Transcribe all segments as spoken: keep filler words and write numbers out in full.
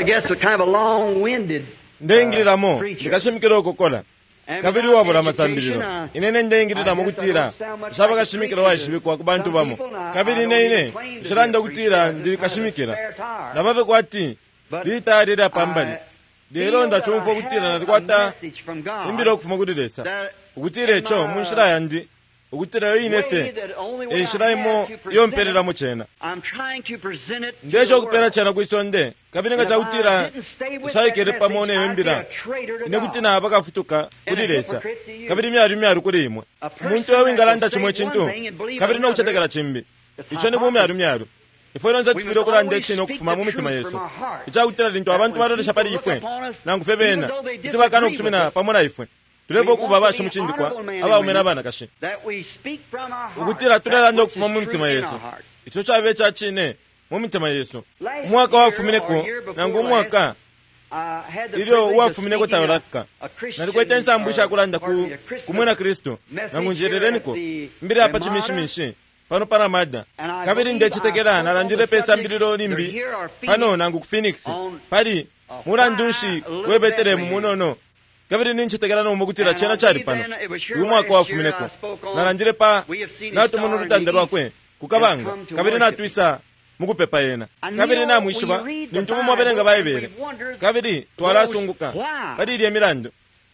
I guess, a kind of a long-winded Ndeingililamo ndikashimikila ukukola kabili uwabula amasambililo. Ine ndeingililamo kutila nshaba kashimikila waishibikwa ku bantu bamo, kabili ine ine nshilanda kutila ndi kashimikila nababe kwati litali lya pambali. Lelo ndachumfwa kutila nalikwata imbila ukufuma kuli Lesa ukutila ico mu nshila yandi, ukutila yo ine fye e nshila imo iyo mpelelamo cena. Ndesha ukupela cena kwisonde, kabili nga cakutila nshaikele pamo neyo mbila, ine kuti naba kafutuka kuli Lesa kabili myalu myalu kuli imwe. Umuntu uyo wingalanda cimo icintu kabili nokucetekela cimbi, ico ni bumyalu myalu. Ifwe lonse tufwile ukulanda icine ukufuma mu mitima yesu, icakutila lintu abantu balolesha pali ifwe nangu fye bena kuti bakana ukusumina pamo na ifwe, tuleva ukuba abashimucindikwa abaume n'abanakashi, ukutila tulelanda ukufuma mu mitima yesu ico cabe ica cine mu mitima yesu. Umwaka wafumineko nangu umwaka ilyo uwafumineko taulafika, nalikwete insambu ishakulanda ku kumwina Kristu nangu njerereniko mbili apa chimishimishi pano pa Ramada, kabili ndecetekela nalandile pe sambililo limbi pano nangu ku Phoenix pali mulandu nshi we Betelehemu munono, kabili nincetekela nomba kutila cena cali pano uyu mwaka wafumineko. Nalandile pa natumona ulutanda lwakwe kukabanga, kabili natwisa mukupepa yena, kabili namwishiba lintu mumwabelenga Baibele, kabili twalasunguka pali ilye milandu.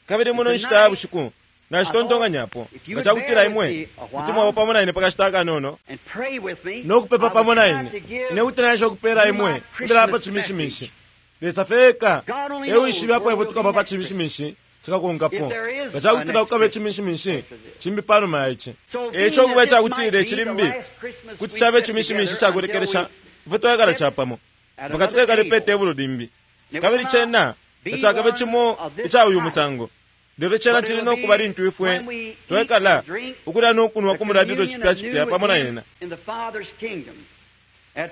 Kabili muno nshita ya bushiku nashitontonganyapo nga cakutila imwe kuti mwaba pamo na ine pakashita akanono nokupepa pamo na ine, ine kuti naisha ukupela imwe imbila pa chimishimishi. Lesa feka ewishibe apo ifwe tukaba pa chimishimishi cikakonkapo, nga cakutila kukaba icimishimishi cimbi panuma ya ici. Eico ukuba icakutila icilimbi kuti cabe icimishimishi cakulekelesha ifwe twekala capamo mpaka twekale pe tebulo limbi, kabili cena tacakabe cimo ica uyu musango. Lelo cena cili nokuba lintu ifwe twekala ukulya nokunwa ku mulalilo cipya cipya pamo na yena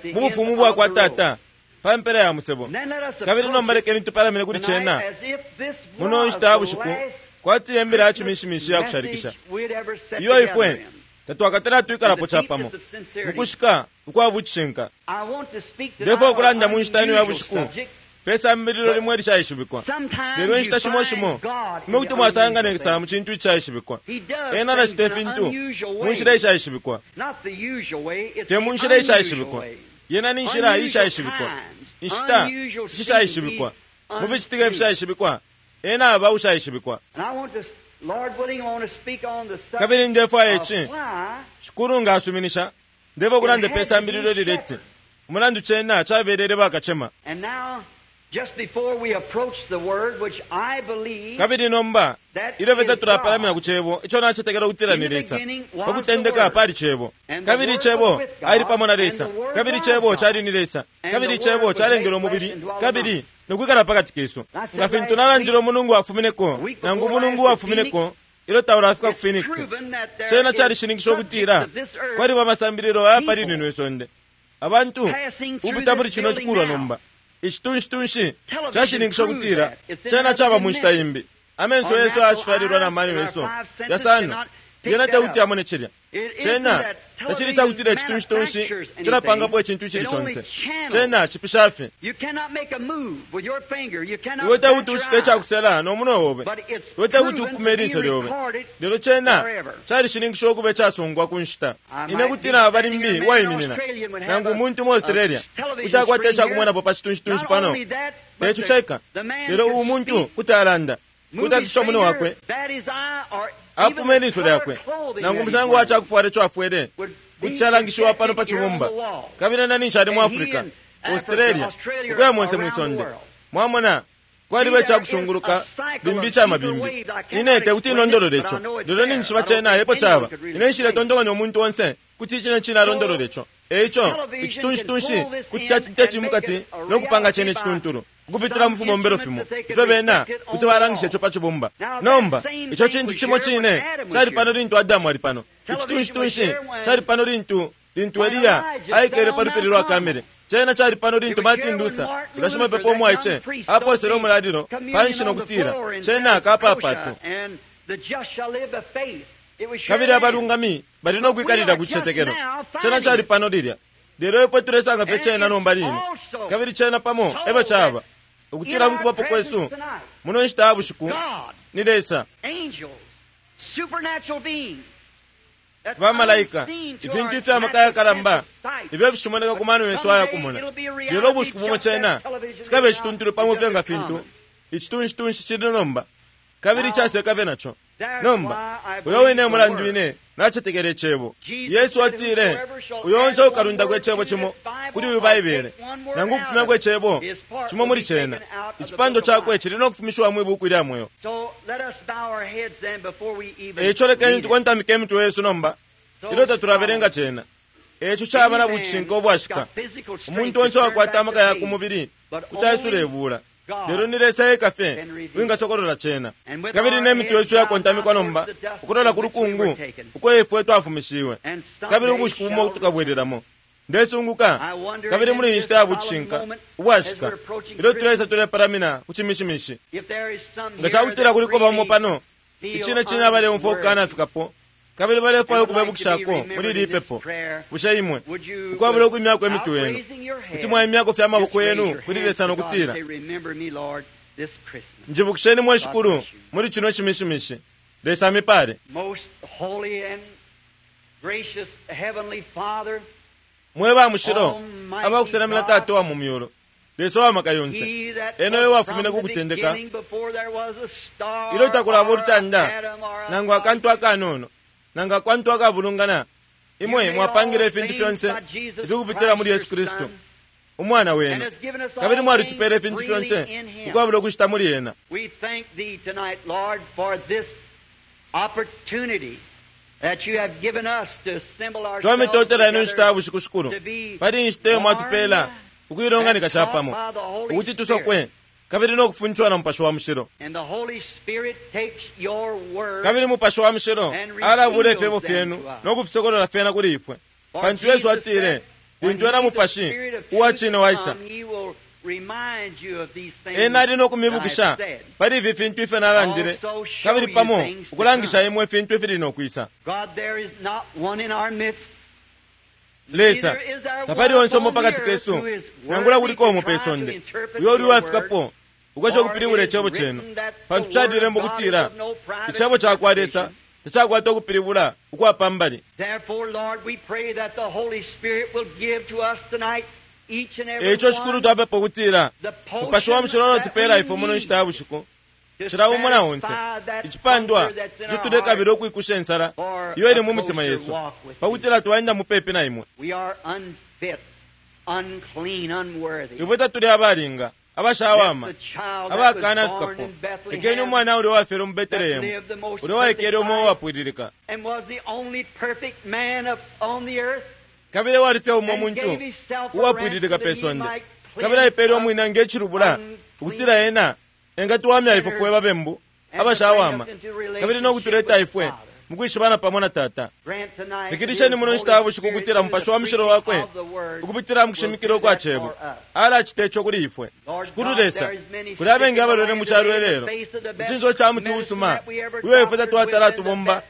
mu bufumu bwakwa Tata pa mpela ya musebo. Kabili nomba lekeni tupalamine kuli cena muno nshita ya bushiku kwati yembela ya chimishimishi ya kushalikisha iyo ifwe tatwakatala twikalapo capamo mukushika ukwa bucishinka. Ndefo ukulanda mu nshita ino ya bushiku pe sambililo limwe lishaishibikwa, lelo inshita shimo shimo imwe kuti mwasanga Lesa mu cintu icaishibikwa. Ena alacita ifintu mu nshila ishaishibikwa, te mu nshila ishaishibikwa. Yena ni nshila ishaishibikwa, inshita ishishaishibikwa, mu ficitika ifishaishibikwa, ena aba ushaishibikwa. Kabili ndefwaya ici, Shikulu nga asuminisha, ndefo ukulanda pe sambililo lileti umulandu cena cabelele bakacema. Kabili nomba ilyo fye tatulapalamina ku cebo ico nacetekela ukutila ni Lesa, pakutendeka pali cebo, kabili cebo ali pamo na Lesa, kabili cebo cali ni Lesa, kabili cebo calengele umubili kabili nokwikala pakati kesu. Nga fintu nalandile umulungu wafumineko nangu umulungu wafumineko ilyo taulafika ku Phoenix, cena calishininkisha ukutila kwaliba amasambililo aya pali lino isonde abantu ukupita muli cino cikulwa nomba. Icitunshi cashininkisha ukutila cena caba mu nshita imbi. Amenso yesu ayashifyalilwa na mano yesu yasano yena tekuti amone cilya. Cena tacili cakutila icitunshi cilapangapo icintu icili conse, cena cipisha fye. Iwe tekuti ucite icakusela no munwe obe, iwe tekuti upume ilinso lyobe, lelo cena calishininkisha ukuba icasungwa ku nshita. Ine kuti naba limbi uwaiminina nangu umuntu mu Australia kuti akwata icakumwenapo pa citunshi pano, teco ceka, lelo uwu muntu kuti alanda kuti atusha umunwe wakwe apume ilinso lyakwe nangu umusango wa cakufwala ico afwele kuti calangishiwa pano pa cibumba. Kabili na ninshi ali mu Africa, Australia, ukuya monse mwisonde. Mwamona kwaliba icakushunguluka limbi ica mabimbi. Ine tekuti inondolole ico, lelo ninshi cena epo caba. Ine nshiletontonkanya umuntu onse kuti icine cine alondolole ico. Eico icitunshi kuti cacita cimukati nokupanga cene icituntulu ukupitila mu fibombelo fimo ifyo bena kuti balangisha ico pa cibumba. Nomba ico cintu cimo cine cali pano lintu Adamu ali pano. Icitunshi cali pano lintu lintu Eliya aikele pa lupili lwa Kamele. Cena cali pano lintu Martin Luther ulashimapepo umwaice aposele umulalilo panshi nokutila cena kapapato. Kabili abalungami bali nokwikalila ku cicetekelo. Cena cali pano lilya, lelo ifwe tulesanga fye cena nomba line. Kabili cena pamo efyo caba Ukutila mukubapo kwesu muno nshita ya bushiku ni Lesa, bamalaika, ifintu ifya maka yakalamba ifyo fishimoneka ku mano yesu ayakumona. Lelo ubushiku bumo cena cikaba icituntulu pamo fye nga fintu icitunshi cili nomba, kabili icaseka fye naco nomba. Uyo wine mulandu ine nacetekele icebo. Yesu atile, uyo onse ukalundako icebo cimo kuli uyu Baibele, nangu ukufumyako icebo cimo muli cena, icipando cakwe cili no kufumishiwa mwi buku ilya mweo. Eico lekeni tukontamike imitwe yesu nomba ilyo tatulabelenga cena. Eco caba na bucishinka ubwashika. Umuntu onse wakwata amaka ya ku mubili kuti aisula ibula, lelo ni Lesa eka fye wingasokolola cena. Kabili ne mitwe yesu yakontamikwa nomba ukulola ku lukungu uko ifwe twafumishiwe, kabili ubushiku bumo tukabwelelamo. Ndesunguka, kabili muli inshita ya bucishinka ubwashika ilyo tulesa tulepalamina ku cimishimishi, nga cakutila kuliko bamo pano icine cine abaleumfwa ukukanafikapo kabili balefwaya ukubebukishako muli ili ipepo, bushe imwe ukwabula ukwimyako imitwe yenu kuti mwaimyako fye amaboko yenu kuli Lesa no kutila, njibukisheni mwe Shikulu muli cino cimishimishi. Lesa amipale. Mwe ba mushilo abakusenamina Tata wa mu myulu, Lesa wa maka yonse, ena uyo wafumine ku kutendeka ilyo takulaba ulutanda nangu akantu akanono nangu akantu akabulungana, imwe mwapangile ifintu fyonse ifikupitila muli Yesu Kristu umwana wenu, kabili mwalitupele ifintu fyonse ukwabula ukushita muli ena. Twamitotela ino nshita ya bushiku, Shikulu, pali inshita iyo mwatupela ukuilonganika capamo ukuti tusokwe kabili no kufunishwa na Mupashi wa Mushilo. Kabili Mupashi wa Mushilo alabula ifyebo fyenu no kufisokolola fyena kuli ifwe, pantu Yesu atile, lintu ena Mupashi uwa cine waisa, ena ali no kumibukisha pali ifi fintu ifyo nalandile, kabili pamo ukulangisha imwe ifintu ifili no kwisa. Lesa, tapali onse umo pakati kesu nangula kuliko umo pe sonde uyo uli wafikapo ukwesha ukupilibula icebo cenu, pantu calilemba ukutila icebo cakwa Lesa tacakwata ukupilibula ukwapambali. Eico Shikulu, twapepa ukutila Mupashi wa Mushilo alotupela ifwe muno nshita ya bushiku cila umo na onse icipandwa ico tulekabila ukwikusha insala iyo ili mu mitima yesu, pakutila twaenda mupepi na imwe. Ifwe tatuli abalinga, abashawama, abakana fikapo. Lekeni umwana ulya wafyelwe mu Betelehemu, ulya waikele umo uwapwililika, kabili wali fye umo muntu uwapwililika pe sonde, kabili aipele umwine nge cilubula ukutila ena engatuwamya ifwe fwe babembu abashawama, kabili no kutuleta ifwe mukwishibana pamo na Tata. Fikilisheni muno nshita ya bushiku ukutila Mupashi wa Mushilo wakwe ukupitila mukushimikila ukwa cebo alacita ico kuli ifwe. Shikulu Lesa, kuli abengi abalwele mu calo ilelo icinso ca muti usuma uyo ifwe tatwatala tubomba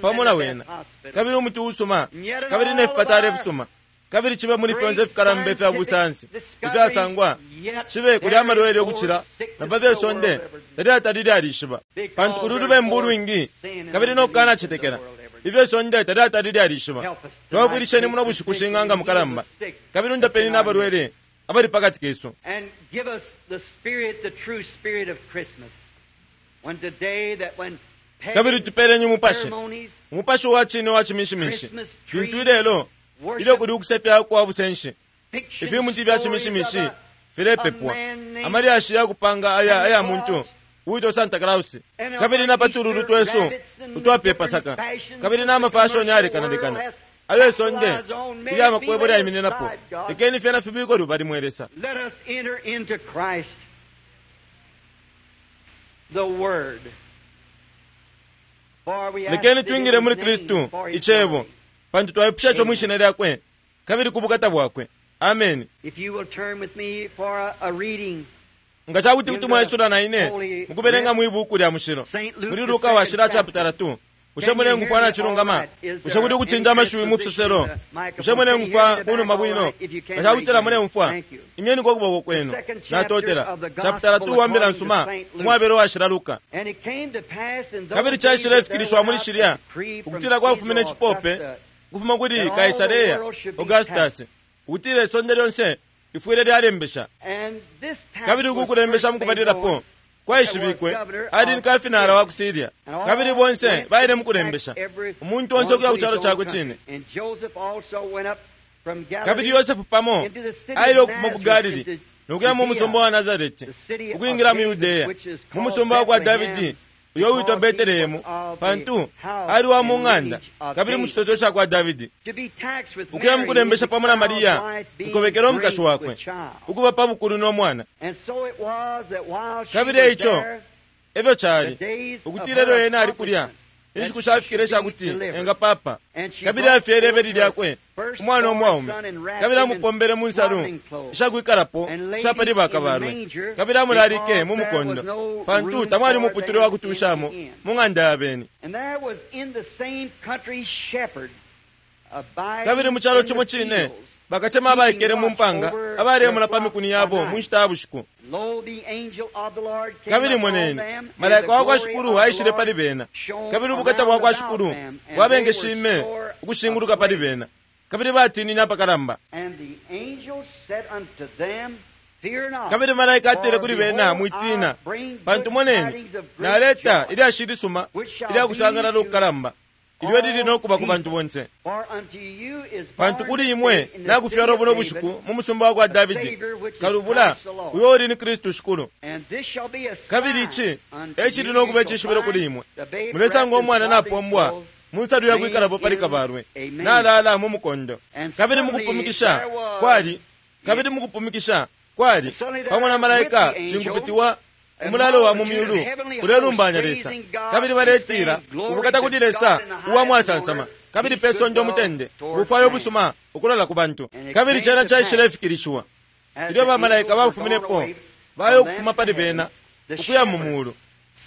pamo na wena, kabili umuti usuma kabili ne fipatala ifisuma, kabili cibe muli fyonse ifikalamba ifya busansi ifyasangwa, cibe kuli amalwele ukucila na pa fye sonde talyatali lyalishiba, pantu kuli ulubembu ulwingi kabili no kukanacetekela ifyo sonde talyatali lyalishiba. Twafwilisheni muno bushiku shing'anga mukalamba, kabili undapeni n'abalwele abali pakati kesu. Kabili tupeleni umupashi, umupashi wa cine wa cimishimishi, lintu ilelo ilyo kuli ukusefya kwa busenshi, ifimuti vya cimishimishi filepepwa, amalyashi ya kupanga aya aya muntu uwitwa Santa Claus, kabili na patululu twesu utwapye Pasaka, kabili na amafashoni alekanalekana ayo isonde ilya makwebo lyaimininapo. Lekeni fyena fibikwe lubali mwe Lesa. Lekeni twingile muli Kristu icebo, pantu twaipusha ico mwishina lyakwe kabili ku bukata bwakwe. Ameni. Nga cakuti kuti mwaisula na ine mukubelenga mwi buku lya mushilo muli Luka washila chapitala two, Bushe mulengufwa nacilungama? Bushe kuli ukucinja amashiwi mu fisoselo? Bushe mulengufwa kunuma bwino? Nga cakutila muleumfwa, imyeniko ukuboko kwenu. Natotela. Chapitala two wa Mbila Nsuma umwabelo washila Luka. Kabili caishilefikilishiwa muli shilya ukutila kwafumine icipope ukufuma kuli Kaisarea Augustus ukutila isonde lyonse ifwile lyalembesha. Kabili uku kulembesha mukubalilapo kwaishibikwe ali ni kafinala wa ku Syria. Kabili bonse baile mukulembesha, umuntu onse ukuya ku calo cakwe cine. Kabili Yosefu pamo aile ukufuma ku Galili nokuya mu musumba wa Nazareti ukwingila mu Yudeya, mu musumba wa kwa Davidi uyo witwa Betelehemu, pantu ali wa mu ng'anda kabili mu citoto ca kwa Davidi, ukuya mukulembesha pamo na Mariya nkobekela umukashi wakwe ukuba pa bukulu no mwana. Kabili eico efyo cali ukutila elyo ena ali kulya inshiku shafikile ishakuti engapapa. Kabili afyele ibeli lyakwe umwana umwaume, kabili amupombele mu nsalu ishakwikalapo ishapali bakabalwe, kabili amulalike mu mukondo, pantu tamwali umuputule wa kutushamo mu ng'anda ya beni. Kabili mu calo cimo cine bakacema abaikele mu mpanga abalemona pa mikuni yabo mu nshita ya bushiku. Kabili moneni, malaika wa kwa Shikulu aishile pali bena, kabili ubukata bwa kwa Shikulu bwabengeshime ukushinguluka pali bena, kabili batinine apakalamba. Kabili malaika atile kuli bena, mwitina, pantu moneni, naleta ilyashi lisuma ilya kusangalala ukukalamba ilyo lili nokuba ku bantu bonse. Pantu kuli imwe nakufyalwa buno bushiku mu musumba wa kwa Davidi kalubula, uyo uli ni Kristu Shikulu. Kabili ici ecili nokuba icishibilo kuli imwe: mulesanga umwana napombwa mu nsalu yakwikalapo pali kabalwe, nalala mu mukondo. Kabili mukupumikisha kwali kabili mukupumikisha kwali pamo na malaika cinkupitiwa umulalo wa mu myulu ulelumbanya Lesa, kabili baletila ubukata kuli Lesa uwa mwasansama, kabili pe sonde umutende ubufwayo ubusuma ukulola ku bantu. Kabili cena caishilefikilishiwa ilyo bamalaika bafuminepo bayo ukufuma pali bena ukuya mu mulu.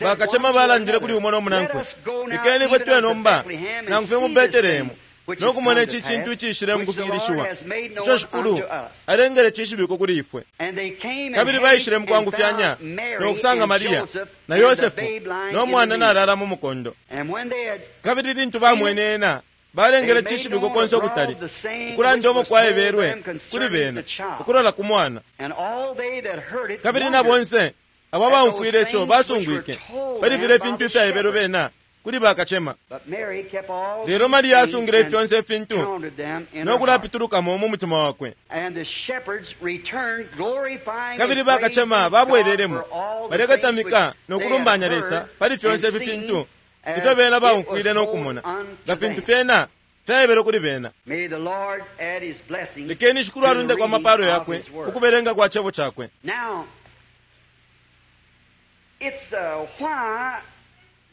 Bakacema balandile kuli umo no munankwe, ikeni ifwe tuye nomba nangu fye mu Betelehemu nokumona ici cintu icishile mukufikilishiwa ico Shikulu alengele cishibiko kuli ifwe. Kabili baishile mukwangufyanya nokusanga Mariya na Yosefu no mwana nalala mu mukondo. Kabili lintu bamwene ena, balengele cishibiko konse ukutali, ukulanda umo kwaebelwe kuli bena ukulola ku mwana. Kabili na bonse abo abaumfwile ico basungwike pali filya ifintu ifyaebelwe bena kuli bakacema. Lelo Mariya asungile fyonse ifintu nokulapitulukamo mu mutima wakwe. Kabili bakacema babwelelemo balekatamika nokulumbanya Lesa pali fyonse ifi fintu ifyo bena baumfwile nokumona, nga fintu fyena fyaebelwe kuli bena. Lekeni Shikulu alundeko amapalo yakwe ukubelenga kwa cebo cakwe.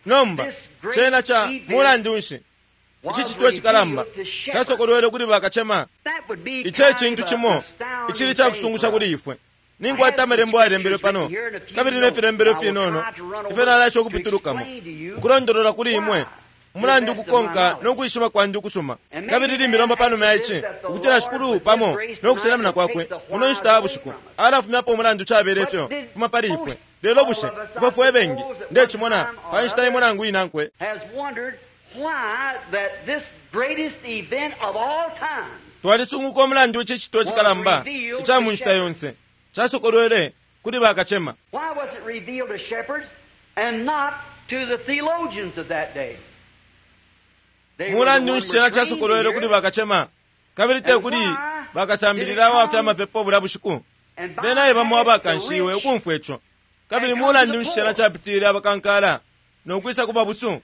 Nomba cena ca mulandu nshi ici citwe cikalamba casokolwele kuli bakacema? Ici ecintu cimo icili cakusungusha kuli ifwe. Ninkwata amalembo ayalembelwe pano kabili ne filembelo finono ifyo nalasha ukupitulukamo ukulondolola kuli imwe umulandu ukukonka nokwishiba kwandi ukusuma. Kabili limbi lomba panuma ya ici ukutila Shikulu pamo nokusenamina kwakwe muno nshita ya bushiku alafumyapo umulandu cabele ifyo fuma pali ifwe. Lelo bushe ifwe fwe bengi ndecimona pa nshita imo nangu inankwe twalisunguka umulandu ici citwe cikalamba ica mu nshita yonse casokolwele kuli bakacema. Mulandu nshi cena casokolwele kuli bakacema kabili te kuli bakasambilila aba fya mapepo bulya bushiku? Bena e bamo abakanshiwe ukumfwa ico. Kabili mulandu nshi cena capitile abakankala nokwisa ku babusu?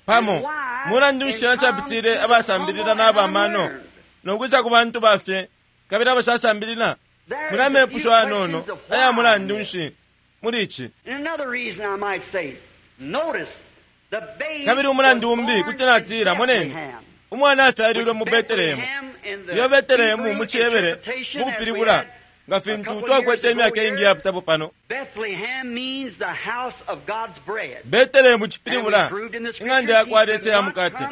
Pamo mulandu nshi cena capitile abasambilila n'abamano nokwisa ku bantu bafye kabili abashasambilila? Muli amepusho ayanono aya mulandu nshi muli ici. Kabili umulandu umbi kuti natila, moneni, umwana afyalilwe mu Betelehemu. Iyo Betelehemu mu Cihebere mukupilibula Nga fintu twakwete imyaka ingi yapitapo pano. Bethlehem means the house of God's bread. Betelehemu cipilibula ing'anda ya kwa Lesa ya mukate.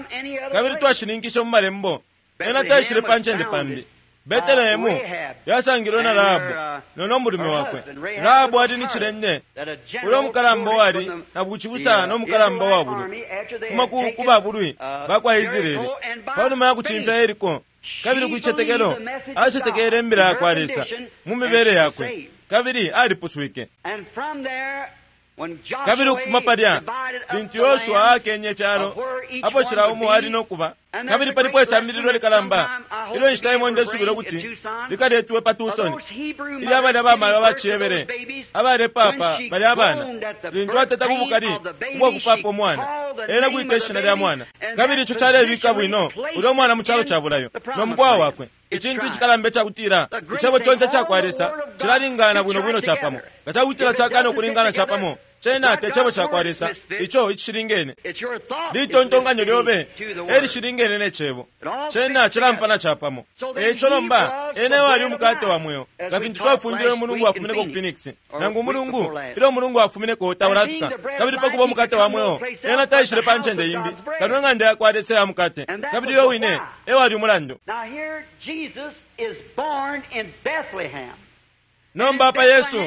Kabili twashininkishe mu malembo ena taishile pa ncende pambi. Betelehemu yasangilwe na Rahabu nono mulume wakwe. Rahabu ali ni cilende ulo mukalamba wali na bucibusa no mukalamba wa bulwi fuma ku ku babulwi ba kwa Israeli panuma ya kucimfya Yeriko. Kabili ku cicetekelo acetekele imbila ya kwa Lesa mu mibele yakwe kabili alipuswike. And from there, when Joshua Kabili ukufuma palya divided up lintu the Yoshua land akenye ifyalo of where each apo one cila would umo be, ali no kuba. and Kabili there's a palipo great isambililo lesson likalamba that sometime I hope ilyo inshita to be imo able to ndesubila bring ukuti in Tucson, likaletwe pa of Tucson. those Hebrew Ilyo abalya mothers bamayo giving birth to abaciyebele those babies, abalepapa when she balya abana groaned at the lintu birth ateta ku pain bukali of the baby, ubwa kupapa she umwana called the ena name kwita of the ishina lya baby, mwana and kabili that ico calebika position bwino placed ulya mwana mu calo in ca bulayo the no promised mukwaa land. wakwe. It's Icintu tried. icikalamba icakutila The great icebo thing, conse ca all kwa the Lesa word of God cilalingana fits bwino bwino right capamo. together. Nga cakutila If it cakana doesn't fit ukulingana together, capamo it's cena not te cebo God's ca kwa word Lesa misfit. ico icishilingene. It's your thought is Litontonkanyo lyobe misfitting to the word. elishilingene ne cebo It all cena fits cilampana together. capamo. So then Eico he nomba was ene the wali bread of umukate wa life, mweo as nga we fintu taught twafundile last umulungu week in wafumineko ku Phoenix, Phoenix or nangu week umulungu before last. ilyo umulungu wafumineko And being taulafika the bread of kabili life, pakuba he could umukate wa come no mweo place ena else but taishile the pa house ncende of imbi God's bread. kano ing'anda ya kwa Lesa ya mukate And that kabili was yo the wine why. ewali umulandu. Now here Jesus is born in Bethlehem. Nomba apa Yesu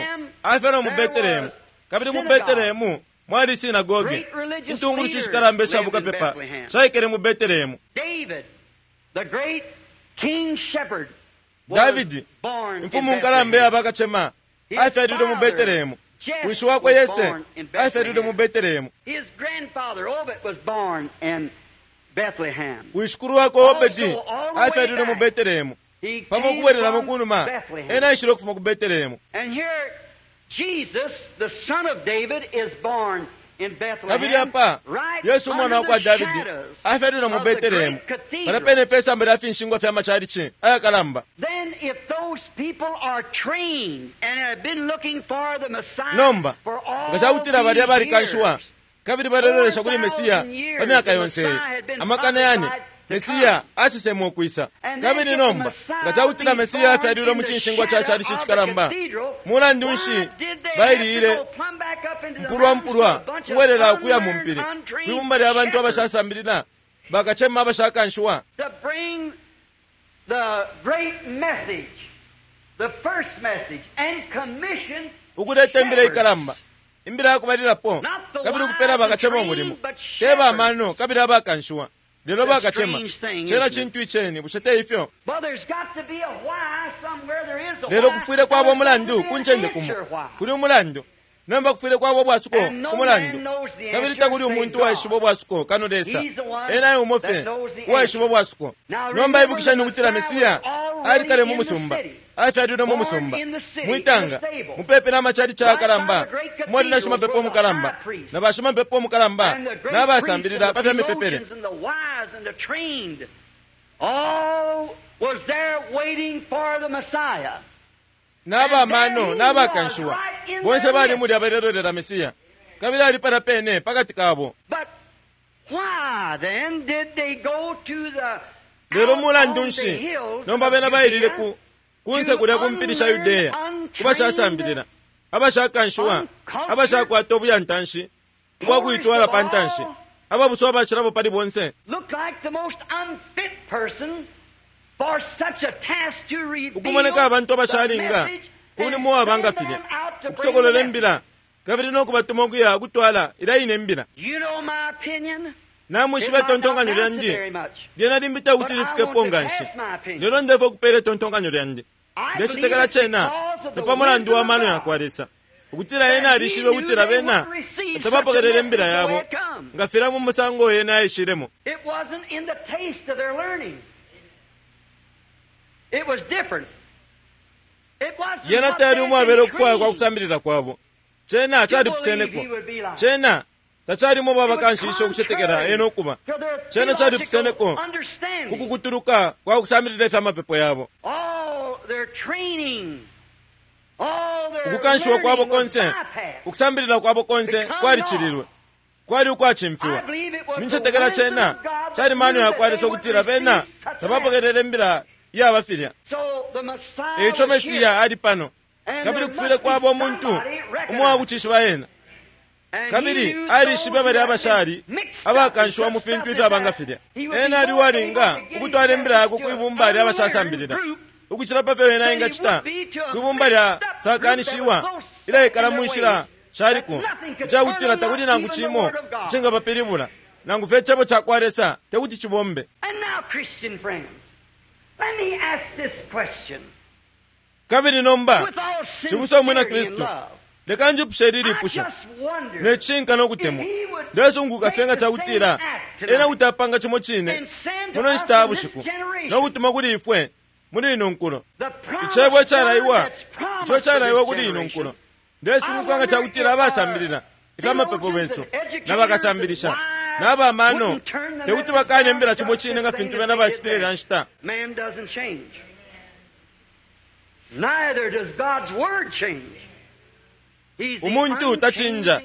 afyalwa mu There Betelehemu was kabili mu synagogue. Betelehemu mwali sinagoge Great religious intungulushi leaders shikalamba isha lived in bukapepa Bethlehem. shaikele mu Betelehemu. David, the great king shepherd, was Davidi born in imfumu nkalamba Bethlehem. yabakacema His afyalilwe mu father, Betelehemu. Jesse, Wishi wakwe was Yese born in afyalilwe mu Bethlehem. Betelehemu. His grandfather Obed was born in Bethlehem. Wishikulu wakwe Obedi Also, all the way afyalilwe mu back, Betelehemu. He Pamo came ukubwereramo from ku numa Bethlehem. ena aishile ukufuma ku Betelehemu. And here, Jesus, the son of David, is born in Kabili Bethlehem, apa right Yesu umwana under wa kwa the Davidi shadows afyalilwe mu of the Betelehemu great cathedral. pala pene pe samba lya finshingwa fya machalichi ayakalamba. Then, if those people are trained and have been looking for the Messiah Nomba for all nga cakutila balya these balikanshiwa years, kabili balelolesha kuli Mesiya pa myaka yonse iyi amakana yane Mesiya asesemwe ukwisa. Kabili nomba nga cakutila Mesiya afyalilwe mu cinshingwa ca chalichi cikalamba mulandu nshi bailile mpulwampulwa kubwelela ukuya mu mpili kwibumba lya bantu abashasambilila bakacema abashakanshiwa to bring the great message, the first message, and commission ukuleta imbila shepherds. ikalamba imbila yakubalilapo kabili ukupela bakacema umulimo te bamano kabili abakanshiwa lelo bakacema cena cintu iceni bushe te ifyo. Well, there's got to be a why somewhere. There is a Lelo why. kufwile kwaba There's got to umulandu be ku an ncende kumo answer why. kuli umulandu nomba kufwile kwaba ubwasuko And no ku mulandu man knows the kabili answer takuli save umuntu God. uwaishiba ubwasuko kano Lesa He's the one ena umo that fye knows the uwaishiba answer. ubwasuko. Now Nomba remember ibukishani the ukutila Messiah Mesiya was already ali kale mu in the musumba city. afyalilwe mu Born musumba in the city, mwitanga in the stable. mupepi n'amachalichi Right ayakalamba by the great mwali na cathedrals shimapepo were the omukalamba high priests. na bashimapepo omukalamba And the great n'abasambilila priests pa fya and the mipepele theologians and the wise and the trained, all was there waiting for the Messiah. n'abamano n'abakanshiwa bonse bali mulya balelolera Mesiya kabili ali pala pene pakati kabo. But why then did they go to the Lelo out mulandu on the nshi hills nomba of bena bailile Judea ku kunse kulya ku mpili sha Yudeya kubashasambilila abashakanshiwa abashakwata obuyantanshi ubwakuitwala pa ntanshi ababuso abacilabo pali bonse looked like the most unfit person for such a task to reveal ukumoneka abantu the abashalinga message ku and mulimo wabanga send filya them out to bring the ukusokolola message. imbila kabili n'okubatuma okuya okutwala ila ine imbila. You know my opinion. Namwishiba It might not itontonkanyo amount to lyandi very much. lyena limbi tekuti But I lifikepo want to nga nshi pass my opinion. lelo ndefa okupeela itontonkanyo lyandi. I Ndecetekela believe it's cena because of the ni pa mulandu wa wisdom of mano ya God. kwa Lesa ukutila ena alishibe ukutila bena tabapokelele imbila yabo nga filya mu musango ena aishilemo. It wasn't in the taste of their learning. It was different. It wasn't Yena what tayali they had umwabela been ukufwaya kwa trained kusambilila kwabo cena to calipuseneko believe he would be like. cena tacalimo It was babakanshisha ukucetekela contrary ena ukuba to their cena calipuseneko theological understanding. kukukutuluka kwa kusambilila ifya mapepo yabo. All their training, all their Ukukanshiwa kwabo learning was konse bypassed. ukusambilila kwabo konse kwalicililwe kwali ukwacimfiwa. I believe it was the Nincetekela wisdom cena of God that cali mano knew ya that kwa they Lesa would ukutila bena receive such a tabapokelele imbila yaba filya. So Eico Mesiya ali pano, kabili kufwile kwaba umuntu umwakucishiba ena. Kabili alishibe bali abashali abakanshiwa mu fintu ifyaba nga filya. Ena ali uwalinga ukutwala imbila yakwe kwibumba lya abashasambilila ukucila pa fyo ena engacita kwibumba lya sakanishiwa ilaikala mu nshila shaliko, icakutila takuli nangu cimo icingabapilibula, nangu fye icebo ca kwa Lesa tekuti cibombe. Kabili nomba cibusa umwina Kristu, leka njipushe ili lipusho ne cishinka no kutemwa. Ndesunguka fye nga cakutila ena kuti apanga cimo cine muno nshita ya bushiku no kutuma kuli ifwe muli ino nkulo icebo icalaiwa, ico calaiwa kuli ino nkulo. Ndesunguka nga cakutila abasambilila ifyamapepo bensu na bakasambilisha na bamano tekuti bakane imbila cimo cine nga fintu bena bacitile ilya nshita. Umuntu tacinja,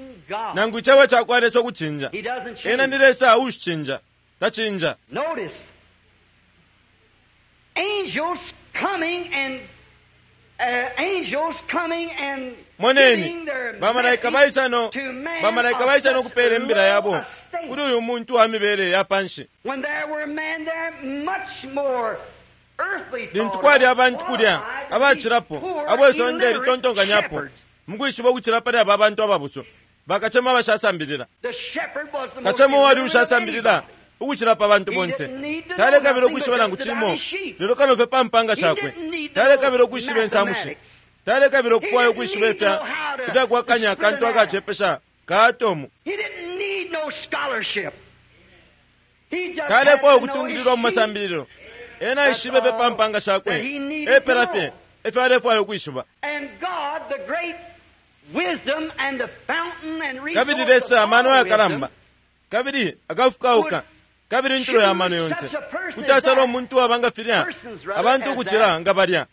nangu icebo ca kwa Lesa ukucinja. Ena ni Lesa uushicinja, tacinja. Notice, angels coming and uh, angels coming and Moneni bamalaika baisa no bamalaika baisa no kupela imbila yabo kuli uyu muntu wa mibele ya panshi. When there were men there much more Lintu kwali abantu kulya abacilapo abo isonde litontonkanyapo mukwishiba ukucila pali aba bantu ababuso, bakacema abashasambilila. Kacema uwali ushasambilila ukucila pa bantu bonse talekabila ukwishiba nangu cimo, lelo kano fye pa mpanga shakwe. Talekabila ukwishiba insamushi, talekabila ukufwaya ukwishiba ifya ifyakuwakanya akantu akacepesha ka atomu. Talefwaya ukutungililwa mu masambililo. Ena aishibe fye pa mpanga shakwe, epela fye efyo alefwaya ukwishiba. Kabili Lesa amano ayakalamba, kabili akafukauka, kabili intulo ya mano yonse, kuti asala umuntu uwaba nga filya abantu ukucila nga balya,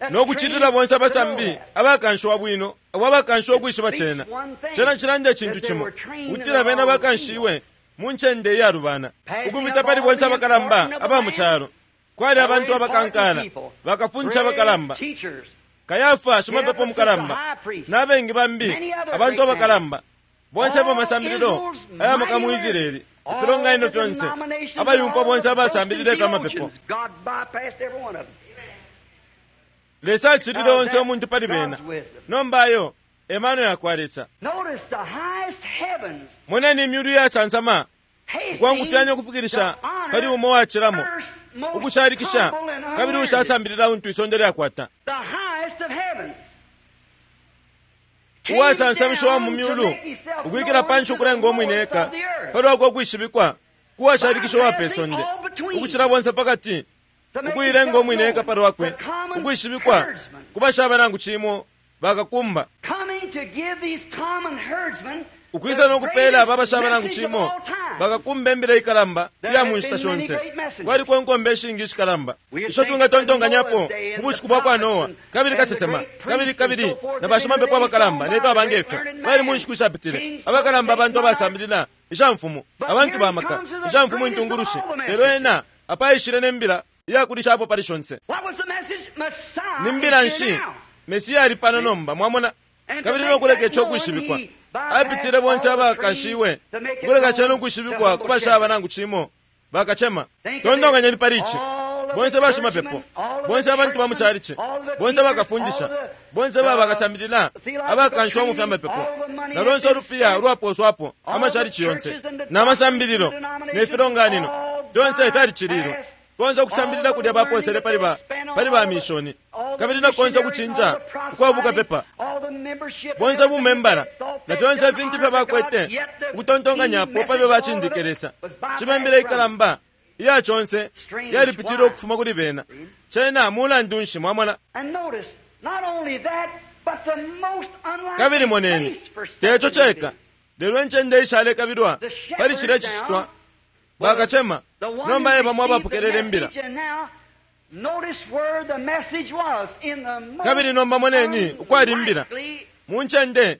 no kucilila bonse abasambi abakanshiwa bwino, abo abakanshiwa ukwishiba cena. Cena cilanda icintu cimo, ukutila bena bakanshiwe mu ncende iyalubana, ukupita pali bonse abakalamba aba mu calo. Kwali abantu abakankala, bakafuncha abakalamba, Kayafa shimapepo mukalamba, n'abengi bambi abantu abakalamba, bonse abamasambililo ayamaka mu Israeli, ifilonganino fyonse, abayumfwa bonse abasambilile ifyamapepo. Lesa acilile onse umuntu pali bena. Nomba ayo emano ya kwa Lesa. Moneni imyulu iyasansama ukwangufyanya ukufikilisha pali umo wacilamo ukushalikisha kabili ushasambilila untu isonde lyakwata. Uwasansamishiwa mu myulu ukwikila panshi ukulenga umwine eka palwakwe ukwishibikwa kuwashalikisha uwa pe sonde ukucila bonse pakati, ukuilenga umwine eka palwakwe ukwishibikwa kubashaba nangu cimo bakakumba, ukwisa no kupela aba abashaba nangu cimo bakakumba imbila ikalamba iya mu nshita shonse. Kwaliko inkombe ishingi ishikalamba isho twingatontonkanyapo mu bushiku bwa kwa Noa, kabili kasesema, kabili kabili na bashimapepo abakalamba ne fyaba ngefyo bali mu nshiku ishapitile, abakalamba abantu abasambilila ishamfumu, abantu ba maka, ishamfumu intungulushi. Lelo ena apaishile ne mbila iyakulishapo pali shonse. Ni mbila nshi? Mesiya ali pano nomba, mwamona, kabili no kuleka ico kwishibikwa. Apitile bonse abakanshiwe ukuleka cena ukwishibikwa kubashaba nangu cimo bakacema. Tontonkanyeni pali ici: bonse bashimapepo, bonse abantu ba mu calici, bonse bakafundisha, bonse babakasambilila abakanshiwa mu fyamapepo, na lonse ulupiya ulwaposwapo amacalici yonse n'amasambililo ne filonganino fyonse fyalicililwe. Konse ukusambilila kulya baposele pali ba pali ba mishoni, kabili na konse ukucinja ukwabuka pepa, bonse bumembala na fyonse ifintu ifyo bakwete ukutontonkanyapo pabyo bacindike Lesa. Cimembela ikalamba iya conse yalipitile ukufuma kuli bena. Cena mulandu nshi, mwamona? Kabili moneni, teco ceka, lelo incende ishalekabilwa pali cilya cicitwa bakacema nomba e bamo abapokelele imbila. Kabili nomba moneni ukwali imbila mu ncende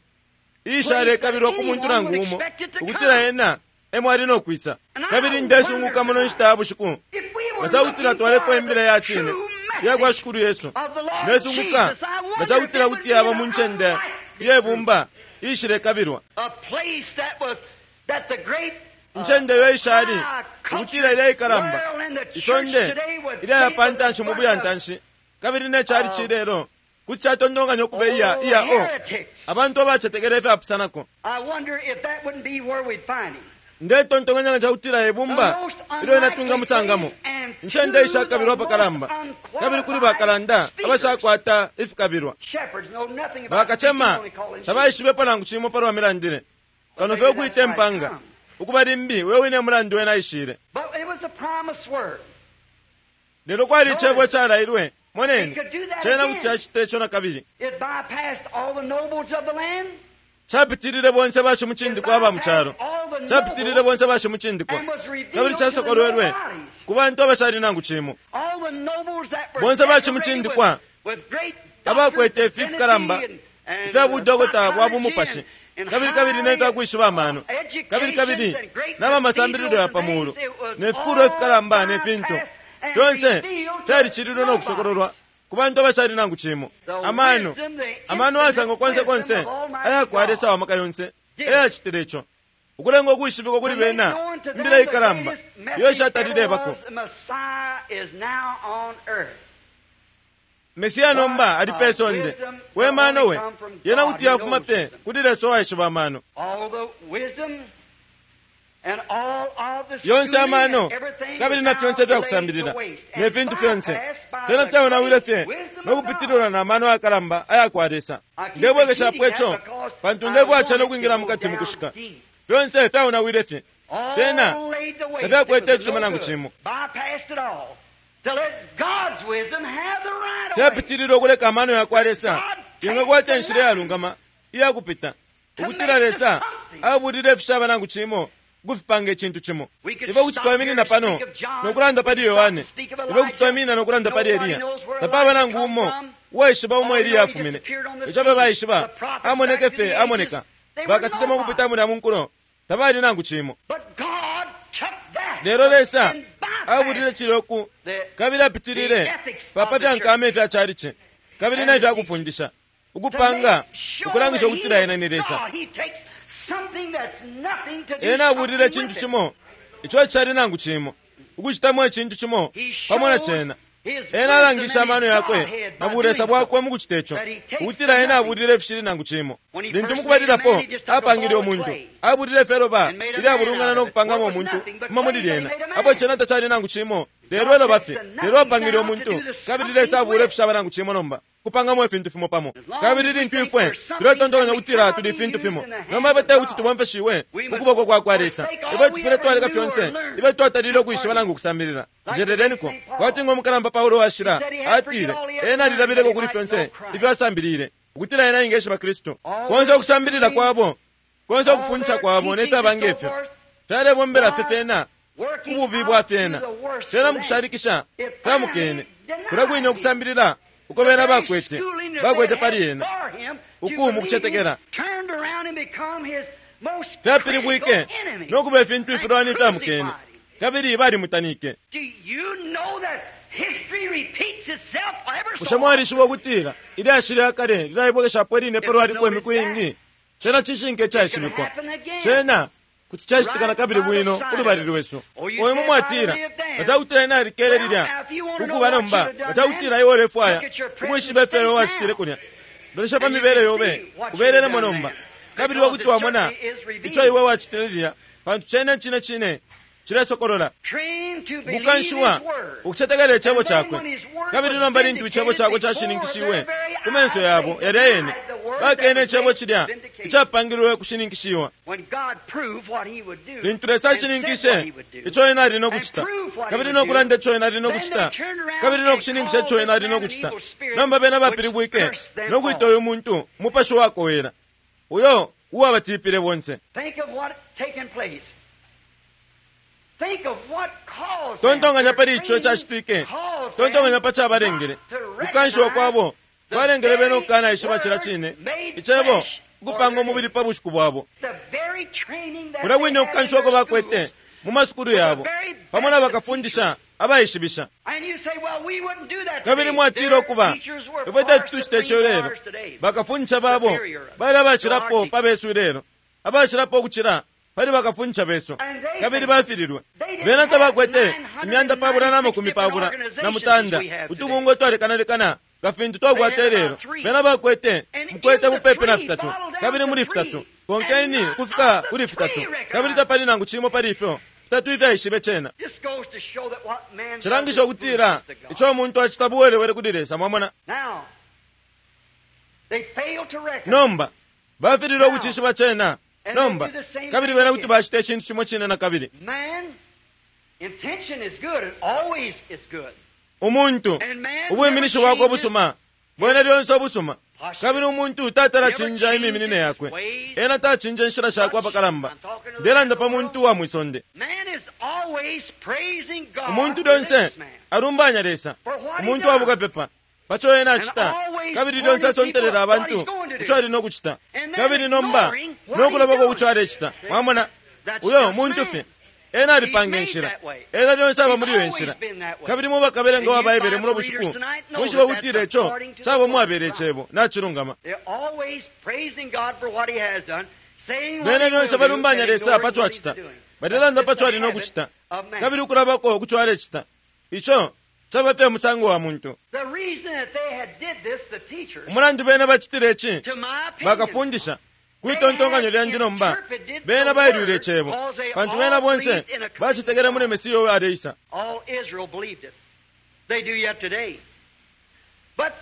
iishalekabilwa ku muntu nangu umo ukutila ena emo ali no kwisa. Kabili ndesunguka muno nshita ya bushiku Nga cakutila twalefwaya imbila ya cine iya kwa Shikulu Yesu, ndesunguka nga cakutila kuti yaba mu ncende iyebumba iishilekabilwa, incende iyo ishali ukutila ilya ikalamba isonde ilyaya pa ntanshi mu buyantanshi, kabili ne cali cilelo kuti catontonkanya ukuba iya iya o abantu abacetekela ifyapusanako. Ndetontonkanya nga cakutila ibumba ilyo inatunga musangamo incende ishakabilwa apakalamba, kabili kuli bakalanda abashakwata ifikabilwa. Bakacema tabaishibepo nangu cimo palwa milandile, kano fye ukuita impanga ukuba limbi uyo wine mulandu wena aishile. Lelo kwali icebo icalailwe. Moneni, cena kuti cacita ico na kabili. Capitilile bonse bashimucindikwa aba mu calo, capitilile bonse bashimucindikwa, kabili casokolwelwe ku bantu abashali nangu cimo. Bonse bashimucindikwa abakwete ifi fikalamba ifya budokota bwa bumupashi, kabili kabili ne fya amano, kabili kabili n'abamasambililo ya pamulu, ne fikulwa ifikalamba ne fintu fyonse fyalicililwe no kusokololwa ku bantu abashali nangu cimo. Amano, amano asangwa konse konse ayakwa Lesa wa maka yonse eyacitile ico, ukulenga ukwishibikwa kuli bena imbila ikalamba iyo ishatalilebako. Mesiya nomba ali pe sonde. We mano we yena kuti yafuma fye kuli Lesa uwaishiba amano yonse, amano kabili na fyonse ifyakusambilila ne fintu fyonse fyena fyaonawile fye no kupitililwa na mano ayakalamba ayakwa Lesa. Ndebwekeshapo ico pantu ndefwaya no kwingila mukati mukushika. Fyonse fyaonawile fye, fyena tafyakwete icisuma nangu cimo. Fyapitililwa ukuleka amano yakwa Lesa ingakwata inshila iyalungama iyakupita, ukutila Lesa abulile ifishaba nangu cimo ukufipanga icintu cimo. Ife kuti twaminina pano nokulanda pali Yohane, ife kuti twaminina nokulanda pali Eliya. Tapaba nangu umo uwaishiba umo Eliya afumine. Ico fye baishiba amoneke fye amoneka. Bakasesema ukupita mulya mu nkulo tabali nangu cimo. Lelo Lesa abulile ciloku kabili apitilile papa fyankama ifya calici kabili na ifyakufundisha ukupanga ukulangisha ukutila ena ni Lesa. Ena abulile icintu cimo ico cali nangu cimo, ukucitamo icintu cimo pamo na cena. Ena alangisha amano yakwe na bulesa bwakwe mu kucita ico, ukutila ena abulile ifishili nangu cimo. Lintu mukubalilapo apangile umuntu, abulile feloba ilyabulungana no kupangamo umuntu kuma muli lyena. Apo cena tacali nangu cimo, lelo eloba fye. Lelo apangile umuntu, kabili Lesa abulile ifishaba nangu cimo nomba kupangamo ifintu fimo pamo. Kabili lintu ifwe tuletontonkanya ukutila tuli ifintu fimo, nomba bete kuti tubomfeshiwe ukuboko kwa kwa Lesa. Ifwe tufwile twaleka fyonse ife twatalile ukwishiba nangu ukusambilila. Njeleleniko kwati ngo mukalamba Paulo washila atile ena alilabileko kuli fyonse ifyo asambilile, ukutila ena ingeshiba Kristu. Konse ukusambilila kwabo, konse ukufundisha kwabo ne fyaba ngefyo fyalebombela fye fyena ububi bwa fyena fyena mukushalikisha fyamukene. Kulya kwine ukusambilila uko bena bakwete bakwete pali ena uku mukucetekela fyapilibwike nokuba ifintu ifilwani ifyamukene, kabili balimutanike. Bushe mwalishiba ukutila ilyashi lya kale lilaibwekeshapo iline palwaliko imiku iingi? Cena cishinka icaishibikwa, cena kuti cacitika na kabili bwino kulubali lwesu. Oyo mumwatila nga cakutila ena alikele lilya ukuba nomba, nga cakutila iwe ulefwaya ukwishiba ifyo iwe wacitile kulya, lolesha pa mibele yobe ubelelemo nomba, kabili wakuti wamona ico iwe wacitile lilya, pantu cena cine cine cilesokolola. Ukukanshiwa ukucetekela icebo cakwe, kabili nomba lintu icebo cakwe cashininkishiwe ku menso yabo yalya yene, bakene icebo cilya icapangilwe kushininkishiwa. Lintu Lesa ashininkishe ico ena ali nokucita, kabili nokulanda ico ena ali nokucita, kabili nokushininkisha ico ena ali nokucita, nomba bena bapilibwike nokwita uyu muntu umupashi wakowela, uyo uwabatipile bonse. Tontonkanya pali ico cacitike, tontonkanya pa cabalengele. Kukanshiwa kwabo kwalengele bena ukukanaishiba cila cine icebo ukupanga umubili pa bushiku bwabo. Kulya kwine ukukanshiwako bakwete mu masukulu yabo pamo na bakafundisha abaishibisha. And you say, well, we wouldn't do that Kabili today. mwatila Their ukuba teachers were ifwe far tetucita ico supreme lelo. ours today. Bakafundisha babo bali abacilapo pa besu ilelo, abacilapo ukucila pali bakafundisha besu, kabili bafililwe. Bena tabakwete imyanda pabula na makumi pabula na mutanda utubungwe twalekanalekana nga fintu twakwata ilelo. Bena bakwete mukwete mupepi na fitatu, kabili muli fitatu konkeni ukufika kuli fitatu, kabili tapali nangu cimo pali ifyo fitatu ifyaishibe cena. This goes to show that what man does Cilangisha is ukutila foolishness to God. ico umuntu acita buwelewele kuli Lesa. Mwamona? Now, they fail to recognize. Nomba bafililwe ukucishiba cena. Nomba kabili bena kuti bacita icintu cimo cine na kabili. Man, intention is good. It always is good. Umuntu And man ubwiminishi never bwakwe changes ubusuma bwene lyonse ubusuma, kabili umuntu tatala cinja imiminine yakwe. Ena tacinja inshila shakwe apakalamba. Ndelanda pa muntu uwa mwisonde. Man is always praising God. Umuntu lyonse religious man. alumbanya Lesa, umuntu wa bukapepa paco ena acita, kabili lyonse asontelela abantu ico ali nokucita, kabili nomba nokulabako kuco alecita. Mwamona, uyo muntu fye ena alipanga inshila, ena lyonse aba muli iyo inshila. Kabili mubakabelenga wa Baibele muno bushiku mwishiba kutila ico caba umwabele icebo nacilungama. They're always praising God for what he has done, saying what Bena he will lyonse do, balumbanya and Lesa ignoring paco what he's acita, doing. balelanda That's paco just ali the habit nokucita, of man. kabili ukulabako kuco alecita. Ico caba fye musango wa muntu. The reason that they had did this, the teachers, Umulandu bena bacitile ici, to my opinion, bakafundisha kwitontonkanyo lyandi nomba bena bailwile icebo, pantu bena bonse bacitekele muli Mesiya uyo aleisa. all Israel believed it. They do yet today. But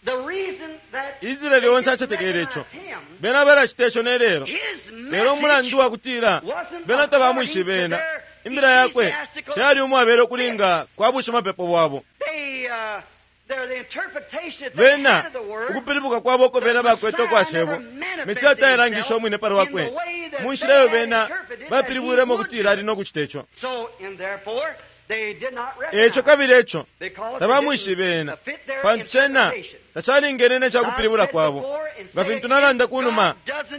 the reason that Israeli they onse didn't acetekele ico, recognize him, bena balacita ico ne lelo. his Lelo umulandu message wa kutila bena tabamwishibe ena, imbila yakwe tayali umwabele ukulinga kwa bushimapepo bwabo. they, uh, their, the interpretation that they Bena had of the word ukupilibuka kwabo uko bena bakwete ukwa cebo, Mesiya tayalangisha umwine pali wakwe mu nshila iyo bena bapilibwilemo ukutila ali nokucita ico. So, and therefore, they did not recognize Eco kabili eco because it tabamwishibe didn't ena, fit their pantu cena interpretation. tacalingene ne cakupilibula kwabo. Nga fintu nalanda kunuma,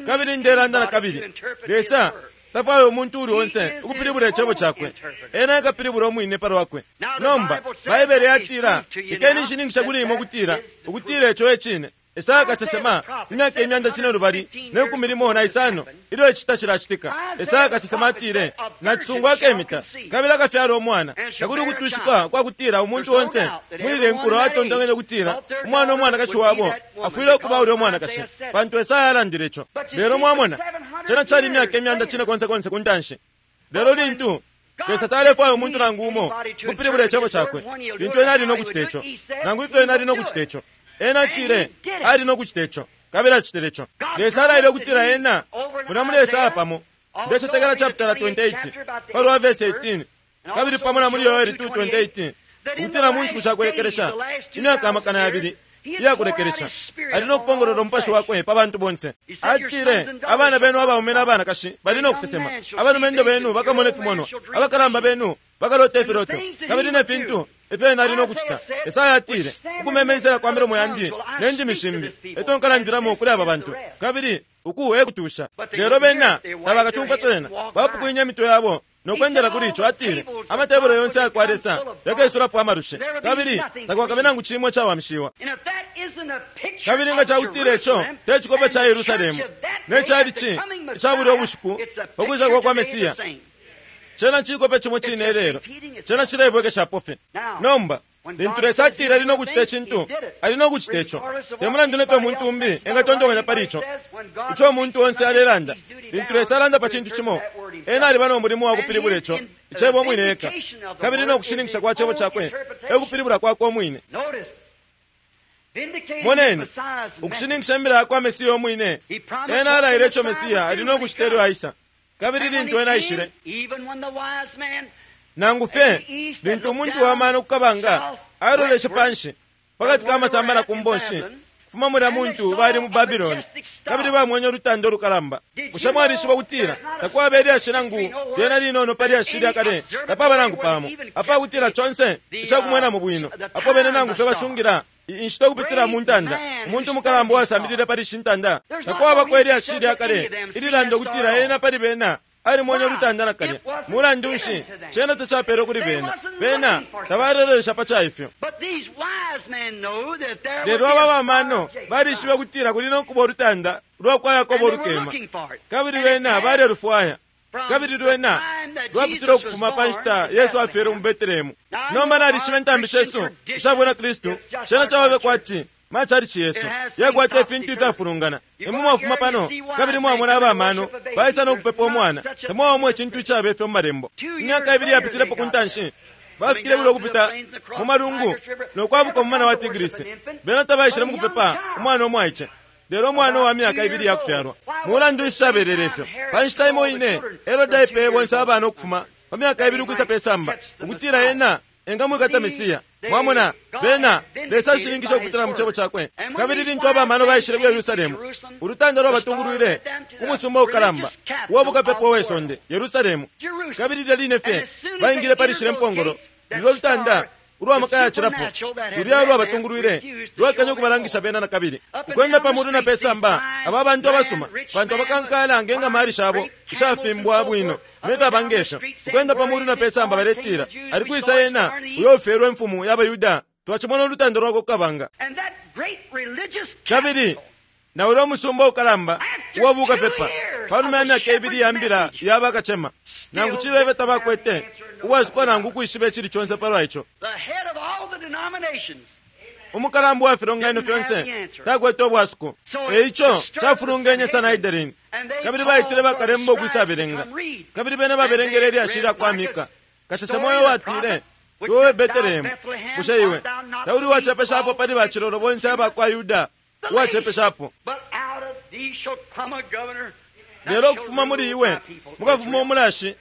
kabili ndelanda na kabili, Lesa tafwaya umuntu uli onse ukupilibula icebo cakwe. Ena ekapilibula umwine pa lwakwe. Nomba Baibele yatila, ikeni nshininkisha kuli imwe ukutila ukutila ico e cine. Esaya kasesema imyaka imyanda cine lubali ne kumi limo na isano ilyo icita cilacitika. Esaya kasesema atile, nacisungu akemita kabili akafyala umwana. Takuli ukutwishika kwa kutila umuntu onse muli nkulo atontonkanya ukutila umwana umwanakashi wabo afwile ukuba ulya umwanakashi, pantu Esaya alandile ico. Lelo mwamona, cena cali imyaka imyanda cine konse konse ku ntanshi. Lelo lintu Lesa talefwaya umuntu nangu umo kupilibula icebo cakwe, lintu ena ali nokucita ico, nangu ifyo ena ali nokucita ico, ena atile ali nokucita ico, kabili acitile ico. Lesa alaile ukutila ena muna muli Esaya pamo, ndecetekela chapter twenty-eight palwa verse eighteen, kabili pamo na muli Yoeli two twenty-eight, ukutila mu nshiku shakulekelesha imyaka amakana yabili iyakulekelesha ali nokupongolola umupashi wakwe pa bantu bonse. Atile abana benu abaume n'abanakashi bali nokusesema, abalumendo benu bakamona ifimonwa, abakalamba benu bakalota ifiloto, kabili ne fintu ifyo ena ali nokucita. Esaya atile ukumemensela kwa milomo yandi ne ndimi shimbi eto nkalandilamo kuli aba bantu, kabili uku e kutusha. Lelo bena tabakacumfwa cena, bapukwinye imitwe yabo nokwendela kuli ico. Atile amatebelo yonse ayakwa Lesa yakesulapo amalushe, kabili takwakabe nangu cimo cawamishiwa. And if that isn't a picture Kabili nga of cakutila ico Jerusalem te cikope and ca the Yerusalemu church of that ne day cali at the ci coming ica bulya Messiah, ubushiku it's a pakwisa picture kwa kwa today the Mesiya, same. cena cikope cimo cine lelo, cena cilebwekeshapo fye. Nomba lintu Lesa atile ali nokucita icintu, ali nokucita ico. Te mulandu nefyo umuntu umbi engatontonkanya pali ico, ico umuntu onse alelanda, lintu Lesa alanda pa cintu cimo, ena aliba no mulimo wa kupilibula ico icebo umwine eka, kabili no kushininkisha kwa cebo cakwe e kupilibula kwakwe umwine. Notice, vindicating the Moneni, Messiah's message. ukushininkisha imbila yakwa Mesiya umwine, He promised ena what the alaile ico Messiah Mesiya would ali do no when he kucita ilyo come. aisa. Kabili And when lintu he ena came, aishile, even when the wise man nangu fye lintu umuntu wa mano kukabanga aloleshe panshi pakati ka masamba na kumbonshi kufuma mulya muntu bali mu Babiloni, kabili bamwenye ulutanda ulukalamba. Bushe mwalishiba ukutila takwaba ilyashi nangu lyena linono pa lyashi lya kale, tapaba nangu pamo apakutila conse icakumwenamo bwino apo bene nangu fye basungila inshita ukupitila mu ntanda. Umuntu mukalamba uwasambilile pali ishi ntanda, takwabako ilyashi lya kale ililanda ukutila ena pali bena Alimwene ulutanda nakalya. Mulandu nshi cena tacapelwe kuli bena? Bena tabalelolesha pa caifyo. Lelo aba bamano balishibe kutila kuli no kuba ulutanda lwa kwa Yakobo lukema, kabili bena balelufwaya. Kabili lwena lwapitile ukufuma pa nshita Yesu afyelwe mu Betelehemu. Nomba nalishiba intambi shesu isha bwina Kristu, cena cababe kwati machalichi yesu yakwata ifintu ifyafulungana. Imwe mwafuma pano kabili mwamona abamano baisa no kupepa umwana, tamwawamwa icintu icaba ifyo mu malembo. Imyaka ibili yapitilepo ku ntanshi bafikile bwile ukupita mu malungu no kwabuka umumana wa Tigrisi. Bena tabaishile mu kupepa umwana umwaice, lelo umwana wa myaka ibili yakufyalwa. Mulandu nshi cabelele ifyo? Pa nshita imo ine Herode aipeye bonse abana ukufuma pa myaka ibili ukwisa pe samba, ukutila ena engamwikata Mesiya. Mwamona, bena Lesa ashininkisha ukupitila mu cebo cakwe. Kabili lintu abamano baishile ku Yerusalemu, ulutanda lwabatungulwile ku musumba ukalamba uwa bukapepo we sonde, Yerusalemu. Kabili lilya line fye baingile pali shile mpongolo, lilyo lutanda ulwa maka yacilapo lulya lwabatungulwile lwakanya ukubalangisha bena na kabili. Ukwenda pamulu na pesamba, aba bantu abasuma, bantu abakankala ngenga mali shabo ishafimbwa bwino nefyo abangefyo. Ukwenda pamulu na pesamba baletila, ali kwisa ena uyo ufyelwe imfumu y'Abayuda, twacimona ulutanda lwakwe kukabanga. Kabili na ulya umusumba ukalamba uwa bukapepa, panuma ya myaka ibili ya mbila ya bakacema, nangu cibebe tabakwete ubwasuko nangu ukwishiba icili conse palwa ico. Umukalamba wa filonganino fyonse takwete ubwasuko. Eico cafulungenye Sanhedrin, kabili baitile bakalemba ukwisabelenga. Kabili bene babelengele ilyashi lya kwa Mika kasesema uyo watile, iwe Betelehemu, bushe iwe tauli wacepeshapo pali bacilolo bonse aba kwa Yuda uwacepeshapo? Lelo ukufuma muli iwe mukafuma umulashi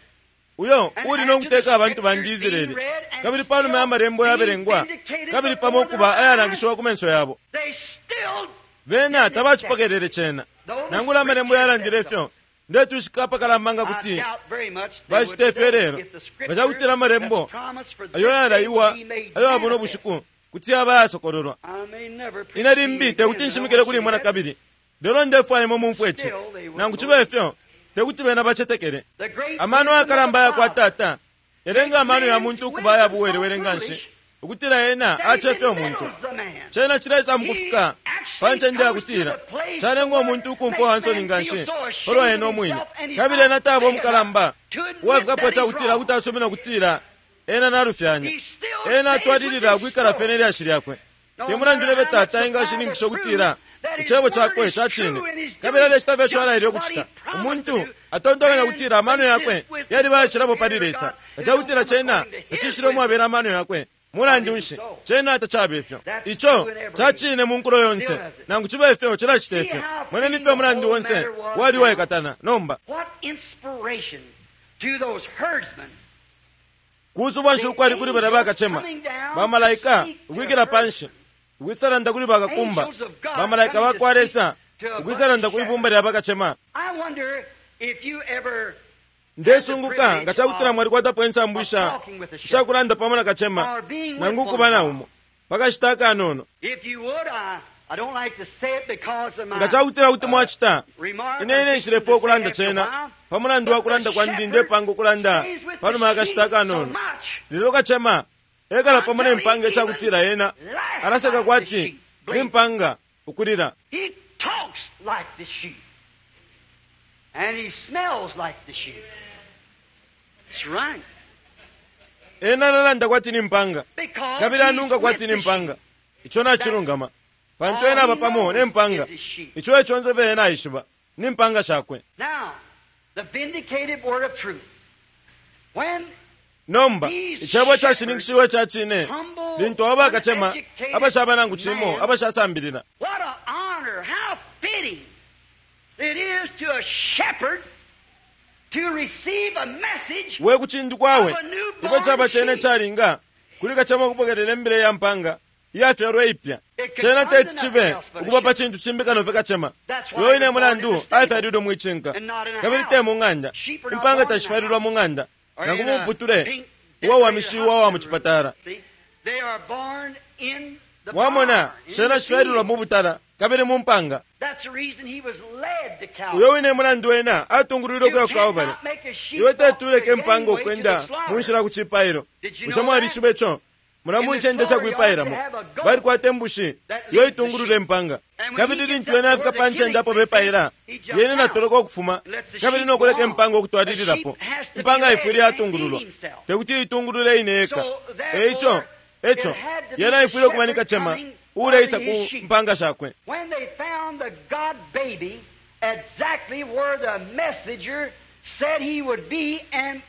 uyo uli no kuteka abantu bandi Israeli. Kabili panuma ya malembo yabelengwa kabili pamo ukuba ayalangishiwa ku menso yabo, bena tabacipokelele cena. Nangula amalembo yalandile ifyo, ndetwishika apakalamba nga kuti bacita ifyo lelo. Nga cakutila amalembo ayo yalaiwa ayo abona ubushiku kuti yaba yasokololwa. Ine limbi tekuti nshimikile kuli imwe na kabili, lelo ndefwaya imwe mumfwe ici. Nangu cibe ifyo tekuti bena bacetekele. Amano ayakalamba yakwa tata yalenga amano ya muntu ukuba ayabuwelewele nga nshi, ukutila ena acefya umuntu. Cena cileisa mukufika pa ncende yakutila calenga umuntu ukumfwa wansoni nga nshi palwa ena umwine. Kabili ena taba umukalamba uwafikapo cakutila kuti asumina ukutila ena nalufyanya. Ena atwalilila ukwikala fye nelyashi lyakwe. Te mulandu nebe tata engashininkisha ukutila icebo cakwe ca cine, kabili alecita fye ico alaile ukucita. Umuntu atontonkanya ukutila amano yakwe yaliba ayacilapo pali Lesa, nga cakutila cena tacishile umwabela amano yakwe. Mulandu nshi cena tacaba ifyo? Ico ca cine mu nkulo yonse, nangu cibe ifyo cilacita ifyo. Mweneni ifyo umulandu onse wali uwaikatana nomba. Kusubwa nshi ukwali kuli balya bakacema bamalaika ukwikila panshi, ukwisalanda kuli bakakumba, bamalaika bakwa Lesa ukwisalanda kwi bumba lya bakacema. Ndesunguka nga cakutila mwalikwatapo insambu isha ishakulanda pamo na kacema nangu ukuba na umo pakashita akanono. Nga cakutila kuti mwacita, ine ine nshilefwa ukulanda cena pa mulandu wa kulanda kwandi ndepanga ukulanda panuma ya kashita akanono. Lelo kacema ekala pamo ne mpanga icakutila ena alaseka kwati ni mpanga ukulila. Ena alalanda kwati ni mpanga kabili anunga kwati ni mpanga. Ico nacilungama, pantu ena aba pamo ne mpanga. Ico eco nse fye ena aishiba ni mpanga shakwe. Nomba icebo cashininkishiwe ca cine lintu abo bakacema abashaba nangu cimo abashasambilila. We kucindikwawe ifyo caba cene calinga kuli kacema ukupokelela imbila ya mpanga iyafyalwa ipya. Cena teti cibe ukuba pa cintu cimbi kano fye kacema. Uyo ine mulandu afyalilwe mwicinka kabili te mu ng'anda. Impanga tashifyalilwa mu ng'anda nangu mumuputule uwawamishiwa wa mucipatala. Mwamona, shena shifyalilwa mu butala kabili mu mpanga. Uyo wine mulandu wena atungulwile ukuya ku Kalvari. Iwe tetuleke impanga ukwenda mu nshila ku cipailo. Bushe mwalishiba ico? Mula mu ncende shakwipailamo balikwata imbushi iyo itungulula impanga, kabili lintu wene afika pa ncende apo bepaila, yene natoloka ukufuma kabili nokuleka impanga ukutwalililapo. Impanga ifwile yatungululwa, tekuti itungulule ine yeka. Eico eco yena ifwile ukuba ni kacema uuleisa ku mpanga shakwe. Exactly where the messenger said he would be, and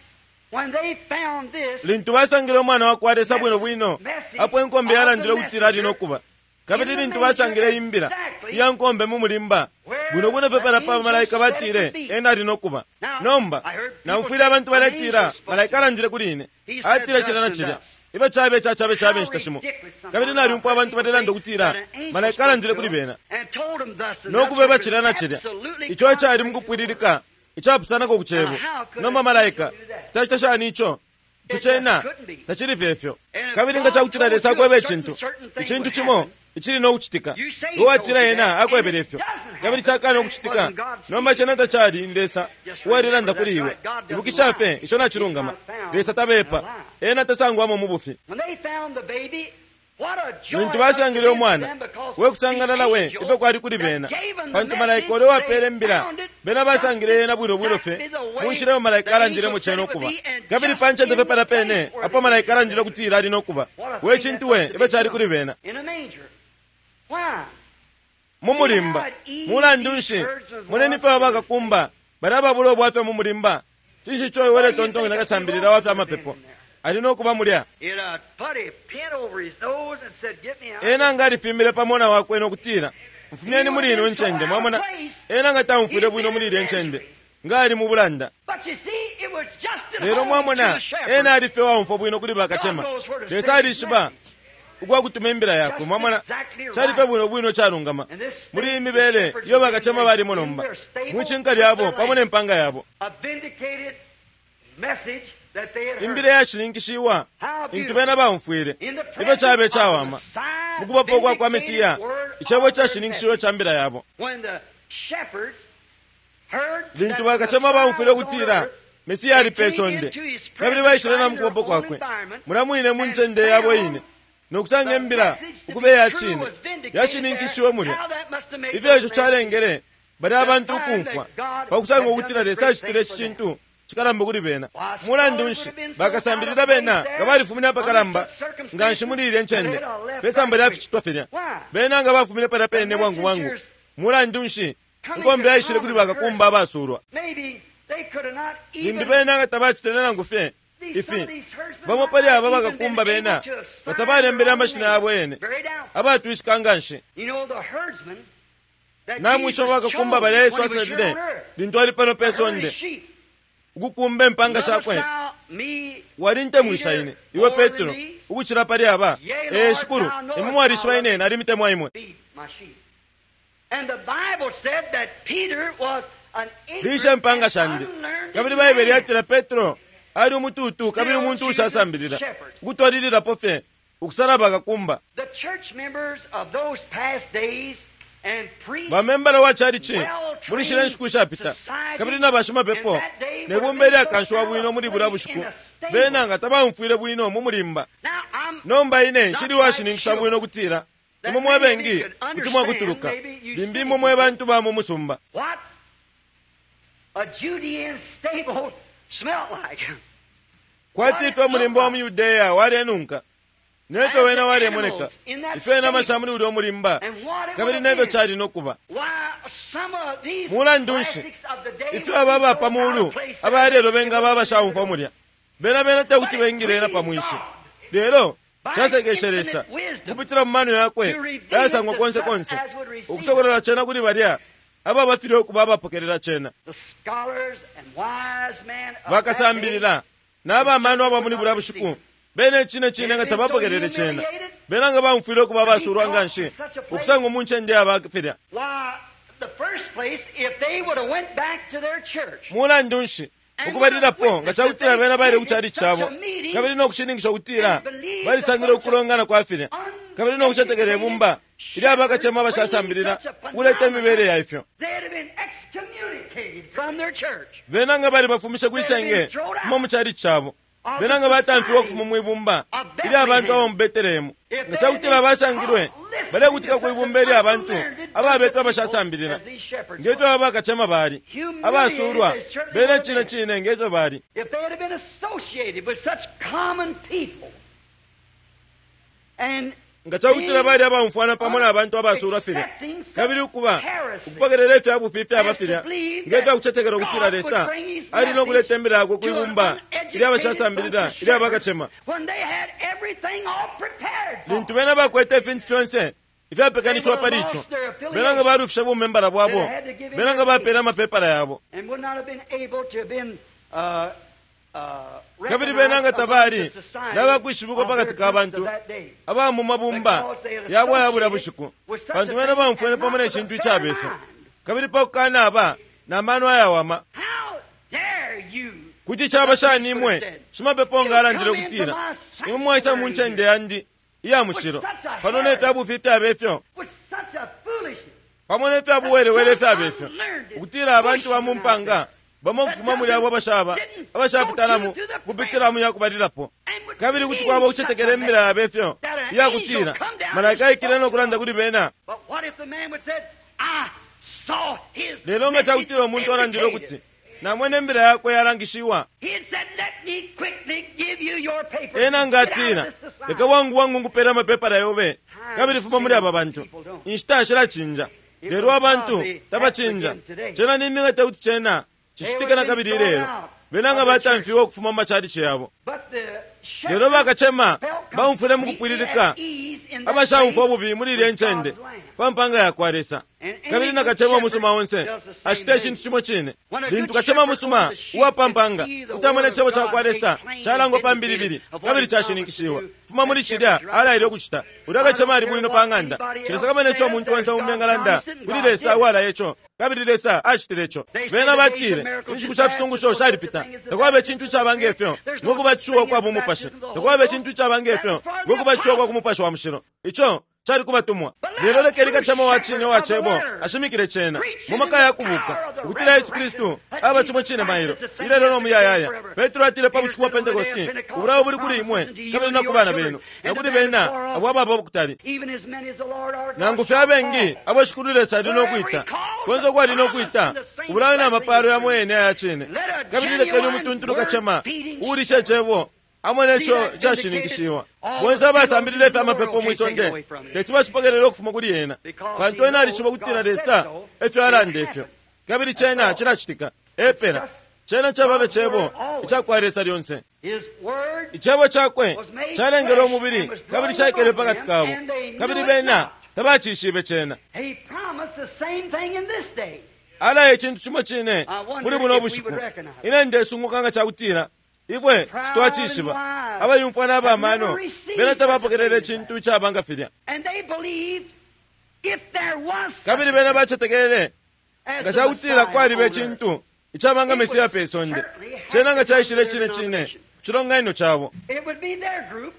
when they found this, lintu basangile umwana wakwa Lesa bwino bwino apo inkombe yalandile ukutila ali nokuba, kabili lintu basangile imbila iya nkombe mu mulimba bwino bwino pepala pa malaika batile ena ali nokuba. Nomba naumfwile abantu baletila malaika alandile kuli ine, atile cilya na cilya, ifyo cabe cacabe cabe inshita shimo. Kabili nalyumfwa abantu balelanda ukutila malaika alandile kuli bena nokubeba cilya na cilya, ico ecali mukupwililika icapusanako ku cebo. Nomba malaika tacita shani ico? Ico cena tacili fyefyo. Kabili nga cakutila Lesa akweba icintu icintu cimo icili nokucitika, uwatila ena akwebele ifyo kabili cakana ukucitika, nomba cena tacali ni Lesa uwalilanda kuli iwe. Ibukisha fye ico nacilungama. Lesa tabepa, ena tasangwamo mu bufi. Lintu basangile umwana we kusangalala we ifyo kwali kuli bena, pantu malaika ule wapele imbila bena basangile yena bwino bwino fye mu nshila iyo malaika alandilemo cena ukuba, kabili pa ncende fye pala pene apo malaika alandile ukutila ali nokuba. We cintu we ifyo cali kuli bena mu mulimba. Mulandu nshi moneni fye abakakumba bali ababula ubwafya mu mulimba. Cinshi ico iwe uletontonkanya nakasambilila wa fya mapepo ali nokuba mulya? Ena nga alifimbile pamona wakwe nokutila, mfumyeni muli ino ncende. Mwamona, ena nga taumfwile bwino muli ilya ncende, nga ali mu bulanda. Lelo mwamona, ena ali fye waumfwa bwino kuli bakacema. Lesa alishiba ukwakutuma imbila yakwe. Mwamona, cali fye bwino bwino calungama muli iyi mibele iyo bakacema balimo nomba mwicinka lyabo pamo ne mpanga yabo. Imbila yashininkishiwa intu bena baumfwile ifyo cabe cawama mukubapo kwa kwa Mesiya, icebo cashininkishiwe ca mbila yabo. Lintu bakacema baumfwile ukutila Mesiya ali pe sonde kabili baishile na mukubapo kwakwe mula mwine mu ncende yabo ine nokusanga imbila ukuba iya cine yashininkishiwe mulya, ifyo ico calengele bali abantu ukumfwa pakusanga ukutila Lesa acitile ici cintu cikalamba kuli bena. Mulandu nshi bakasambilila bena nga balifumine apakalamba nga nshi muli ilya ncende pesamba lya ficitwa filya, bena nga bafumine palya pene bwangu bwangu. Mulandu nshi inkombe yaishile kuli bakakumba abasulwa? Limbi bena nga tabacitile nangu fye ifi. Bamo pali aba bakakumba bena nga tabalembele amashina yabo yene, abatwishika nga nshi. Namwisha bakakumba balya Yesu asalile lintu ali pano pe sonde ukukumba impanga shakwe. Walintemwisha ine iwe Petro ukucila pali aba. Ee shikulu, imwe mwalishiba ine nalimitemwa imwe. Lisha impanga shandi. Kabili Baibele yatila Petro ali umututu kabili umuntu ushasambilila, ukutwalililapo fye ukusala bakakumba. Bamembala wa chalichi muli shila nshiku ishapita kabili na bashimapepo ne bumba ilyakanshiwa bwino muli bulya bushiku bena nga tabaumfwile bwino mu mulimba. Nomba ine nshili washininkisha bwino kutila imwe mwe bengi kuti mwakutuluka, limbi imwe mwe bantu ba mu musumba. Kwati ifyo umulimba wa mu Yudeya walenunka, nefyo wena walemoneka, ifyo inama sha muli ulya umulimba, kabili nefyo cali nokuba. Mulandu nshi ifyo aba aba pa mulu abalelo bengaba abashaumfwa mulya? Bena bena tekuti bengile ena pa mwinshi. Lelo casekeshe Lesa kupitila mu mano yakwe ayasangwa konse konse ukusokolola cena kuli balya ababafilwe ukuba abapokelela cena. Bakasambilila n'abamano aba muli bulya bushiku bene cine cine nga tabapokelele cena, bena nga baumfwile ukuba abasulwa nga nshi ukusanga mu ncende yabafilya. Mulandu nshi ukubalilapo nga cakutila bena baile ku chalichi cabo kabili nokushininkisha ukutila balisangile ukulongana kwa filya Kabili no kucetekela ibumba ilya bakacema abashasambilila ukuleta imibele ya ifyo. Bena nga bali bafumishe kwisenge fuma mu chalichi cabo. Bena nga batamfiwe ukufuma mwibumba ilya bantu aba mu Betelehemu. Nga cakutila basangilwe balekutika kwibumba ilya bantu ababetwa abashasambilila ngefyo aba bakacema bali abasulwa bena cine cine ngefyo bali. If they had been associated with such common people and Nga cakutila bali abaumfwana pamo na bantu abasulwa filya kabili ukuba ukupokelela ifya bufi ifyaba filya ngefya kucetekela ukutila Lesa ali no kuleta imbila yakwe kwibumba ilya abashasambilila ilya bakacema. when they had everything all prepared for Lintu bena bakwete ifintu fyonse ifyapekanishiwa pali ico, bena nga balufisha bumembala bwabo, bena nga bapela amapepala yabo. and would not have been able to have been uh, uh, Kabili bena nga recognized tabali among the society nabakwishibikwa of their pakati ka groups bantu of that day. aba mu mabumba yabo aya bulya bushiku, pantu bena baumfwene pamo ne cintu icaba ifyo. Kabili pakukana aba na mano ayawama, How dare you kuti caba shani imwe shimapepo nga alandile ukutila imwe mwaisa mu ncende yandi iya mushilo pano ne fya bufi ifyaba ifyo with such a foolishness pamo ne fya buwelewele ifyaba ifyo ukutila abantu ba mu mpanga bamo ukufuma muli abo abashaba abashapitalamo kupitila mu yakubalilapo. and would Kabili kuti believe kwaba such a ukucetekela imbila message. yaba ifyo iyakutila malaika aikile no kulanda kuli bena. But what if the man would said, I saw his Lelo nga cakutila umuntu alandile ukuti namwene imbila yakwe yalangishiwa, He had said, let me quickly give you your papers. ena nga Get out of atila this society. leka bwangu bwangu nkupela amapepala yobe kabili fuma muli aba bantu. Inshita shilachinja, lelo abantu tabachinja. Cena niminga tekuti cena cicitika na kabili ilelo. Bena nga batamfiwe ukufuma mu machalichi yabo. But the Lelo shepherds bakacema felt baumfwile mu completely kupwililika at ease in that abashaumfwa place bubi muli ilya with ncende God's lamb. pa mpanga yakwa Lesa. Kabili na kacema musuma onse acita icintu cimo cine. Lintu kacema musuma uwa mpanga utamona icebo cakwa Lesa calangwa pa mbilibili kabili cashininkishiwa fuma muli cilya alaile ukucita, ulya kacema ali bwino pa ng'anda. Cilesakamana ico umuntu onse umbi engalanda kuli Lesa uwalaya ico, kabili Lesa acitile ico. Bena batile inshiku sha fisungusho shalipita, takwaba icintu icaba ngefyo ngokubatishiwa kwa bumupashi, takwaba icintu icaba ngefyo ngokubatishiwa kwa kumupashi wa mushilo. Ico cali kubatumwa. Lelo lekeni kacema wa cine wa cebo ashimikile cena mu maka ya kubuka ukutila Yesu Kristu aba cimo cine mailo ilelo no muyayaya. Petro atile pa bushiku bwa Pentekosti, ubulayo buli kuli imwe kabili na ku bana benu na kuli bena abo ababa kutali, Even as many as the Lord our God nangu fye abengi abo Shikulu Lesa ali no kwita konse ukwali no kwita ubulayo na mapalo yamo yene aya cine. Kabili lekeni umutuntulu kacema uulisha icebo amone ico cashininkishiwa. Bonse abasambilila ifya mapepo mwisonde teti bacipokelele ukufuma kuli ena, pantu ena alishiba ukutila Lesa efyo alanda ifyo, kabili cena cilacitika. Epela cena cababe cebo icakwa Lesa lyonse. His word Icebo cakwe calengele umubili kabili caikele pakati kabo, kabili bena tabacishibe cena. He promised the same thing in this day. Alaya icintu cimo cine muli buno bushiku. Ine ndesunguka nga cakutila ifwe sitwacishiba. Abayumfwa n'abamano bena tabapokelele icintu icaba nga filya, And they believed if there was such kabili bena bacetekele as nga the cakutila Messiah kwaliba on earth. icintu icaba nga Mesiya pe sonde, cena nga caishile cine cine ku cilonganino cabo. It would be their group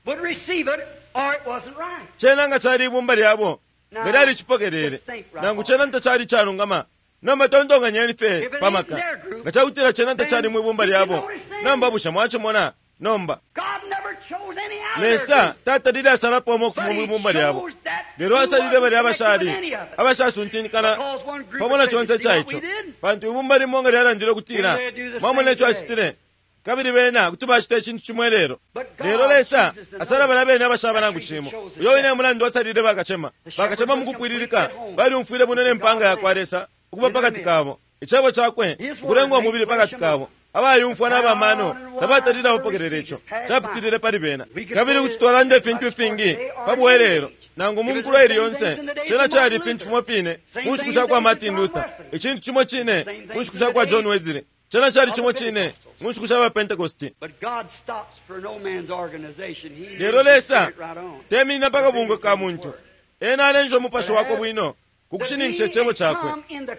would receive it or it wasn't right. Cena nga cali ibumba lyabo nga lyalicipokelele, nangu cena ntacali calungama. Nomba tontonkanyeni fye pamaka nga cakutila cena ntacali mwibumba lyabo. Nomba bushe mwacimona? Nomba God never chose any out of their Lesa group. tatalile asalapo umo ukufuma But he mwibumba lyabo, chose that lelo he asalile balya wasn't connected abashali with any of it. abashasuntinkana Because one group pamo na said, conse "You see what caico, we did?" pantu ibumba limo nga lyalandile ukutila And they do the mwamona same ico today. acitile, kabili bena kuti bacita icintu cimo lelo. But God Lelo Lesa chooses the asala balya bene abashaba That's nangu reason cimo. he chose the Uyo wine shepherd. mulandu asalile bakacema. Bakacema mu kupwililika balyumfwile bwino ne mpanga yakwa Lesa ukuba pakati kabo, icebo cakwe ukulengwa umubili pakati kabo. Abayumfwa n'abamano tabatalile abapokelela ico capitilile pali bena. Kabili kuti twalanda ifintu ifingi pa bwelelo nangu mu nkulo ili yonse. Cena cali ifintu fimo fine mu nshiku sha kwa Martin Luther, icintu cimo cine mu nshiku sha kwa John Wesley, cena cali cimo cine mu nshiku sha ba Pentecosti. But God stops for no man's organization. He Lelo moves his Lesa spirit right on. teminina pa kabungwe ka muntu, ena alenja umupashi wakwe bwino kukushininkisha icebo cakwe.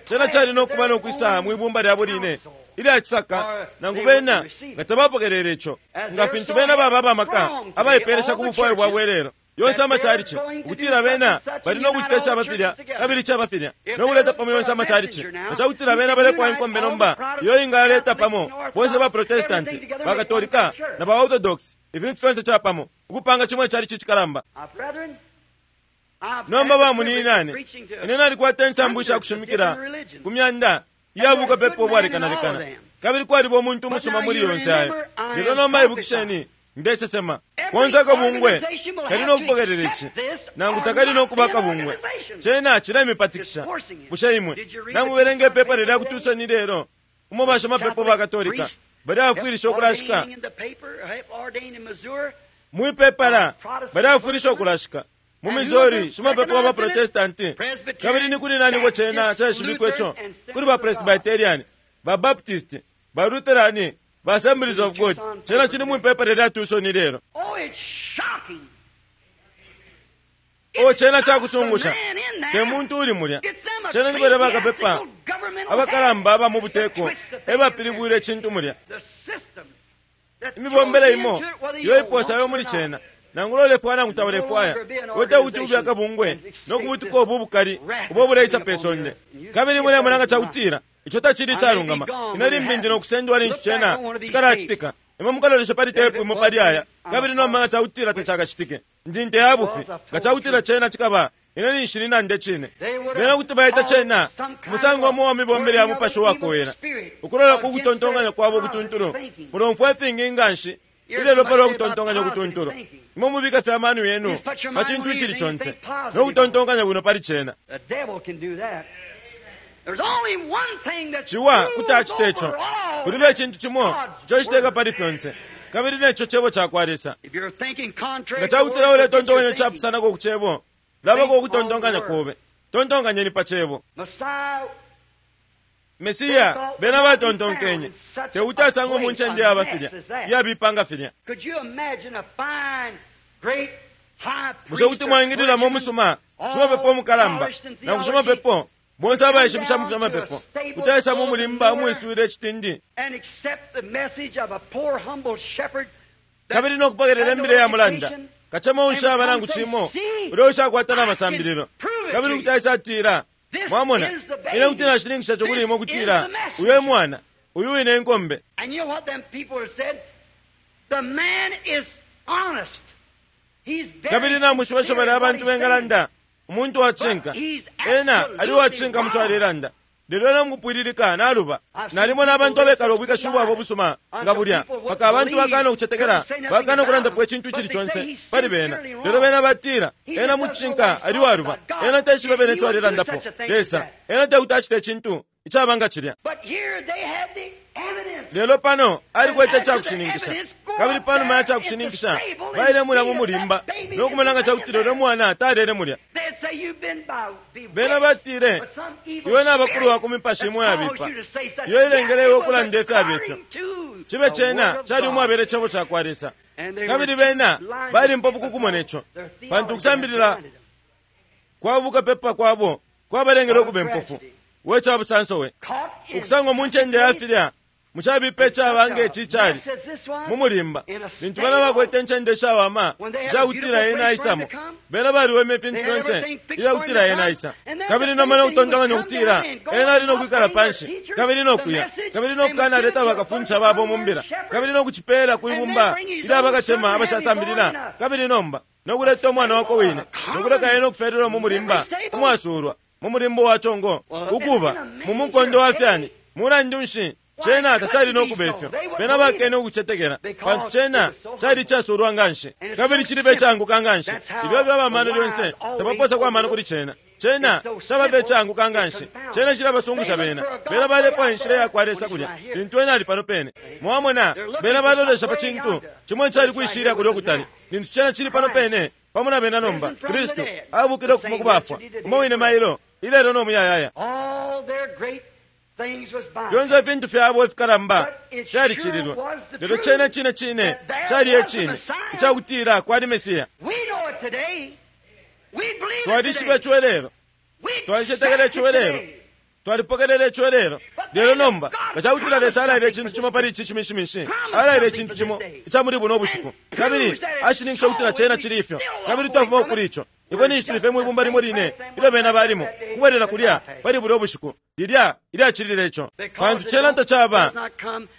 Cena cali no kuba no kwisa mwibumba lyabo line ilya cisaka, nangu bena nga tabapokelele ico, nga fintu bena baba abamaka abaipelesha ku bufwayo bwa bwelelo. Yonse amachalichi ukutila bena bali no kucita icaba filya kabili icaba filya no kuleta pamo yonse amachalichi. Nga cakutila bena balefwaya inkombe nomba iyo ingaleta pamo bonse ba Protestanti, ba Katolika na ba Orthodox, ifintu fyonse capamo ukupanga chimwe chalichi chikalamba. Nomba bamuninane, ine nalikwata insambu ishakushimikila ku myanda iyabukapepa ubwalekanalekana, kabili kwaliba umuntu umusuma muli yonse ayo. Lelo nomba ibukisheni, ndesesema konse akabungwe kali nokupokelela ici nangu takali nokuba akabungwe. Cena cilemipatikisha. Bushe imwe namubelenga ipepa lilya ku Tucson lelo umo bashimapepo ba Katolika bali afwilisha ukulashika mwipepala bali afwilisha ukulashika mu Missouri shimapepo wa Protestanti, kabili ni kuli nani ko cena caishibikwe ico? Kuli ba Presbyterian, ba Baptist, ba Lutheran, ba Assemblies of God. Cena cili mwipepa lilya Tucson lelo. O cena cakusungusha, te muntu uli mulya. Cena ni balya bakapepa abakalamba aba mu buteko ebapilibwile icintu mulya. Imibombele imo iyo iposayo muli cena, nangu lolefwaya nangu taulefwaya, wete kuti ube akabungwe no kubutuka ubu bukali ubo buleisa pe sonde. Kabili mulemona nga cakutila ico tacili calungama, ine limbi ndi nokusendwa lintu cena cikalacitika. Imwe mukalolesha pali tepu imo pali aya, kabili nomba nga cakutila tacakacitike, ndi nte ya bufi. Nga cakutila cena cikaba, ine ninshili nande cine. Bena kuti baita cena umusango umo wa mibombele ya mupashi wakowela, ukulola ku kutontonkanya kwabo kutuntulu. Mulomfwa ifingi nganshi ilelo palwa kutontonkanya kutuntulu. Imwe mubika fye amano yenu pa cintu icili conse no kutontonkanya bwino pali cena. Ciwa kuti acita ico. Kulibe icintu cimo ico citeka pali fyonse, kabili neco cebo cakwa Lesa. Nga cakutila uletontonkanya capusanako ku cebo, labako ukutontonkanya kobe. Tontonkanyeni pa cebo. Mesiya bena batontonkenye tekuti asangwe mu ncende yaba filya iyabipanga filya. Bushe kuti mwaingililamo umusuma shimapepo umukalamba nangu shimapepo bonse abaishibisha mu fyamapepo kuti aisa mu mulimba umwiswile icitindi kabili nokupokelela imbila ya mulanda kacema ushaba nangu cimo ulya ushakwata na masambililo, kabili kuti aisa atila, mwamona, ine kuti nashininkisha cokuli imwe kutila uyu e mwana, uyu wine inkombe. Kabili namwishiba ico balya abantu bengalanda, umuntu wacinka ena ali wacinka muco alelanda, lelo ena mukupwililika naluba. Nalimona abantu abekala ubwikashi bwabo busuma nga bulya, paka abantu bakana ukucetekela, bakana ukulandapo icintu icili conse pali bena, lelo bena batila ena mucinka ali waluba, ena teshiba bene ico alelandapo. Lesa ena tekuti acite icintu icaba nga cilya. Lelo pano alikwete icakushininkisha, kabili panuma ya cakushininkisha baile mulya mu mulimba no kumona nga cakutila ulya mwana talele mulya. Bena batile, iwe nabakulu ku mipashi imo yabipa iyo ilengele iwe ukulanda ifyabifyo. Cibe cena cali umwabele cebo cakwa Lesa, kabili bena bali mpofu kukumona ico, pantu ukusambilila kwa bukapepa kwabo kwabalengele ukuba impofu. We cabusanso we ukusangwa mu ncende ya filya mucabipa icaba nge cali mu mulimba, lintu bena bakwete ncende ishawama icakutila ena aisamo, bena baliweme ifintu fyonse ilyakutila ena aisa, kabili nomba nokutontonkanya ukutila ena ali nokwikala panshi kabili nokuya kabili nokukana aleta bakafundisha babo mu mbila kabili nokucipela kwibumba ilya bakacema abashasambilila, kabili nomba nokuleta umwana wako wine nokuleka ena okufelelwa mu mulimba umwasulwa mu mulimbo wa congo ukuba mu mukondo wa fyani. Mulandu nshi cena tacali nokuba ifyo? Bena bakene ukucetekela, pantu cena cali icasulwa nganshi kabili cilibe icaanguka nganshi. Ibyo byaba amano lyonse tabaposa amano kuli cena. Cena cababe icaanguka nganshi, cena cilabasungusha bena. Bena balepwa inshila yakwa Lesa kulya lintu ena ali pano pene. Mwamona, bena balolesha pa cintu cimo cali kwishilya kulya ukutali, lintu cena cili pano pene pamo na bena. Nomba Kristu abukile ukufuma ku bafwa, umo wine mailo ilelo no muyayaya. Fyonse ifintu fyabo ifikalamba fyalicililwe, lelo cena cine cine cali ecine icakutila kwali Mesiya. Twalishiba ico lelo, twalicetekela ico lelo, Twalipokelela ico lelo. Lelo nomba ngacakutila Lesa alaile icintu cimo pali ici cimishimishi, alaile icintu cimo ica muli buno ubushiku, kabili ashininkisha ukutila cena cili ifyo, kabili twafuma kuli ico, ifwe ninshi tuli fye mwibumba limo line ilyo bena balimo kubwelela kulya pali bulya ubushiku lilya ilyacilile ico, pantu cena tacaba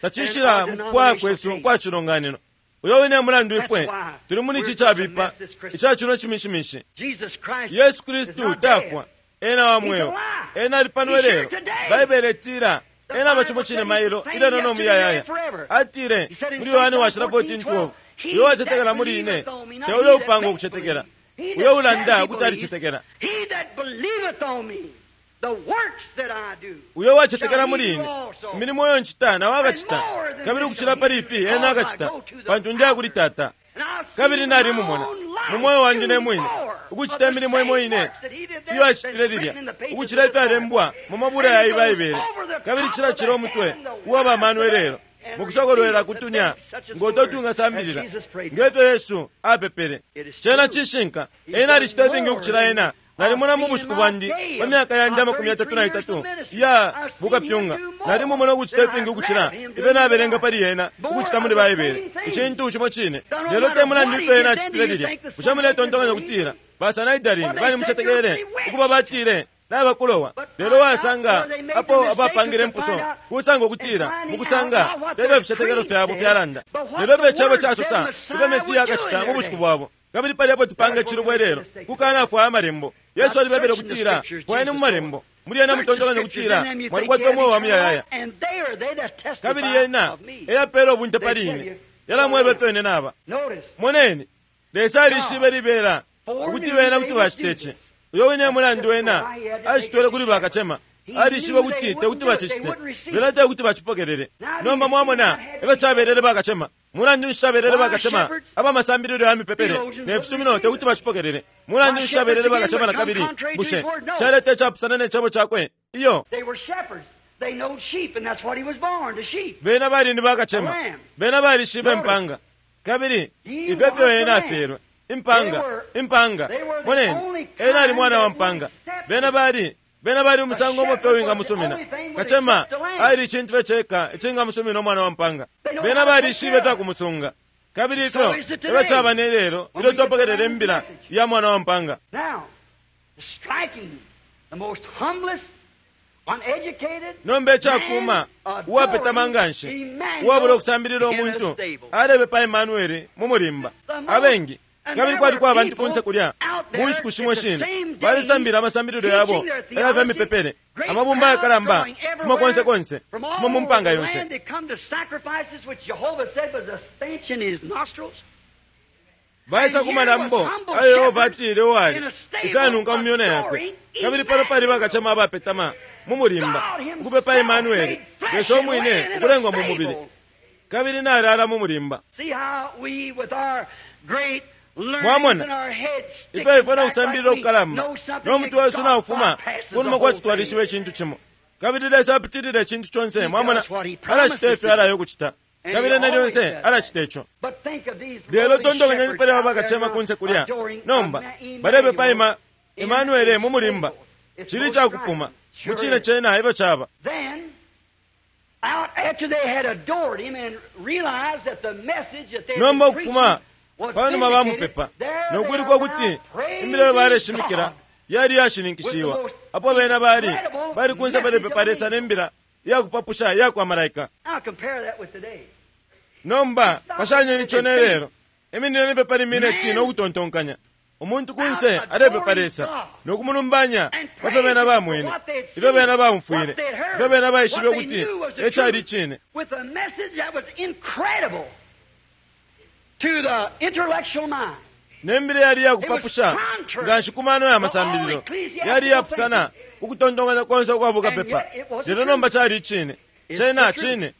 tacishila mu kufwaya kwesu kwa cilonganino. Uyo wine mulandu ifwe tuli muli ici cabipa ica cino cimishimishi. Yesu Kristu tafwa, ena wa mweo, ena ali pano lelo. Baibele itila ena aba cimo cine mailo ilelo no muyayaya. Atile muli Yohane washila fourteen twelve, uyo wacetekela muli ine te uyo upanga ukucetekela, uyo ulanda ukuti alicetekela. Uyo wacetekela muli ine, imilimo iyo ncita nawe akacita, kabili ukucila pali ifi ena akacita, pantu ndiya kuli Tata. Kabili nalimumona mu moyo wandi ne mwine ukucita imilimo imo ine iyo acitile lilya, ukucila ifyalembwa mu mabula ya Baibele, kabili cilacila umutwe uwa bamano lelo mukusokolwela kutunya ngoto tungasambilila ngefyo Yesu apepele. Cena cishinka, ena alicita ifingi ukucila ena. Nalimona mu bushiku bwandi pa myaka yandi amakumi yatatu na itatu iya bukapyunga, nalimumona ukucita ifingi ukucila ifyo nabelenga pali ena ukucita muli Baibele, icintu cimo cine. Lelo te mulandu ifyo ena acitile lilya, bushe muletontonkanya ukutila basanaidarini balimucetekele ukuba batile nabakulowa? Lelo wasanga apo abapangile impuso kusanga ukutila mukusanga tebe ficetekelo fyabo fyalanda, lelo ifyo icebo casosa ifyo Mesiya akacita mu bushiku bwabo. Kabili pali apo tupanga icilubo lelo kukanafwaya amalembo. Yesu alibebele ukutila fwayeni mu malembo, muli yena mutontonkanya ukutila mwalikwata umweo wa muyayaya, kabili yena eyapela ubunte pali ine, yalamweba ifyo ine naba. Moneni, Lesa alishibe libela ukuti bena kuti bacita ici. Uyo wine mulandu wena acitwele kuli bakacema, alishibe kuti tekuti bacicite, bena tekuti bacipokelele. Nomba mwamona efyo cabelele bakacema. Mulandu nshi cabelele bakacema abamasambililo ya mipepele ne fisumino tekuti bacipokelele? Mulandu nshi cabelele bakacema na kabili? Bushe caleta icapusana ne cebo cakwe? Iyo. Bena bali ni bakacema, bena balishibe impanga, kabili ifyo efyo ena afyelwe impanga, impanga. Moneni, ena ali mwana wa mpanga. Bena bali bena bali umusango umwe fye wingamusumina. Kacema ali icintu fye ceka icingamusumina umwana wa mpanga. Bena balishibe ifya kabili ifyo efyo caba ne lelo ilyo twapokelela imbila ya mwana wa mpanga. Nomba icakuma uwapetama nganshi uwabula ukusambilila umuntu alebepa Emmanueli mu mulimba. Abengi kabili kwaliko abantu kunse kulya mu nshiku shimo shine balisambila amasambililo yabo ayafya mipepele, amabumba ayakalamba fuma konse konse, fuma mu mpanga yonse. Baisa ku malambo ayo Yehova atile uwali ifyanunka mu myona yakwe, kabili pano pali bakacema abapetama mu mulimba ukupepa Emmanueli, Yesu umwine ukulengwa mu mubili, kabili nalala mu mulimba. Mwamona ifyo ifwe nokusambilila ukukalamba no mutwe wesu naufuma kunuma kwati twalishiba icintu cimo, kabili Lesa apitilile icintu conse. Mwamona alacita ifyo alayo ukucita, kabili ena lyonse alacita ico. Lelo tontonkanyeni pali abo bakacema kunse kulya nomba balepepa Ema Emmanueli mu mulimba. Cili icakupuma mu cine cena ifyo caba. Nomba ukufuma panuma bamupepa nokwiluka ukuti imbila baleshimikila yali yashininkishiwa, apo bena bali bali kunse balepepa Lesa nembila iyakupapusha iyakwa malaika. Nomba pashanyeni ico ne lelo, iminine nife pali mineti nokutontonkanya. Umuntu kunse alepepa Lesa nokumulumbanya pafyo bena bamwene, ifyo bena baumfwile, ifyo bena baishibe ukuti ecali icine, nembila yali yakupapusha nganshi ku mano ya masambililo, yali yapusana kukutontonkanya konse ukwa bukapepa. Lelo nomba cali icine, cena cine.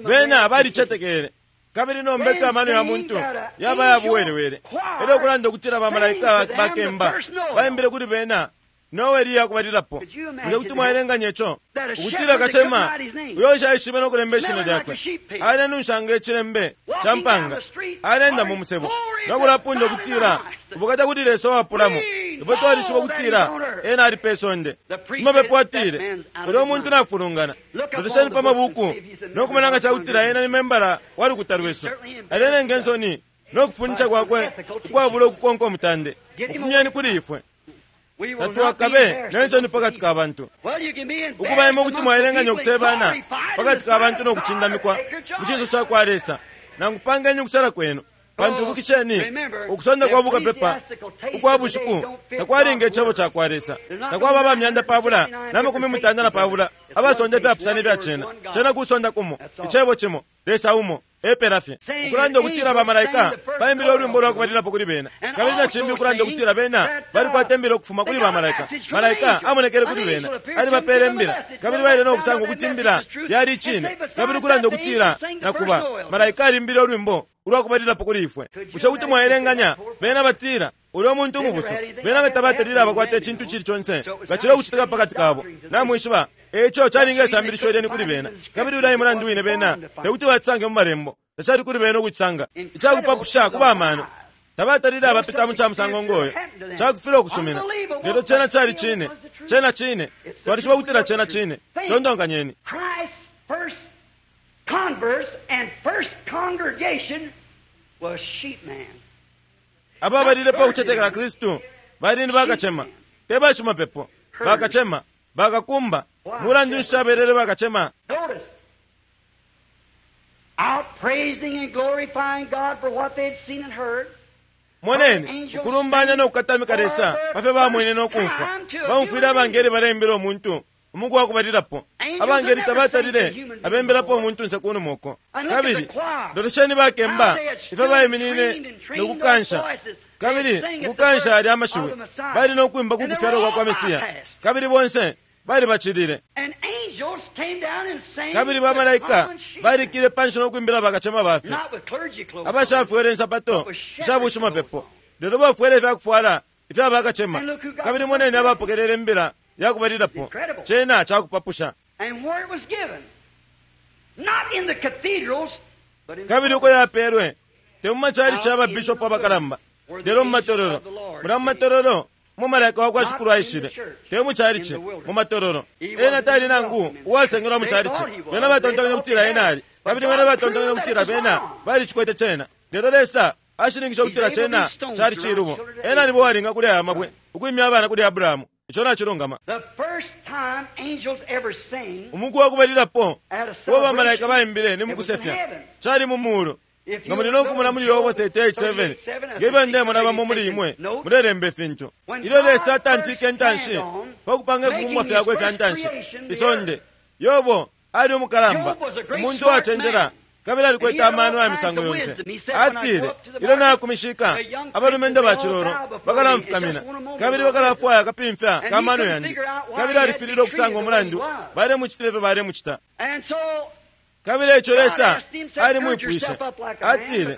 Bena balicetekele, kabili nomba ifyo amano ya muntu yaba yabuwelewele. Elyo ukulanda ukutila bamalaika bakemba baimbile kuli bena Noeli yakubalilapo. Bushe kuti mwaelenganya ico ukutila kacema uyo ushaishibe nokulemba ishina lyakwe alenunshanga icilembe ca mpanga, alenda mu musebo nokulapunda ukutila ubukata kuti Lesa wapulamo, Ifwe twalishiba ukutila ena ali pe sonde. Shimapepo atile, ulya umuntu nafulungana. Lolesheni pa mabuku no kumona nga cakutila ena ni membala wa lukuta lwesu. Alenenga insoni no kufundisha kwakwe ukwabula ukukonka umutande. Mufumyeni kuli ifwe. Tatwakabe nensoni pakati ka bantu. Ukuba imwe kuti mwaelenganya ukusebana pakati ka bantu no kucindamikwa mu cinso ca kwa Lesa. Nangu pangeni ukusala kwenu. Pantu ibukisheni, ukusonda kwa bukapepa ukwa bushiku takwalinga icebo ca kwa Lesa. Takwaba abamyanda pabula na makumi mutanda na pabula abasonda ifyapusana ifya cena. Cena kusonda kumo, icebo cimo, Lesa umo, epela fye. Ukulanda ukutila bamalaika baimbile ulwimbo lwa kubalilapo kuli bena, kabili na cimbi ukulanda ukutila bena balikwata imbila ukufuma kuli bamalaika. Malaika amonekele kuli bena, alibapele imbila, kabili baile no kusanga ukuti imbila yali icine. Kabili ukulanda ukutila na kuba malaika alimbile ulwimbo ulwa kubalilapo kuli ifwe. Bushe kuti mwaelenganya bena batila ulya muntu umubusu, bena nga tabatalile abakwata icintu cili conse ngacila ukucitika pakati kabo. Namwishiba eco calinga isambilisho lyeni kuli bena, kabili ulya mulandu wine bena tekuti bacisange mu malembo. Tacali kuli bena ukucisanga. Icakupapusha kuba amano tabatalile abapita mu ca musango ngoyo, cakufila ukusumina. Lelo cena cali cine, cena cine, twalishiba kutila cena cine. Tontonkanyeni. Converse and first congregation was sheepman. Ababalilepo ukucetekela Kristu bali ni bakacema, te bashimapepo. Bakacema, bakakumba. Mulandu nshi cabelele bakacema? Notice, out praising and glorifying God for what they'd seen and heard. Moneni, ukulumbanya no kukatamika Lesa pa fyo bamwene no kumfwa. Baumfwile abangeli balembela umuntu umuku wa kubalilapo. Abangeli tabatalile abembelapo umuntu nse kunuma uko. Kabili lolesheni bakemba ifyo baiminine no kukansha. Kabili ukukansha ali amashiwi bali no kwimba ku kufyalwa kwa kwa Mesiya. Kabili bonse bali bacilile. Kabili bamalaika balikile panshi no kwimbila bakacema bafe abashafwele insapato ishabushimapepo, lelo bafwele ifyakufwala ifya bakacema. Kabili moneni abapokelele imbila yakubalilapo. Cena cakupapusha. Kabili uko yapelwe te mu machalichi aba bishopu abakalamba, lelo mu matololo. Mula mu matololo mu malaika wa kwa Shikulu aishile, te mu chalichi, mu matololo. Ena tali nangu uwasengelwa mu chalichi. Bena batontonkanya kutila ena ali, kabili bena batontonkanya kutila bena balicikwete cena. Lelo Lesa ashininkisha kutila cena cali cilubo. Ena nibo walinga kuli aya mabwe ukwimya abana kuli Abrahamu. Ico nacilungama. Umuku wa kubalilapo uo bamalaika baimbile ni mukusefya cali mu mulu. Nga muli no kumona muli Yobo thirty-eight seven, ngefyo ndemona bamo muli imwe mulelemba ifintu. Ilyo Lesa atantike intanshi pa kupanga ifibumbwa fyakwe ifya ntanshi isonde, Yobo ali umukalamba, umuntu uwacenjela, kabili alikwete amano ya misango yonse. Atile, ilyo nakumishika abalumendo ba cilolo bakalamfukamina, kabili bakalafwaya akapimfya ka mano yandi. Kabili alifilile ukusanga umulandu balemucitile ifyo balemucita. Kabili eco Lesa alimwipwishe, atile,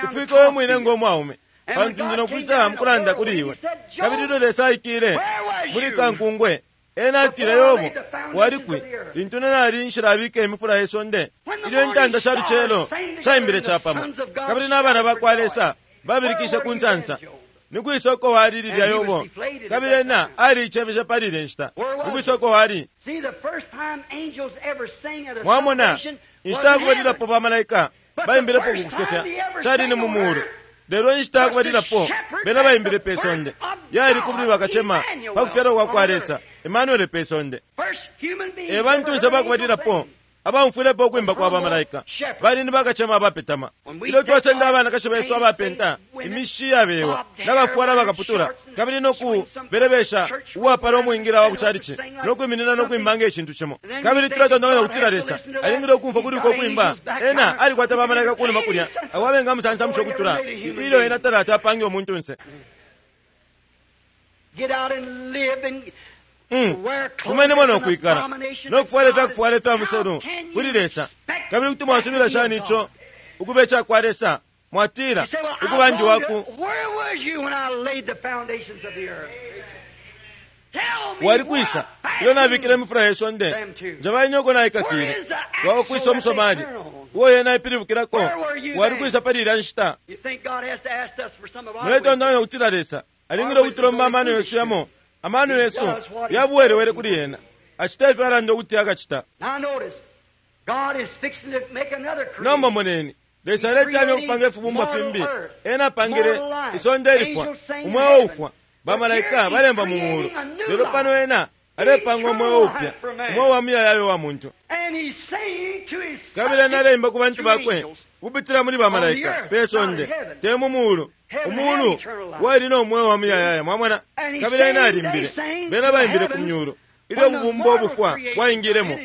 ifwike we mwine ngo mwaume, pantu ndi nokwisa mukulanda kuli iwe. Kabili ilyo Lesa aikile muli kankungwe, ena atile, Yobo, wali kwi lintu nali nshilabika imifula ye sonde? Ilyo intanda sha lucelo shaimbile capamo, kabili n'abana ba kwa Lesa babilikishe ku nsansa. Ni kwisa uko wali lilya Yobo? Kabili ena aliicefeshe pali ile nshita. Ni kwisa uko wali? Mwamona, inshita yakubalilapo bamalaika baimbilepo ku kusefya cali ni mu mulu. Lelo inshita yakubalilapo bena baimbile pe sonde yali kuli bakacema pa kufyalwa kwa kwa Lesa, Emmanuel pe sonde. E bantunse bakubalilapo abamfwilepo ukwimba kwa bamalaika bali ni bakacema abapetama. Ilyo twasenda abanakashi besu abapenta imishi yabewa n'abafwala bakaputula, kabili no kubelebesha uwapala umwingira wa kuchalichi no kwiminina no kwimba nge cintu cimo. Kabili tulatontonkanya kutila Lesa alingile ukumfwa kuli uko kwimba. Ena alikwata bamalaika kunuma kulya abo abengamusansamusha ukutula ilyo ena talata apange umuntunse. Mm. Fumenemo no kwikala no kufwala ifyakufwala ifya muselu kuli Lesa. Kabili kuti mwasubila shani ico ukuba ica kwa Lesa? Mwatila ukuba ndi waku wali kwisa ilyo nabikile imifula ye sonde, njaba inyoko naikakile wakukwisa umusomali uo yena ipilibukilako. Wali kwisa pali ilya nshita? Muletontonkanya kutila Lesa Alingile ukutulomba amano yesu yamo. Amano yesu yabuwelewele kuli yena. Acita ifyo alanda ukuti akacita. Nomba moneni, Lesa aletanya ukupanga ifibumbwa fimbi. Ena apangile isonde ilifwa, umweo ufwa, bamalaika balemba mu muulu. Lelo pano ena alepanga umweo upya, umweo wa muyayaya wa muntu. Kabili ena aleimba ku bantu bakwe kupitila muli bamalaika pe sonde, te mu muulu. Umuulu wali no mweo wa muyayaya, mwamona. Kabili ena alimbile, bena baimbile ku myulu ilyo ububumbo ubufwa bwaingilemo.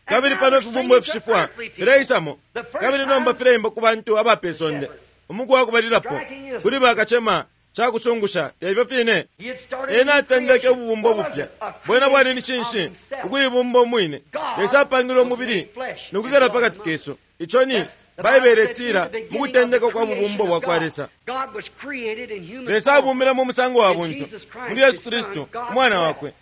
Kabili pano ifibumbo ifishifwa fileisamo, kabili nomba fileimba ku bantu aba pe sonde. Umuku wa kubalilapo kuli bakacema cakusungusha, tefyo fine. Ena atendeke ububumbo bupya. Bwena bwali ni cinshi? Ukuibumba umwine. Lesa apangile umubili nokwikala pakati kesu. Ico ni Baibele itila mu kutendeka kwa bubumbo bwa kwa Lesa. Lesa abumbile mu musango wa buntu muli Yesu Kristu umwana wakwe.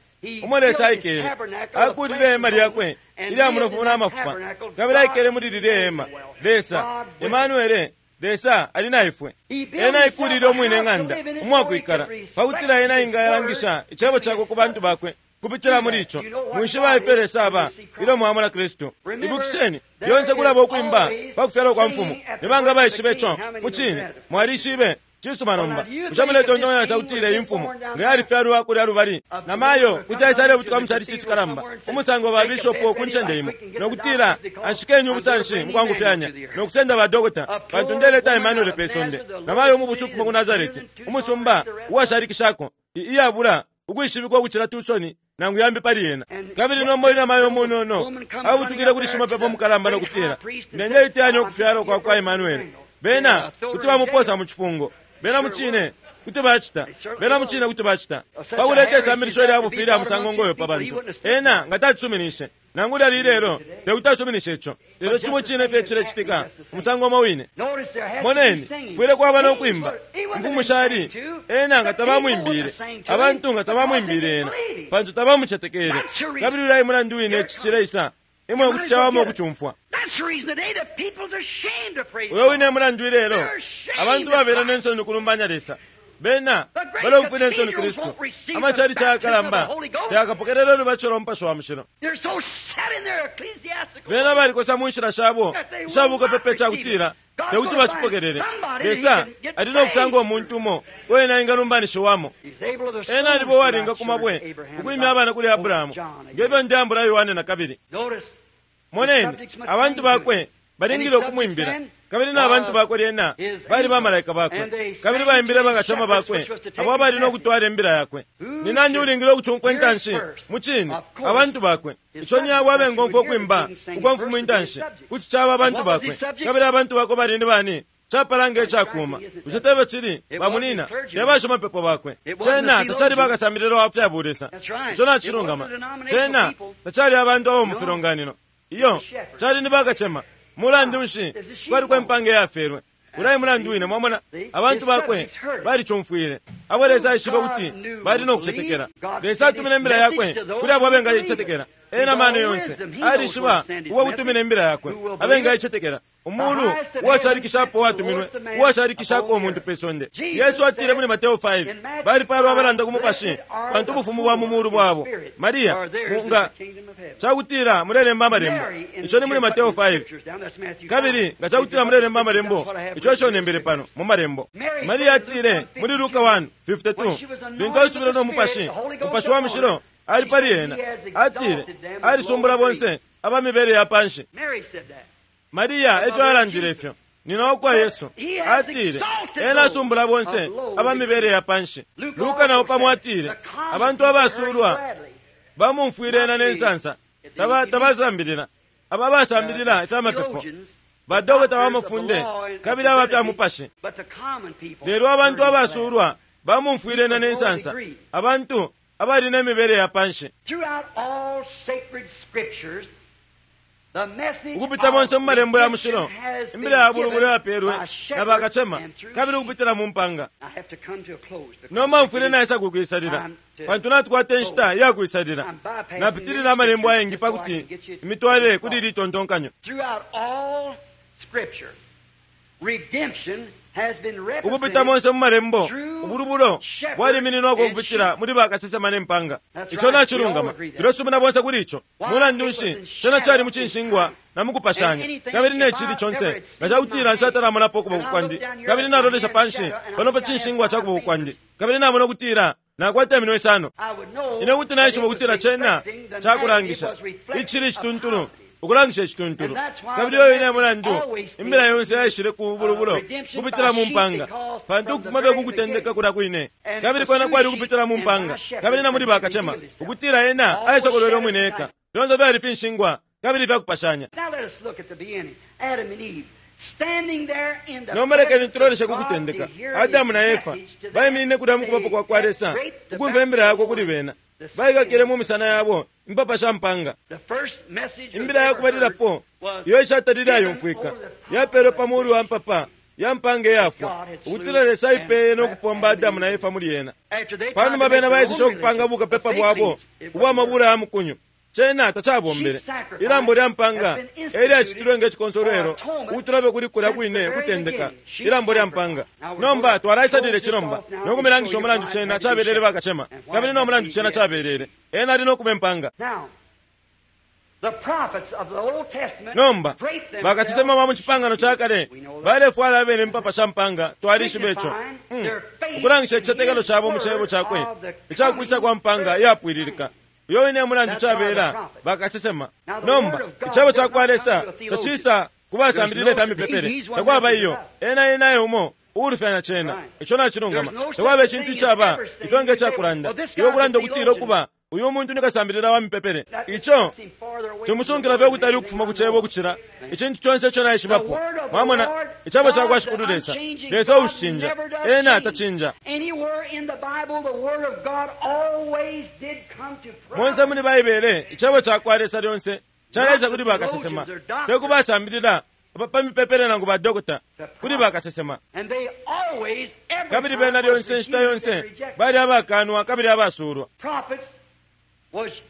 Umo Lesa aikele, akulile ihema lyakwe ilya munofu na mafupa, kabili aikele muli lilye hema. Lesa Emanuele, Lesa ali na ifwe. Ena aikulile umwine ng'anda umwakwikala, pakutila ena ingayalangisha icebo cakwe ku bantu bakwe kupitila muli ico. Mwishiba ifyo Lesa aba ilyo mwamona Kristu. Ibukisheni, lyonse kulaba ukwimba pa kufyalwa kwa mfumu. Ni banga baishibe ico? Mucine mwalishibe. Cisuma nomba, bushe muletontonkanya cakutila iyi mfumu nga yalifyalwa kulya lubali na mayo kuti aisale butuka mu chalichi cikalamba umusango ba bishopo ku ncende imo, nokutila anshikeni ubusanshi mukwangufyanya nokusenda ba dokota pantu ndeleta Emmanuel pe sonde, na mayo umubusu ukufuma ku Nazareti, umusumba uwashalikishako iyabula ukwishibikwa ukucila Tusoni nangu yambi pali yena. Kabili nomba uyu namayo umunono abutukile kuli shimapepo mukalamba nokutila, ndenge iteyanya ukufyalwa kwa kwa Emmanuel. Bena kuti bamuposa mu cifungo. Bena mucine kuti bacita. Bena mucine kuti bacita. Pakuleta isambilisho lya bufi ilya musango ngoyo pa bantu, ena nga tacisuminishe. Nangu lyali lelo tekuti asuminishe ico. Lelo cimo cine fye cilecitika umusango umo wine. Moneni, kufwile kwaba no kwimba. Imfumu shali ena nga tabamwimbile, abantu nga tabamwimbile ena, pantu tabamucetekele. Kabili ulya mulandu wine ici cileisa, imwe kuti cawama ukucumfwa. Uyo wine mulandu ilelo abantu babela nensoni ukulumbanya Lesa. Bena balomfwila ensoni Kristu. Amachalichi ayakalamba tayakapokelela ulubatisho lwa Mupashi wa Mushilo. Bena balikosa mu nshila shabo ishabukapepa icakutila tekuti bacipokelele. Lesa ali nokusanga umuntu umo uo ena engalumbanishiwamo. Ena alibo uwalinga ku mabwe ukwimya abana kuli Abrahamu, ngefyo ndeambula Yohane na kabili. Moneni, abantu bakwe balingile ukumwimbila, kabili na bantu bakwe lyena bali bamalaika bakwe, kabili baimbile bakacema bakwe abo abali nokutwala imbila yakwe. Ni nani ulingile ukucumfwa intanshi? Mucine, abantu bakwe. Ico ni abo abengomfwa ukwimba ukwa mfumu intanshi kuti caba abantu bakwe. Kabili abantu bakwe bali ni bani? Capala nge cakuma. Bushe tebe cili bamunina te bashimapepo bakwe? Cena tacali bakasambililo wa fya bulesa. Ico nacilungama. Cena tacali abantu abo mu filonganino. Iyo cali ni bakacema. Mulandu nshi kwali kwempanga yafelwe? Ulai mulandu wine, mwamona, abantu bakwe balicumfwile. Abo Lesa aishibe kuti bali nokucetekela. Lesa atumine imbila yakwe kuli abo abengaicetekela. Ena mano yonse alishiba uwa kutumina imbila yakwe abengaicetekela. Umulu uwashalikishapo watuminwe, uwashalikishako umuntu pe sonde. Yesu atile muli Mateo five, balipalwa abalanda ku mupashi, pantu ubufumu bwa mu mulu bwabo. Maria nga cakutila mulelemba amalembo, ico ni muli Mateo five. Kabili nga cakutila mulelemba amalembo, ico ico nembele pano mu malembo. Maria atile muli Luka one fifty-two, lintu asubile no mupashi, mupashi wa mushilo ali pali ena, atile alisumbula bonse abamibele ya panshi. Maria efyo alandile ifyo nina wakwa Yesu atile ena asumbula bonse abamibele ya panshi. Luka nao pamo atile abantu abasulwa bamumfwile ena nensansa, tabasambilila. Aba basambilila ifya mapepo, badokota bamafunde kabili aba fya mupashi. Lelo abantu abasulwa bamumfwile ena nensansa, abantu abali nemibele ya panshi. Ukupita monse mu malembo ya mushilo, imbila ya bulubulu yapelwe na bakacema, kabili ukupitila mu mpanga. Nomba mfwile naisa kukwisalila, pantu natukwata inshita ya kwisalila. Napitilila amalembo ayengi pakuti imitwale kuli litontonkanyo. Ukupita monse mu malembo, ubulubulo bwalimininwako ukupitila muli bakasesema ne mpanga. Ico nacilungama, tulesumina bonse kuli ico. Mulandu nshi, cena cali mu cinshingwa na mukupashanya. Kabili ne cili conse, nga cakutila nshatalamonapo ukuboko kwandi, kabili nalolesha panshi pano pa cinshingwa ca kuboko kwandi, kabili namona ukutila nakwata iminwe isano, ine kuti naishiba ukutila cena cakulangisha icili cituntulu, ukulangisha icituntulu. Kabili oyo ine mulandu imbila yonse yaishile ku bulubulo kupitila mu mpanga, pantu ukufuma fye kukutendeka kulya kwine, kabili kwena kwali ukupitila mu mpanga kabili na muli bakacema, ukutila ena aisokolwele umwine eka. Fyonse fyali finshingwa kabili fyakupashanya. Nomba lekeni tuloleshe kukutendeka. Adamu na Efa baiminine kulya mu kubapo kwa kwa Lesa, ukumva imbila yakwe kuli bena. Baikakile mu misana yabo impapa sha mpanga. Imbila yakubalilapo iyo ishatalile ayumfwika yapelwe pa mulu wa mpapa ya mpanga iyafwa, ukutila Lesa aipeye no kupomba Adamu na Efa muli yena. Panuma bena baiseshe ukupanga bukapepa bwabo ubwa mabula ya mukunyu, cena tacabombele. Ilambo lya mpanga elyacitilwe nge cikonsolwelo ukutulabe kuli kulya kwine kutendeka, ilambo lya mpanga. Nomba twalaisalile cilomba no kumilangisha umulandu cena cabelele bakacema, kabili no mulandu cena cabelele ena ali no kuba impanga. Nomba bakasesema ba mu cipangano ca kale balefwala abene impapa sha mpanga, twalishiba ico, mm. ukulangisha icicetekelo cabo mu cebo cakwe icakwisa kwa mpanga iyapwililika. Uyo ine mulandu cabela bakasesema. Nomba icebo ca kwa Lesa tacisa kubasambilila ifya mipepele, takwaba iyo. Ena enaye umo uulufyanya cena, ico nacilungama. Takwaba icintu icaba ifyo nge cakulanda iwe kulanda ukutila ukuba uyu muntu nikasambilila wa mipepele. Ico cimusunkila fye ukutali ukufuma ku cebo ukucila icintu conse ico naishibapo. Mwamona, icebo ca kwa Shikulu Lesa, Lesa uushicinja, ena tacinja. Monse muli Baibele, icebo ca kwa Lesa lyonse caleisa kuli bakasesema, te kubasambilila pa mipepele nangu badokota, kuli bakasesema. Kabili bena lyonse inshita yonse bali abakanwa kabili abasulwa.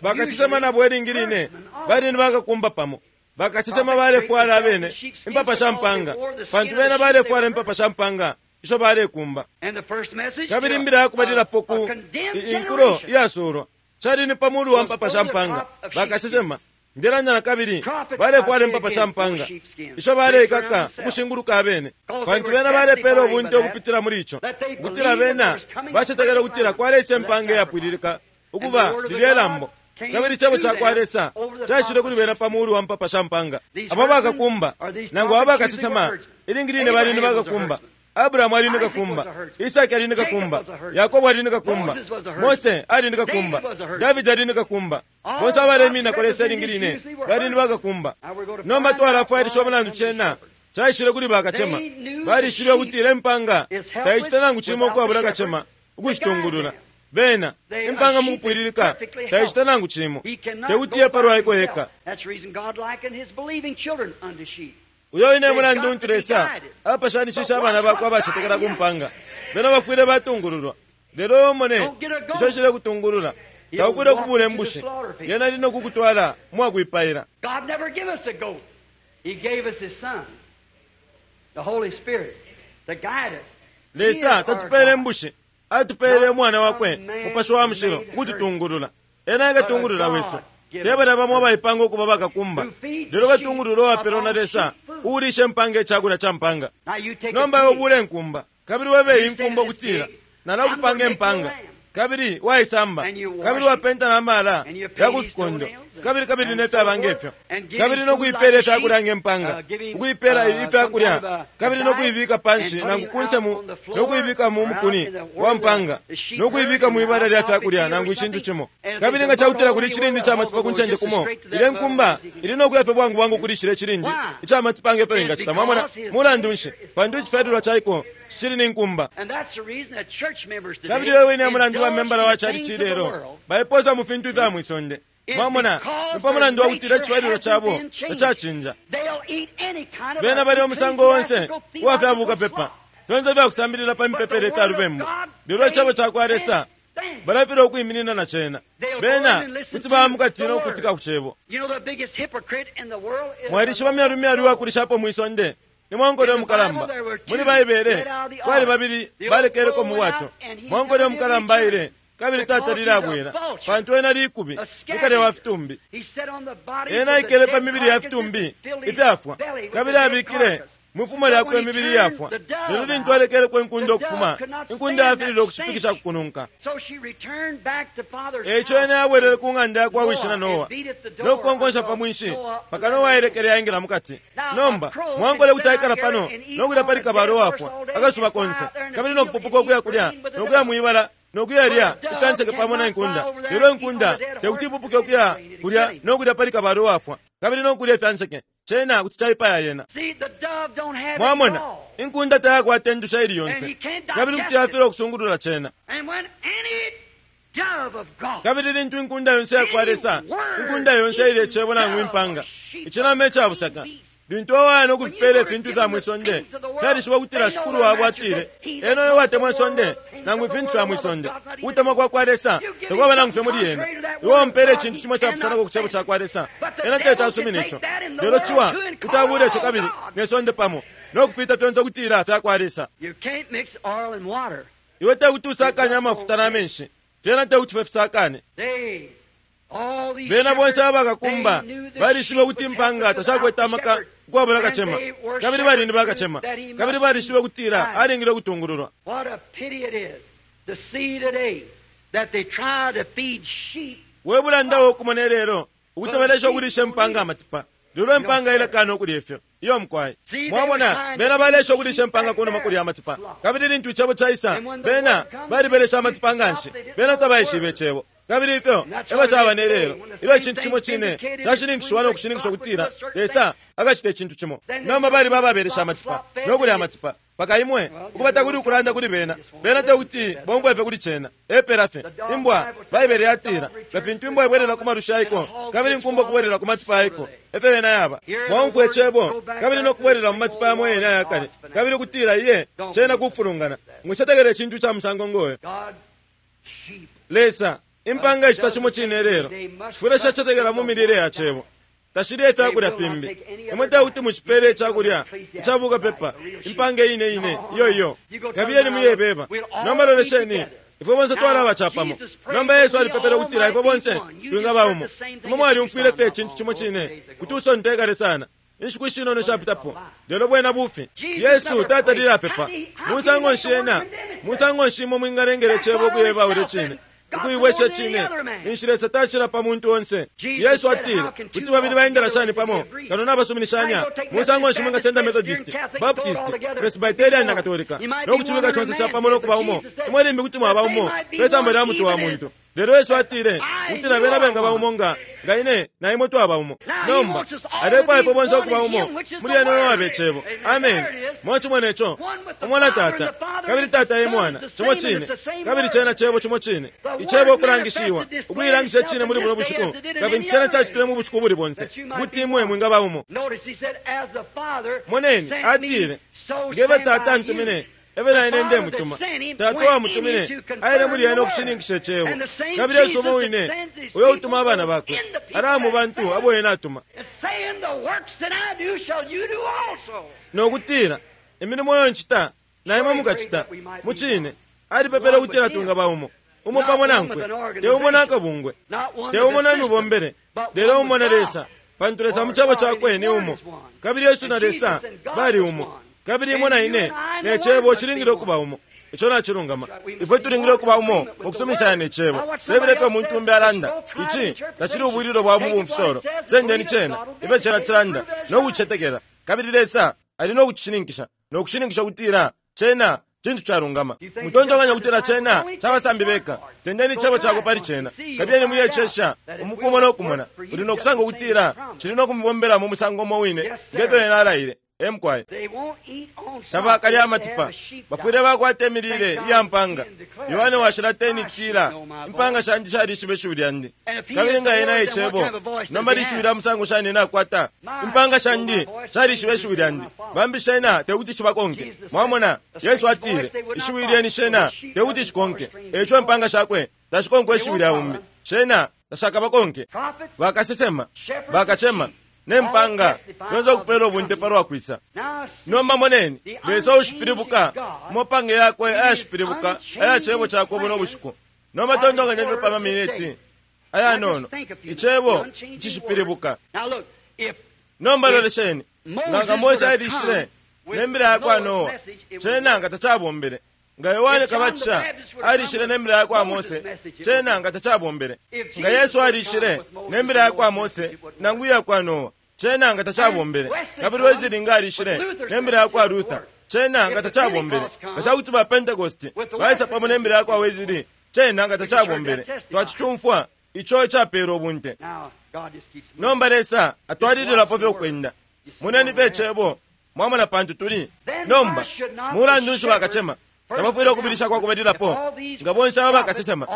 Bakasesema nabo ilingi line bali ni bakakumba pamo. Bakasesema balefwala abene impapa sha mpanga, pantu bena balefwala impapa sha mpanga isho balekumba. Kabili imbila yakubalilapo ku inkulo iyasulwa cali ni pamulu wa mpapa sha mpanga. Bakasesema ndelanda na kabili balefwala impapa sha mpanga isho baleikaka ukushinguluka abene, pantu bena balepela ubunte ukupitila muli ico, ukutila bena bacetekela ukutila kwaleisa impanga iyapwililika ukuba lilye lambo. Kabili icebo ca kwa Lesa caishile kuli bena pa mulu wa mpapa sha mpanga. Abo bakakumba nangu abo bakasesema ilingi line bali ni bakakumba. Abrahamu ali ni kakumba, Isaki ali ni kakumba, Yakobo ali ni kakumba, Mose ali ni kakumba, Davidi ali ni kakumba. Bonse abalemina kwa Lesa ilingi line bali ni bakakumba. Nomba twalafwailisha umulandu cena caishile kuli bakacema. Balishibe ukutila impanga taicita nangu cimo ukwabula kacema ukushitungulula. Bena impanga mukupwililika taicita nangu cimo, tekutiye palwaiko yeka. Uyo ine mulandu untu Lesa apashanishisha abana bakwe abacetekela ku mpanga. Bena bafwile batungululwa, lelo omone ico cile kutungulula taukwile kubula imbushi, yena ali nokukutwala mwakwipaila. Lesa tatupele imbushi, atupele umwana wakwe Mupashi wa Mushilo ukututungulula. Ena ekatungulula wesu. Tebala bamo abaipanga ukuba bakakumba, lelo katungulula uwapelwa na Lesa uulisha impanga icakulya ca mpanga. Nomba iwe ubule inkumba, kabili webe inkumba ukutila nalakupanga impanga, kabili waisamba, kabili wapenta na mala ya kufikondo, kabili kabili nefyaba ngefyo, kabili nokuipela ifyakulya nge mpanga, ukuipela ifyakulya, kabili nokuibika panshi nangu kunse mu nokuibika mu mukuni wa mpanga, nokuibika mwibala lya fyakulya nangu icintu cimo. Kabili nga cakutila kuli icilindi ca matipa ku ncende kumo, ile nkumba ili nokuya fye bwangu bwangu kulishila icilindi ica matipa ngefyo ingacita. Mwamona, mulandu nshi? Pantu icifyalilwa caiko cicili ni nkumba. Kabili wewe ine mulandu wa membala wa chali chilelo baiposa mu fintu ifya mwisonde. Mwamona, ni pa mulandu wa kutila icifyalilwa cabo tacacinja. Bena bali omusango onse uwa fya bukapepa, fyonse fyakusambilila pa mipepele ifya lubembu, lelo icebo ca kwa Lesa balafilwa ukwiminina na cena. Bena kuti bamukatina ukukutika ku cebo. Mwalishiba myalu myalu uwakulishapo mwisonde Ni mwankole umukalamba. Muli Baibele kwali babili balekeleko mu bwato. Mwankole umukalamba aile kabili tatalile abwela, pantu ena likubi nikale wa fitumbi. Ena aikele pa mibili ya fitumbi ifyafwa, kabili abikile mwifumo lyakwe imibili yafwa. Lelo lintu alekeleko inkunda ukufuma, inkunda yafilile ukushipikisha kukununka. Eico ena yabwelele ku ng'anda yakwa wishi na Noa no kukonkonsha pa mwinshi mpaka Noa ailekele yaingila mukati. Nomba mwankole kuti aikala pano no kulya pali kabalo wafwa akasuba konse, kabili no kupupuka ukuya kulya no kuya mwibala no kuyalya ifyanseke pamo na inkunda. Lelo inkunda tekuti ipupuke ukuya kulya no kulya pali kabalo wafwa kabili no kulya ifyanseke, cena kuti caipaya yena. Mwamona, inkunda tayakwata endusha ili yonse, kabili kuti yafilwa ukusungulula cena. Kabili lintu inkunda yonse yakwa Lesa, inkunda yonse ile cebo nangu impanga, icinama icabusaka, lintu awaya no kufipela ifintu ifya mwisonde, fyalishiba ukutila shikulu wabo atile, ena uyo watemwa isonde nangu ifintu fya mwisonde, ukutemwa kwa kwa Lesa tekwaba nangu fye muli yena. Iwe wampela icintu cimo capusanako ku cebo ca kwa Lesa, ena tete asumina ico. Lelo ciwa kuti abule ico kabili ne sonde pamo no kufita fyonse ukutila fya kwa Lesa. Iwe tekuti usakanye amafuta na menshi, fyena tekuti fye fisakane. Bena bonse abakakumba balishibe ukuti impanga tashakwete amaka ukwabula kacema, kabili bali ni bakacema, kabili balishibe ukutila alingile ukutungululwa. We bulanda wokumona lelo ukuti balesha ukulisha impanga amatipa, lelo impanga ilakana ukulya ifyo. Iyo mkwai mwamona, bena balesha ukulisha impanga kunuma kulya amatipa, kabili lintu icebo caisa bena balibelesha amatipa nganshi, bena tabaishibe icebo. Kabili ifyo eba caba ne lelo, ilyo icintu cimo cine cashininkishiwa no kushininkisha ukutila Lesa akacita icintu cimo. Nomba bali bababelesha amatipa no kulya amatipa paka imwe ukubata kuli ukulanda kuli bena, bena tekuti bombwefe kuli cena. Epela fye imbwa, Baibele yatila nga fintu imbwa ibwelela ku malusha aiko kabili inkumba kubwelela ku matipa aiko, efyo yena yaba. Mwaumfwa icebo kabili no kubwelela mu matipa yamo yene ayakale, kabili ukutila iye cena kufulungana. Mwicetekele icintu ca musango ngoyo. Lesa impanga icita cimo cine lelo chifwile shacetekela mu milile ya cebo, tashilye ifyakulya fimbi. Imwe tekuti mucipele icakulya icabuka pepa, impanga ine ine iyo iyo. Kabiyeni muyebeba. Nomba lolesheni, ifwe bonse twalaba capamo. Nomba Yesu alipepele ukutila ifwe bonse twingaba umo. Imwe mwalyumfwile fye icintu cimo cine kuti usontekale sana inshiku ishinono shapitapo, lelo bwena bufi. Yesu tatalile apepa. Musango nshi ena, musango nshi imwe mwingalengela icebo ukuyeba ule cine, ukuibwesha cine, ninshi Lesa tacila pa muntu onse. Yesu atile kuti babili baendela shani pamo kano nabasuminishanya? Musango nshi mwingasenda Methodist, Baptist, Presbyterian na Katolika no kucibika conse capamo no kuba umo? Imwe limbi kuti mwaba umo pesamba lya mutu wa muntu. Lelo Yesu atile kutila bena bengaba umo nga nga ine na imwe twaba umo. Nomba alefwaya ifwe bonse ukuba umo muli ena uyo wabe cebo. Amen. Mwacimona ico? Umwana Tata kabili Tata ye Mwana, cimo cine, kabili cena cebo cimo cine. Icebo ukulangishiwa, ukuilangisha cine muli buno bushiku, kabili cena cacitile mu bushiku buli bonse kuti imwe mwingaba umo. Moneni, atile ngebe Tata antumine, ebe na ine ndemutuma. Tata wamutumine aile muli ena ukushininkisha icebo, kabili Yesu umo wine uyo utuma abana bakwe ala mu bantu abo ena atuma, nokutila imilimo yo ncita na imwe mukacita. Mucine alipepele ukutila twingaba umo, umo pamo nankwe, te umo nakabungwe, te umo na mibombele, lelo umo na Lesa, pantu Lesa mu cebo cakwe ni umo, kabili Yesu na Lesa bali umo, kabili imwe na ine ne cebo cilingile ukuba umo. Ico nacilungama. Ifwe tulingile ukuba umo mukusuminishanya ne cebo. Tebileke umuntu umbi alanda ici tacili ubwililo bwa mubumfisolo. Sendeni cena ifyo cena cilanda no kucicetekela, kabili Lesa ali no kucishininkisha no kushininkisha ukutila cena cintu calungama. Mutontonkanya ukutila cena cabasambi beka. Sendeni icebo cakwe pali cena, kabiyeni muyecesha umukumo no kumona. Uli no kusanga ukutila cili no kumubombela mu musango umo wine ngefyo ena alaile. Emkwai tabakalya amatipa, bafwile bakwata imilile iya mpanga. Yohane washila teni tila impanga shandi shalishiba ishiwi lyandi, kabili nga ena icebo nomba lishiwi lya musango shani ena akwata? Impanga shandi shalishiba ishiwi lyandi, bambi shena tekuti shibakonke. Mwamona, Yesu atile ishiwi lyeni shena tekuti shikonke, eco impanga shakwe tashikonke ishiwi lya umbi, shena tashakabakonke. Bakasesema, bakacema, Ne mpanga fyonse ukupela ubunte palwa kwisa. Nomba moneni, Lesa ushipilibuka mumapange yakwe ayashipilibuka aya cebo cakwe buno bushiku. Nomba tontonkanyeni pa maminiti ayanono, icebo icishipilibuka. Nomba lolesheni, nga Mose alishile ne mbila yakwa Noa, cena nga tacabombele. Nga Yohane Kabatisha alishile ne mbila yakwa Mose, cena nga tacabombele. Nga Yesu alishile ne mbila yakwa Mose nangu iyakwa Noa, cena nga tacabombele. Kabili Wesley nga alishile ne mbila yakwa Luther, cena nga tacabombele. Nga cakuti ba Pentecost baisa pamo ne mbila yakwa Wesley, cena nga tacabombele. Twacicumfwa ico icapela ubunte. Nomba Lesa atwalililapo fyokwenda. Moneni fye icebo, mwamona pantu tuli. Nomba mulandu nshi bakacema tabafwile ukubilisha kwa kubalilapo? Nga bonse aba bakasesema,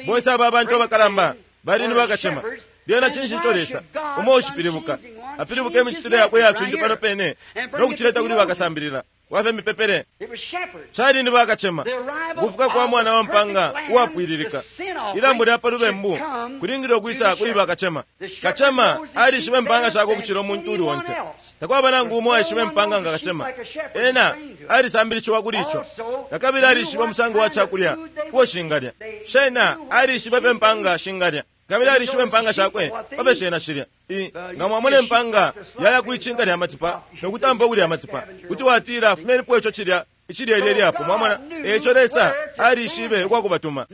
bonse aba abantu abakalamba bali ni bakacema, lyena cinshi ico Lesa umo ushipilibuka apilibuka imicitile yakwe ya fintu pano pene no kucileta kuli bakasambilila wafe mipepele? Cali ni bakacema. Ukufuka kwa mwana wa mpanga uwapwililika, ilambo lya palubembu kulingile ukwisa kuli bakacema. Kacema alishiba impanga shakwe ukucila umuntu uli onse. Takwaba nangu umo aishiba impanga nga kacema. Ena alisambilishiwa kuli ico. Nakabili alishiba umusango wa cakulya uo shingalya. Shena alishiba fye impanga shingalya, kabili alishiba impanga shakwe pafe shena shilya. Nga mwamona impanga yaya kwicinka lya matipa nokutampa ukulya amatipa, kuti watila fumenipo ico cilya icilyelye lyapo. Mwamona, eco Lesa alishibe ukwakubatuma.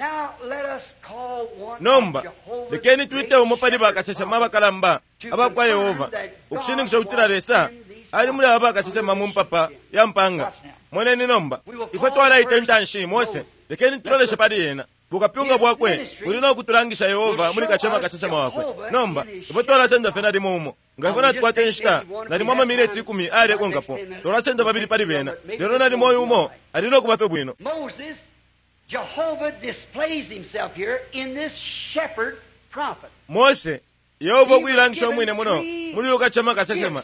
Nomba lekeni twite umo pali bakasesema abakalamba abakwa Yehova ukushininkisha ukutila Lesa ali muli aba bakasesema mu mpapa ya mpanga. Moneni nomba, ifwe twalaita intanshi Mose, lekeni tuloleshe pali yena. Bukapyunga bwakwe buli no kutulangisha Yehova muli kacema kasesema wakwe. Nomba ifwe twalasenda fye nalimo umo, nga ifwe natukwata inshita nalimo amamineti ikumi ayalekonkapo, twalasenda babili pali bena, lelo nalimo uyu umo ali no kuba fye bwino. Mose, Yehova ukuilangisha umwine muno muli uyu kacema kasesema.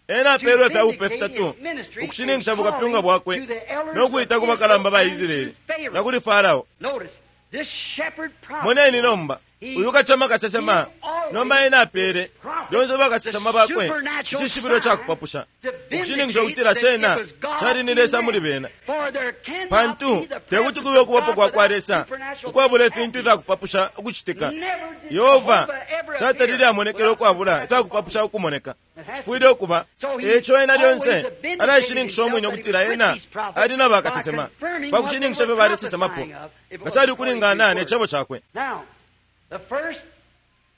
Ena apeelwe fya bupe fitatu ukushininkisha bukapyunga bwakwe no kuita ku bakalamba ba Israeli na kuli Farao. Moneni nomba, uyu kacema kasesema nomba ena apeele lyonse bakasesema bakwe icishibilo cakupapusha ukushininkisha ukutila cena cali ni Lesa muli bena. Pantu tekuti kube ukubapo kwa kwa Lesa ukwabula ifintu ifyakupapusha ukucitika. Yehova tatalile amonekele ukwabula ifyakupapusha ukumoneka. Cifwile ukuba eco ena lyonse alaishininkisha umwine ukutila ena ali na bakasesema pakushininkisha fye balesesemapo nga cali ukulingana ne cebo cakwe.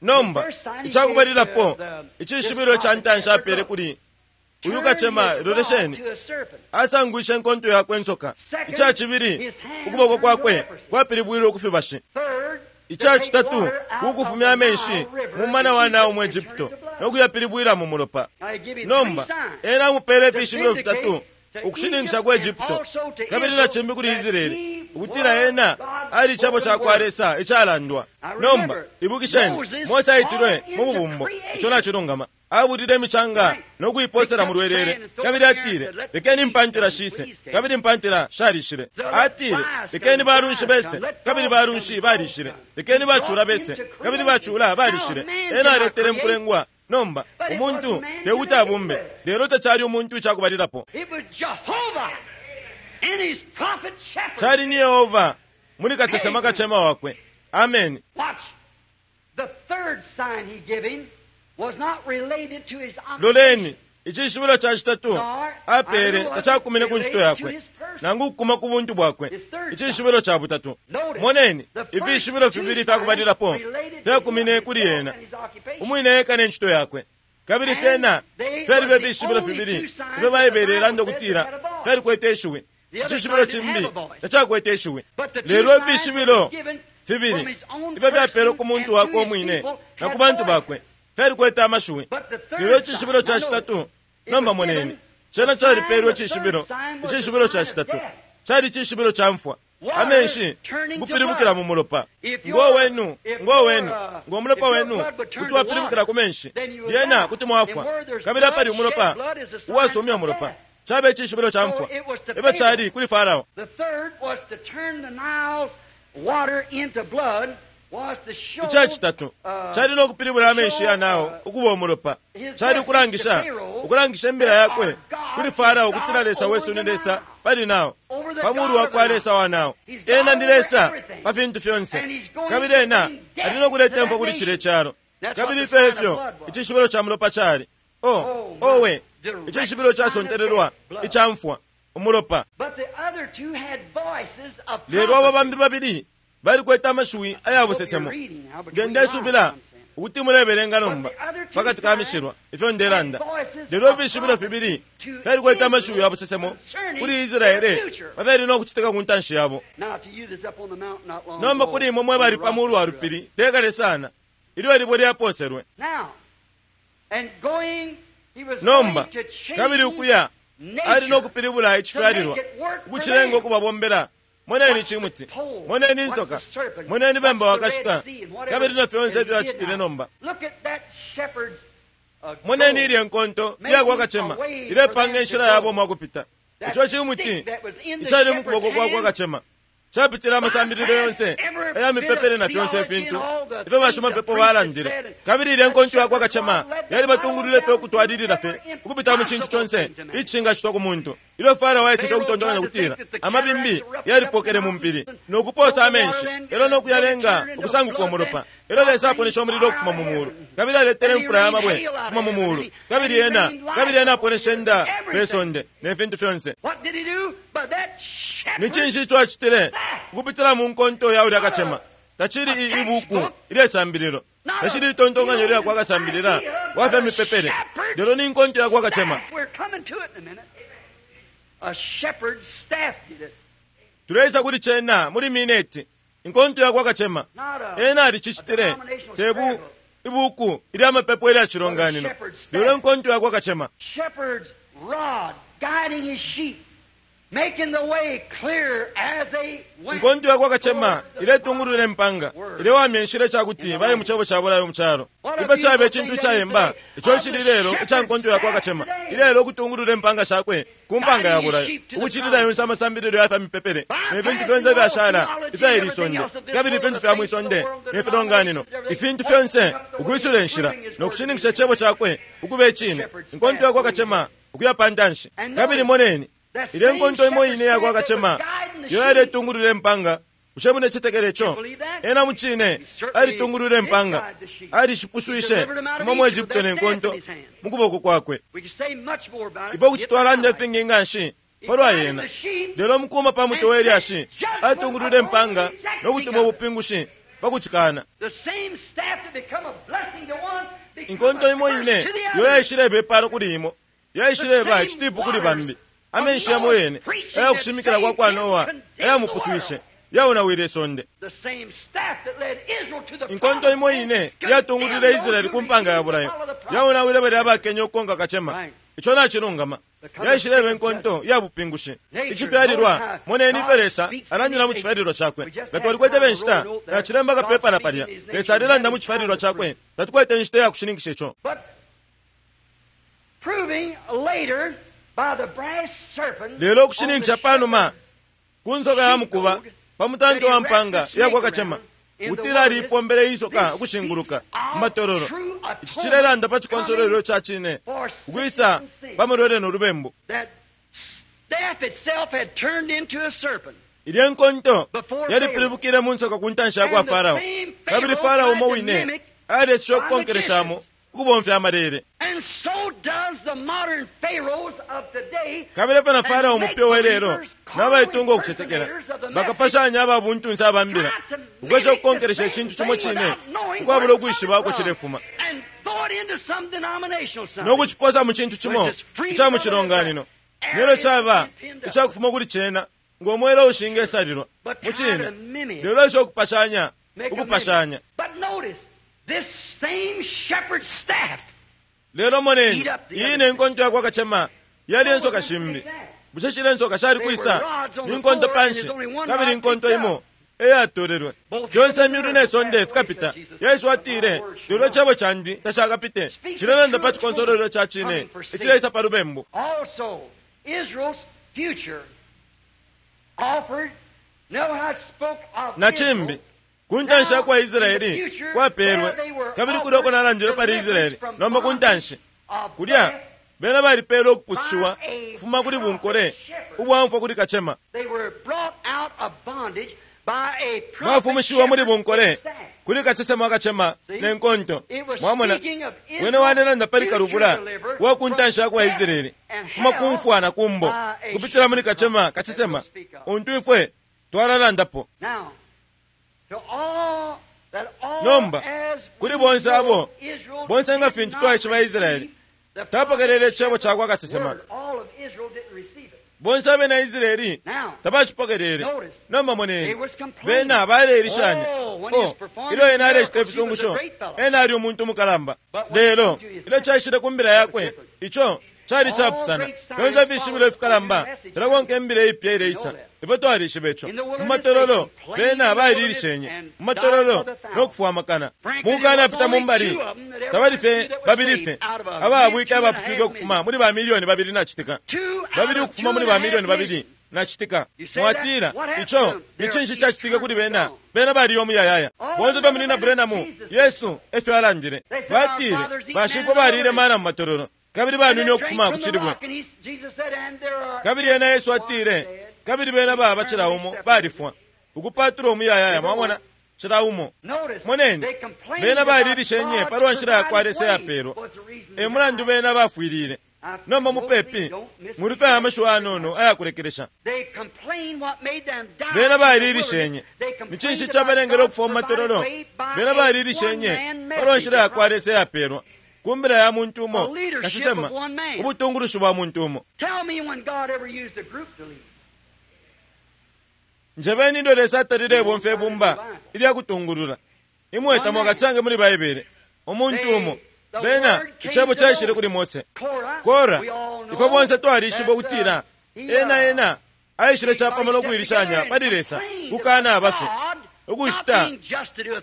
Nomba icakubalilapo icishibilo ca ntanshi apele kuli uyu kacema, lolesheni, asangwishe inkonto yakwe insoka. Ica cibili, ukuboko kwakwe kwapilibwile ukufibashi. Ica citatu, kukufumya amenshi mu mumana wa Nile mu Egypto no kuyapilibwila mu mulopa. Nomba ena amupele ifishibilo fitatu ukushininkisha ku Egypto kabili na cimbi kuli Israeli ukutila ena ali icebo ca kwa Lesa icalandwa. Nomba ibukisheni, Mose aitilwe mu bubumbo, ico nacilungama. Abulile imicanga no kuiposela mu lwelele, kabili atile, lekeni impantila shise, kabili impantila shalishile. Atile, lekeni balunshi bese, kabili balunshi balishile. Lekeni bacula bese, kabili bacula balishile. Ena aletele mukulengwa. Nomba umuntu tekuti abumbe, lelo tacali umuntu icakubalilapo. Cali ni Yehova muli kasesema kacema wakwe. Amen. Loleni, icishibilo ca citatu apele tacakumine ku ncito yakwe nangu ukukuma ku buntu bwakwe. Icishibilo ca butatu, moneni, ifishibilo fibili fyakubalilapo fyakumine kuli ena umwine eka ne ncito yakwe, kabili fyena fyali fye fishibilo fibili ifyo Baibele ilanda ukutila fyalikwete ishiwi. Icishibilo cimbi tacakwete ishiwi, lelo ifishibilo fibili ifyo fyapelwe ku muntu wakwe umwine na ku bantu bakwe fyalikwete amashiwi. Lelo icishibilo ca citatu, nomba moneni, cena calipelwe icishibilo. Icishibilo ca citatu cali icishibilo ca mfwa, amenshi kupilibukila mu mulopa. Ngo wenu, ngo wenu, ngo mulopa wenu kuti wapilibukila ku menshi, lyena kuti mwafwa. Kabili apali umulopa uwasumya umulopa, cabe icishibilo ca mfwa. Efyo cali kuli Farao. Ica citatu cali no kupilibula amenshi ya Nile ukuba umulopa. Cali ukulangisha ukulangisha imbila yakwe kuli Farao ukutila Lesa wesu ni Lesa pali Nile, pa mulu wa kwa Lesa wa Nile. Ena ni Lesa pa fintu fyonse, kabili ena ali no kuleta imfwa kuli cile calo. Kabili ifyo efyo icishibilo ca mulopa cali. Oh, owe, icishibilo casontelelwa ica mfwa, umulopa. Lelo abo bambi babili balikwete amashiwi aya busesemo. Nge ndesubila ukuti mulebelenga nomba pakati ka mishilwa ifyo ndelanda. Lelo ifishibilo fibili fyalikwete amashiwi ya busesemo kuli Israele pafyali no kucitika ku ntanshi yabo. Nomba kuli imwe mwe bali pa mulu wa lupili tekale sana ilyo ilibwe lyaposelwe. Nomba kabili ukuya ali no kupilibula icifyalilwa ukucilenga ukubabombela. Moneni cimuti, moneni insoka, moneni bemba wakashika, kabili na fyonse ifyo acitile nomba. Moneni ilye nkonto iyakwa kacema ilepanga inshila yabo mwakupita. Ico cimuti icali mu kuboko kwakwa kacema capitile amasambililo yonse aya mipepele na fyonse ifintu ifyo bashimapepo balandile. Kabili ilye nkonto yakwa kacema yalibatungulwile fye ukutwalilila fye ukupita mu cintu conse icingacitwa ku muntu. Ilyo Farao aeseshe ukutontonkanya kutila amabimbi yalipokele mu mpili no kuposa amenshi elo no kuyalenga ukusanguka umulopa, elo Lesa aponeshe umulilo ukufuma mu mulu, kabili aletele imfula ya mabwe ukufuma mu mulu, kabili ena kabili ena aponeshe nda pe sonde ne fintu fyonse. Ni cinshi ico acitile ukupitila mu nkonto ya ulya kacema? Tacili ibuku ilyesambililo, tacili itontonkanyo lya kwa kasambilila wa fya mipepele, lelo ni nkonto ya kwa kacema. Tuleisa kuli cena muli mineti. Inkonto ya kwa kacema ena alicicitile, tebu ibuku ilya mapepo ilya cilonganino, lelo inkonto ya kwa kacema. Inkonto ya kwa kacema iletungulula impanga, ilewamya inshila icakuti baye mu cebo ca bulayo mu calo. Ifyo caba icintu icayemba ico cili lelo ica nkonto ya kwa kacema, ilelo ukutungulula impanga shakwe ku mpanga ya bulayo, ukucilila yonse amasambililo ya fya mipepele ne fintu fyonse ifyashala ifya ili sonde, kabili ifintu fya mwi sonde ne filonganino, ifintu fyonse ukwisula inshila no kushininkisha icebo cakwe ukuba icine. Inkonto ya kwa kacema ukuya pa ntanshi. Kabili moneni ilye nkonto imo ine ya kwa kacema iyo yaletungulula impanga. Bushe munecetekela ico? Ena mucine alitungulula impanga, alishipuswishe kufuma mu Egypto ne nkonto mu kuboko kwakwe. Ifwe kuti twalanda ifingi nga nshi palwa yena, lelo mukuma pa mutwe we lyashi atungulula impanga no kutuma ubupingushi pa kucikana. Inkonto imo ine iyo yaishileba ipalo kuli imo yaishileba icitipu kuli bambi. Amenshi yamo yene ayakushimikila kwa kwa Noa ayamupuswishe yaonawile isonde. Inkonto imo ine yatungulwile Israeli ku mpanga ya bulayo yaonawile balya abakenya ukukonka kacema. Ico nacilungama. Yaishileba inkonto ya bupingushi. Icifyalilwa, moneni ifyo Lesa alandila mu cifyalilwa cakwe. Nga twalikwete benshita nacilemba kapepala palya. Lesa alilanda mu cifyalilwa cakwe, tatukwete inshita ya kushininkisha ico. Lelo ukushininkisha panuma ku nsoka ya mukuba pa mutanto wa mpanga iyakwa kacema ukutila aliipombele insoka ukushinguluka mu matololo. Ici cilelanda pa cikonsolwelo ca cine ukwisa pa mulwele no lubembu. Ilye nkonto yalipilibukile mu nsoka ku ntanshi ya kwa Farao, kabili Farao umo wine aleseshe ukukonkeleshamo ukubomfya amalele. Kabili efyo na Farao umupya welelo nabaitunga ukucetekela bakapashanya aba buntunse abambila ukwesha ukukonkelesha icintu cimo cine ukwabula ukwishiba uko cilefuma no kuciposa mu cintu cimo ica mu cilonganino, nelyo caba icakufuma kuli cena ngo mwela ushingesalilwa mu cine, lelo esha ukupashanya ukupashanya. Lelo moneni iyi ne nkonto yakwa kacema yali ensoka shimbi. Bushe shile ensoka shali kwisa? Ni nkonto panshi, kabili nkonto imo eyatolelwe. Fyonse imyulu ne sonde fikapita. Yesu atile, lelo icebo candi tashakapite. Cilelanda pa cikonsolwelo ca cine icileisa pa lubembu. Na cimbi Ku ntanshi ya kwa Israeli kwapelwe, kabili kulya uko nalandile pali Israeli nomba ku ntanshi kulya bena balipelwe ukupusushiwa kufuma kuli bunkole ubwamfwa kuli kacema. Bafumishiwa muli bunkole kuli kasesema kacema ne nkonto. Mwamona, wene walelanda pali kalubula wa ku ntanshi ya kwa Israeli kufuma ku mfwa na kumbo kupitila muli kacema kasesema untu ifwe twalalandapo. Nomba kuli bonse abo bonse nga fintu twaishiba Israeli tapokelele icebo ca kwa kasesema. Bonse abena Israeli tabacipokelele. Nomba moneni, bena baleilishanya. Oh, ilyo ena alecita ifisungusho, ena ali umuntu mukalamba. Lelo ilyo caishile ku mbila yakwe, ico cali capusana. Fyonse ifishibilo ifikalamba filakonka imbila ipya ileisa. Ifwe twalishiba ico. Mu matololo bena baililishenye mu matololo no kufwamakana mukukanapita mu mbali. Tabali fye babili fye ababwike abapuswike ukufuma muli ba milioni babili nacitika babili ukufuma muli ba milioni babili nacitika. Mwatila ico ni cinshi cacitike kuli bena? Bena baliyo muyayaya. Bonse fye muli na Branham, Yesu efyo alandile. Batile bashifwe balile mana mu matololo kabili banwine ukufuma ku cilibwe. Kabili ena Yesu atile, kabili bena baba cila umo balifwa ukupatula umuyayaya. Mwamona, cila umo. Moneni, bena balilishenye palwa nshila ya kwa Lesa yapelwa, e mulandu bena bafwilile. Nomba mupepi muli fye amashiwi anono ayakulekelesha. Bena balilishenye. Ni cinshi cabalengele ukufwa mu matololo? Bena balilishenye palwa nshila ya kwa Lesa yapelwa ku mbila ya muntu umo kasesema, ubutungulushi bwa muntu umo. Njebeni ndo Lesa atalile bomfya ibumba ilya kutungulula. Imwe tamwakasange muli Baibele umuntu umo. Bena icebo caishile kuli Mose. Kora, ifwe bonse twalishiba ukutila ena ena aishile capamo no kuilishanya pali Lesa kukana abafe ukushita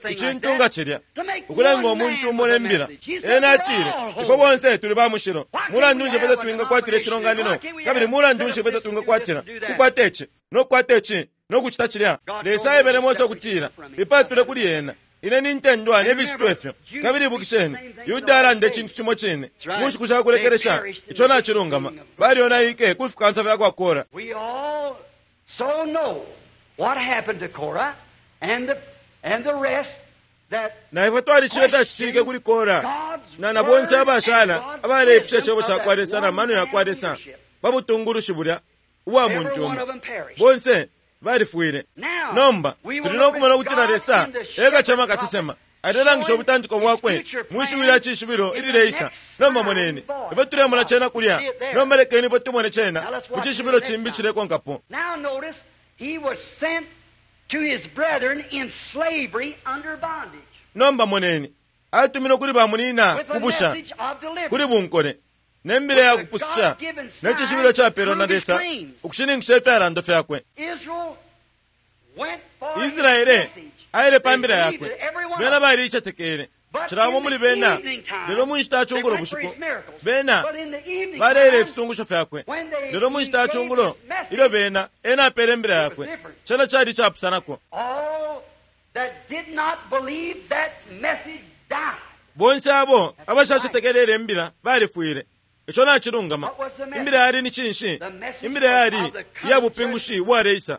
icintu nga cilya ukulenga umuntu umo ne mbila. Ena atile, ifwe bonse tuli ba mushilo. Mulandu nshi fwe twingakwatila icilonganino, kabili mulandu nshi fwe twingakwatila kukwata ici no kukwata ici no kucita cilya? Lesa aebele Mose ukutila ipatule kuli ena. Ine nintendwa ne ficitwa ifyo. Kabili ibukisheni, Yuda alanda icintu cimo cine mu nshiku sha kulekelesha. Ico nacilungama. Balyonaike ku fikansa fya kwa Kora. Na ifwe twalishibe fyacitike kuli Kora na na bonse abashala abaleipusha icebo ca kwa Lesa na mano ya kwa Lesa pa butungulushi bulya ubwa muntu umo. Bonse balifwile. Nomba tuli no kumona ukutila Lesa e kacema kasesema alelangisha ubutantiko bwakwe mu shiwi lya cishibilo ilileisa. Nomba moneni ifwe tulemona cena kulya. Nomba lekeni ifwe tumone cena mu cishibilo cimbi cilekonkapo. Nomba moneni, atuminwe kuli bamunina kubusha kuli bunkole ne mbila ya kupususha ne cishibilo capelwa na Lesa ukushininkisha ifyalando fyakwe. Israele aile pa mbila yakwe. Bena baliicetekele cila umo muli bena. Lelo mu nshita ya cungulo bushiku bena baleile ifisungusho fyakwe. Lelo mu nshita ya cungulo ilyo bena ena apele imbila yakwe, cena cali capusanako. Bonse abo abashacetekelele imbila balifwile. Ico nacilungama. Imbila yali ni cinshi? Imbila yali iya bupingushi bwaleisa.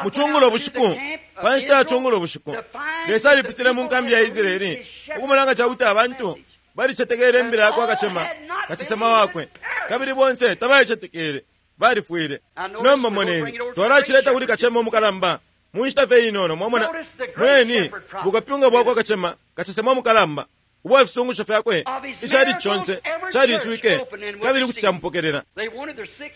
Mu cungulo bushiku, pa nshita ya cungulo bushiku, Lesa alipitile mu nkambi ya Israeli ukumona nga cakuti abantu balicetekele imbila yakwa kacema kasesema wakwe, kabili bonse tabalicetekele, balifwile. Nomba moneni, twalacileta kuli kacema umukalamba mu nshita fye inono. Mwamona, moneni bukapyunga bwakwa kacema kasesema umukalamba ubwa fisungusho fyakwe icali conse caliswike kabili kuti camupokelela.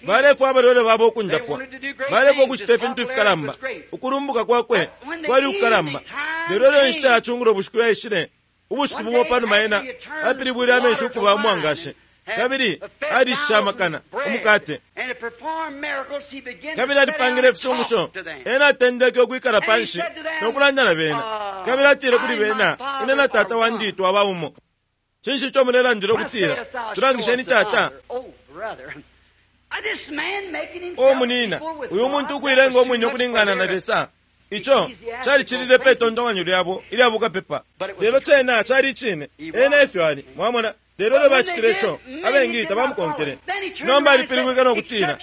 Balefwa abalwele babo ukundapwa, balefwa ukucita ifintu ifikalamba. Ukulumbuka kwakwe kwali ukukalamba. Lelo ilyo inshita ya cungulo bushiku yaishile, ubushiku bumo panuma ena apilibwile amenshi ukuba umwangashi kabili alishishe amakana umukate kabili alipangile ifisungusho. Ena atendeke ukwikala panshi no kulanda na bena, kabili atile kuli bena, ine na tata wandi twaba umo. Cinshi ico mulelandila ukutila tulangisheni tata? O munina, uyu muntu ukuilenga umwine ukulingana na Lesa, ico calicilile pe tontonkanyo lyabo ilya bukapepa. Lelo cena cali icine, ena efyo ali, mwamona. Lelo lyo bacitile ico, abengi tabamukonkele. Nomba alipilibwike no kutila,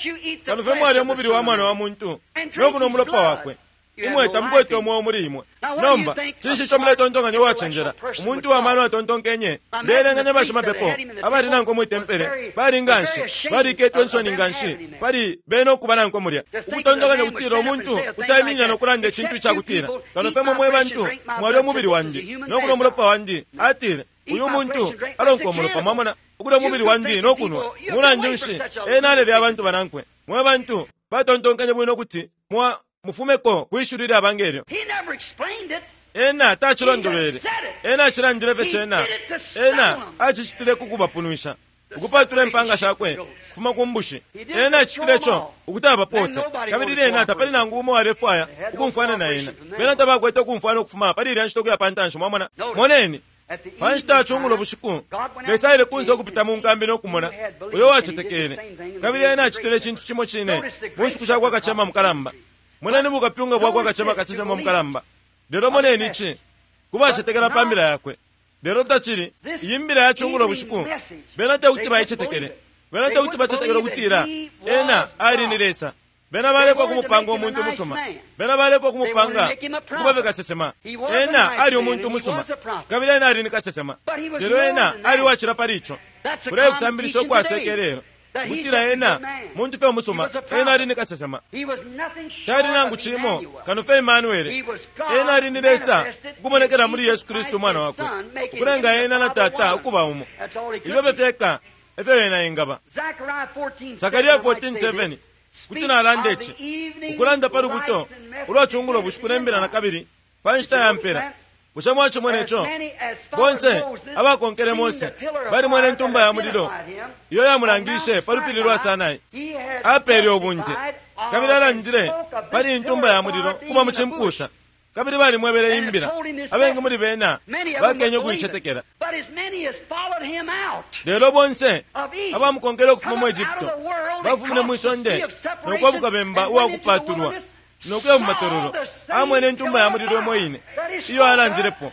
kano fye mwalya umubili wa Mwana wa muntu no kunwa umulopa wakwe, imwe tamukwete umweo muli imwe. Nomba cinshi ico muletontonkanya uwacenjela? Umuntu wa mano atontonkenye, ndeelenganya bashimapepo abali nankwe mwi tempele bali nganshi baliketwe insoni nganshi pali bene ukuba nankwe mulya, ukutontonkanya kutila umuntu kuti aiminina no kulanda icintu icakutila, kano fye mwe mwe bantu mwalya umubili wandi no kunwa umulopa wandi. Atile, uyu muntu alonka umulopa, mwamona, ukulya umubili wandi no kunwa. Mulandu nshi ena alelya abantu banankwe? Mwe bantu batontonkanye bwino kuti mwa mufumeko kwishuli lya bangelyo. Ena tacilondolwele, ena acilandile fye cena. Ena acicitile ku kubapunwisha, ukupatula impanga shakwe kufuma ku mbushi. Ena acitile ico ukuti abapose, kabili lyena tapali nangu umo alefwaya ukumfwana na ena. Bena tabakwete ukumfwana ukufuma pali ilya nshita ukuya pa ntanshi, mwamona. Moneni, pa nshita ya cungulo bushiku, Lesa aile kunse ukupita mu nkambi no kumona uyo wacetekele, kabili ena acitile icintu cimo cine mu nshiku sha kwa kacema mukalamba. Moneni bukapyunga bwa kwa kacema kasesema mukalamba. Lelo moneni ici kubacetekela pa mbila yakwe. Lelo tacili iyi mbila ya cungulo bushiku, bena tekuti baicetekele. Bena tekuti bacetekele ukutila ena ali ni Lesa. Bena balekwa kumupanga umuntu musuma, bena balekwa kumupanga ukuba kasesema. Ena ali umuntu musuma, kabili ena ali ni kasesema, lelo ena ali wacila pali ico. Kuleye kusambilisha ukwasekelelo kutila ena muntu fye umusuma, ena ali ni kasesema, tali nangu cimo kano fye Emmanuel. Ena ali ni Lesa ukumonekela muli Yesu Kristu umwana wakwe, ukulenga ena na Tata ukuba umo. Ifyo fye fyeka efyo ena engaba. Sakaria fourteen seven kuti nalanda ici, ukulanda pa lubuto ulwa cungulo bushiku ne mbila na kabili pa nshita ya mpela. Bushe mwacimona ico? Bonse abakonkele Mose balimwene intumba ya mulilo iyo yamulangishe pa lupili lwa Sinai. Apeele ubunte kabili alandile pali intumba ya mulilo kuba mu cimpusa, kabili balimwebele imbila. Abengi muli bena bakenye ukuicetekela. Lelo bonse abamukonkele ukufuma mu Egypto bafumine mwi sonde no kwabuka bemba uwakupatulwa no kuya mu matololo, amwene intumba ya mulilo imo ine iyo alandilepo,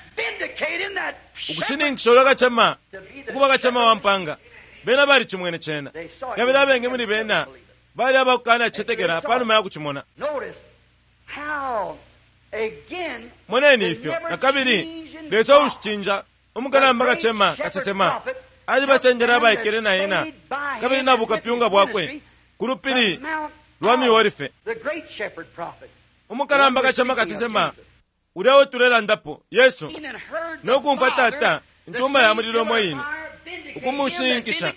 ukushininkisha ulwa kacema ukuba kacema wa mpanga. Bena balicimwene cena, kabili abengi muli bena bali abakukana cicetekela panuma ya kucimona. Moneni ifyo na kabili Lesa uushicinja umukalamba kacema kasesema alibasendela abaikele na ena kabili na bukapyunga bwakwe ku lupili lwa Miolife. Umukalamba kacema kasesema ulya utulelandapo Yesu no kumfwa Tata intumba ya mulilo umo ine ukumushininkisha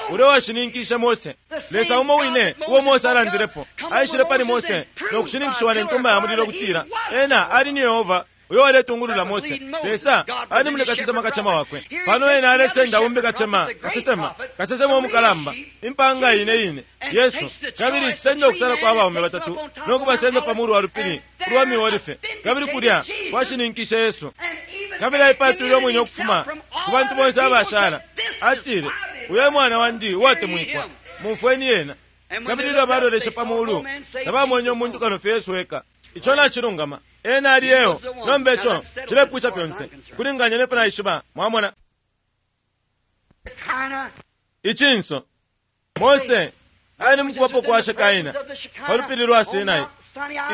ulya washininkishe Mose. Lesa umo wine uo Mose alandilepo aishile pali Mose no kushininkishiwa ne ntumba ya mulilo kutila ena ali ni Yehova uyo waletungulula Mose. Lesa ali muli kasesema kacema wakwe. Pano ena alesenda umbi kacema kasesema kasesema umukalamba impanga ine ine Yesu, kabili cisenda okusala kwa baume batatu no kubasenda pa mulu wa lupili ulwa Miolife, kabili kulya kwashininkishe Yesu. Kabili aipatwile umwine ukufuma ku bantu bonse abashala, atile, uyo mwana wandi uwatemwikwa, mumfweni yena. Kabili ilyo baloleshe pa mulu tabamwenye umuntu kano fye Yesu eka. Ico nacilungama, ena ali eo. Nomba ico cilepwisha fyonse kulinganya nefyo naishiba. Mwamona icinso Mose ali mukubapo kwa Shekaina pa lupili lwa Sinai.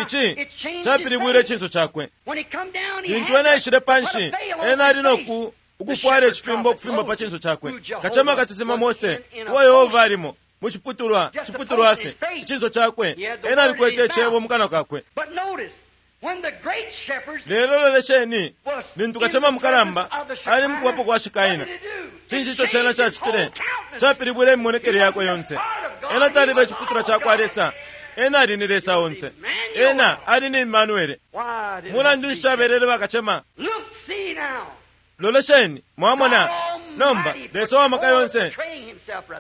Ici capilibwile icinso cakwe. Lintu ena aishile panshi, ena ali noku ukufwala icifimbo ukufimba pa cinso cakwe. Kacema kasesema Mose uwa Yehova alimo mu ciputulwa ciputulwa fye icinso cakwe, ena alikwete icebo mu kanwa kakwe. Lelo lolesheni lintu kacema mukalamba ali mukubapo kwa Shekaina, cinshi ico cena cacitile? Capilibwile imimonekele yakwe yonse. Ena taliba iciputulwa cakwa Lesa, ena ali ni Lesa onse, ena ali ni Emmanuele. Mulandu nshi cabelele bakacema? Lolesheni, mwamona nomba Lesa wa maka yonse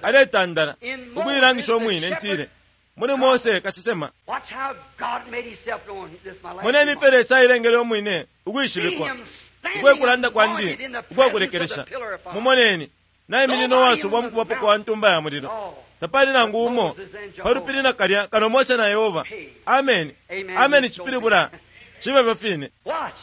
aletandala ukuilangisha umwine ntile muli Mose kasesema. Moneni ifyo Lesa ailengele umwine ukwishibikwa ukwekulanda kwandi ukwakulekelesha. Mumoneni naiminina uwasubwa mukubapo kwa ntumba ya mulilo. Tapali nangu umo palupili nakalya kano Mose na Yehova. Ameni. Ameni chipilibula chibe fine. Watch.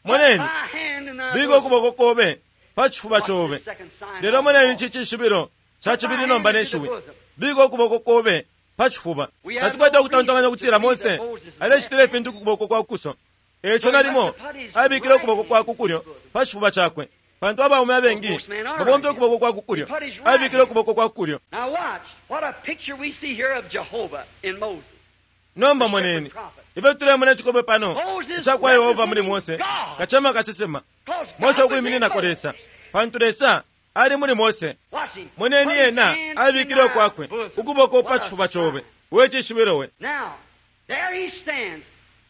Moneni, Thy hand in thy bika bosom. ukuboko kobe pa chifuba Watch chobe. this second sign Lelo on the moneni wall. ichi chishibilo cha chibili nomba neshiwi. Bika ukuboko kobe pa chifuba. Tatukwete ukutontonkanya kutila Mose alechitile ifintu ku kuboko kwa kuso. Echo nalimo abikile ukuboko kwa kukulyo pa chifuba chakwe. Pantu abaume abengi babomfya ukuboko kwa kukulyo. Abikile ukuboko kwa kukulyo. Now watch what a picture we see here of Jehovah in Moses. Nomba moneni ifyo tulemona chikope pano cha kwa Yehova muli Mose kachema kasesema. 'Cause God Mose was in ukuimininako Moses. Lesa, pantu Lesa ali muli Mose. Watch him. Moneni Put his ena hand abikile in thy kwakwe bosom. ukuboko What pa a chifuba chobe. sign. We chishibilo we. Now, there he stands,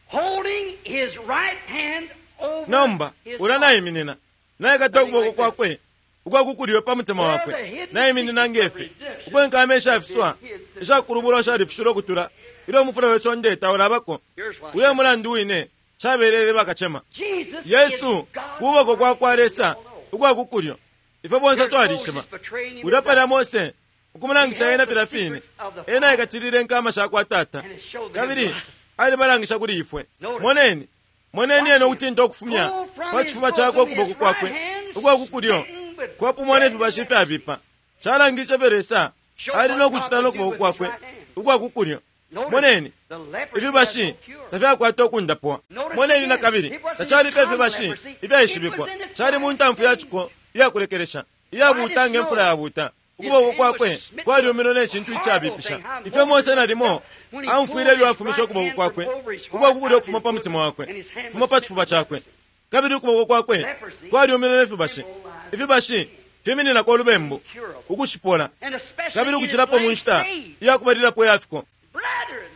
holding his right hand over Nomba his ula heart. naiminina naikata ukuboko kwakwe ukwakukulyo pa mutima wakwe naiminina ngefi ukwenkama ishafiswa ishakulubulwa shalifishilwe ukutula ilyo umufula we sonde taulabako. Here's what Uye mulandu wine chabelele bakachema. Jesus Yesu is God's kuboko kwa kwa Lesa We all know. ukwakukulyo ifwe bonse Here's twalishima. Moses betraying him Ulya palya himself. Mose ukumulangisha ena filya fine ena aikatilile nkama sha kwa tata And it showed them kabili to us. alibalangisha kuli ifwe. Moneni, moneni ena ukutinta ukufumya Pull from pa his chifuba chakwe bosom ukuboko his kwakwe right hand, ukwakukulyo smitten with kwapumwa nefibashi ifyabipa. Chalangisha fye Lesa ali nokuchita nokuboko kwakwe ukwakukulyo. Notice, Moneni, the leprosy ifibashi has no cure. tafyakwata ukundapwa. Moneni na kabili tachalipo ifibashi ifyaishibikwa. Chali mu ntamfu ya chiko iyakulekelesha iyabuuta ngemfula yabuuta. Ukuboko kwakwe kwalyuminwe ne chintu ichabipisha. Ifyo Mose nalimo amfwile ilyo afumisha ukuboko kwakwe ukwakukulyo ukufuma pa mutima wakwe kufuma pa chifuba chakwe kabili ukuboko kwakwe kwalyuminwe ne fibashi. Ifibashi fimininako ulubembu ukushipola And especially kabili in his ukuchilapo mu last nshita days. iyakubalilapo yafiko. Brethren,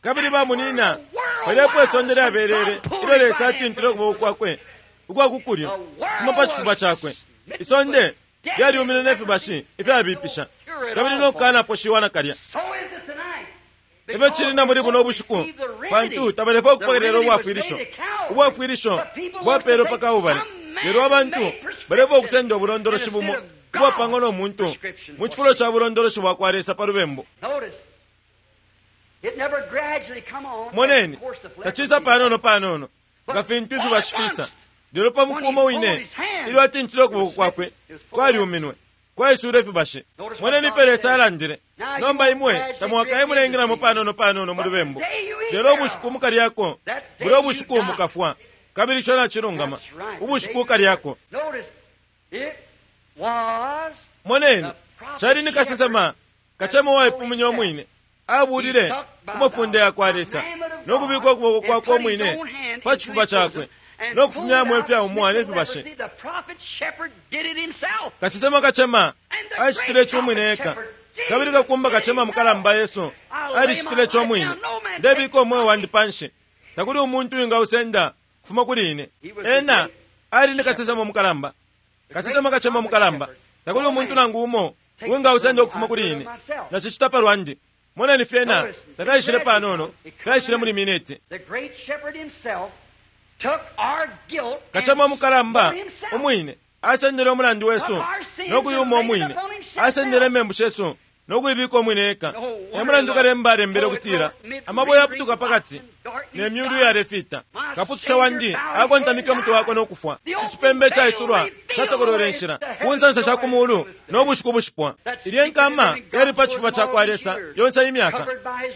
Kabili bamunina palipo isonde lyabelele ilyo Lesa atintile ukuboko kwakwe ukwakukulyo kufuma pa chifuba chakwe. Isonde lyalyumine ne fibashi ifyabipisha kabili nokukanaposhiwa nakalya. so is it tonight. Ifyo chili na muli buno ubushiku pantu tabalefwa ukupokelela ubwafwilisho. Ubwafwilisho bwapelwe pa Kalbale, lelo abantu balefwa ukusenda ubulondoloshi bumo ubwapangwa no muntu mu chifulo cha bulondoloshi bwa kwa Lesa pa lubembu. Notice, it never gradually come on as Moneni the course of tachisa leprosy. panono panono nga fintu ifibashi fisa lelo pa mukumo wine ilyo atintile ukuboko kwakwe kwalyuminwe kwaisula ifibashi. Moneni ifyo Lesa alandile. Nomba imwe tamwakaye mulengelamo panono panono mu lubembu, lelo ubushiku mukalyako bulya ubushiku mukafwa. Kabili ico nacilungama, That's right. ubushiku ukalyako. Notice, it was Moneni chali ni kasesema kachema waipuminya omwine abulile kumafunde ya kwa Lesa nokubika ukuboko kwakwe omwine pa chifuba chakwe nokufumyamo ifyaumwa nefibashi. The prophet shepherd did it himself. Kasesema kachema achitile chomwine eka kabili kakumba kachema mukalamba Yesu alichitile chomwine. Ndebika omweyo wandi panshi takuli umuntu wingausenda kufuma kuli ine. Ena ali ni kasesema mukalamba, kasesema kachema mukalamba. Takuli umuntu nangu umo wingausenda ukufuma kuli ine, nachichita palwandi. Moneni fyena tafyaishile panono, fyaishile muli mineti. The great shepherd himself took our guilt and Kachema mukalamba bore himself. umwine asendele umulandu wesu nokuyuma umwine asendele emembu shesu nokuyibika umwine eka. Emulandu kalemba alembele ukutila amabwe yaputuka pakati ne myulu iyalefita. Kaputusha wandi akontamike umutwe wakwe nokufwa. Ichipembe chaisulwa chasokolwele inshila ku nsansa sha kumulu nobushiku bushipwa. Ilye nkama yali pa chifuba cha kwa Lesa yonse imyaka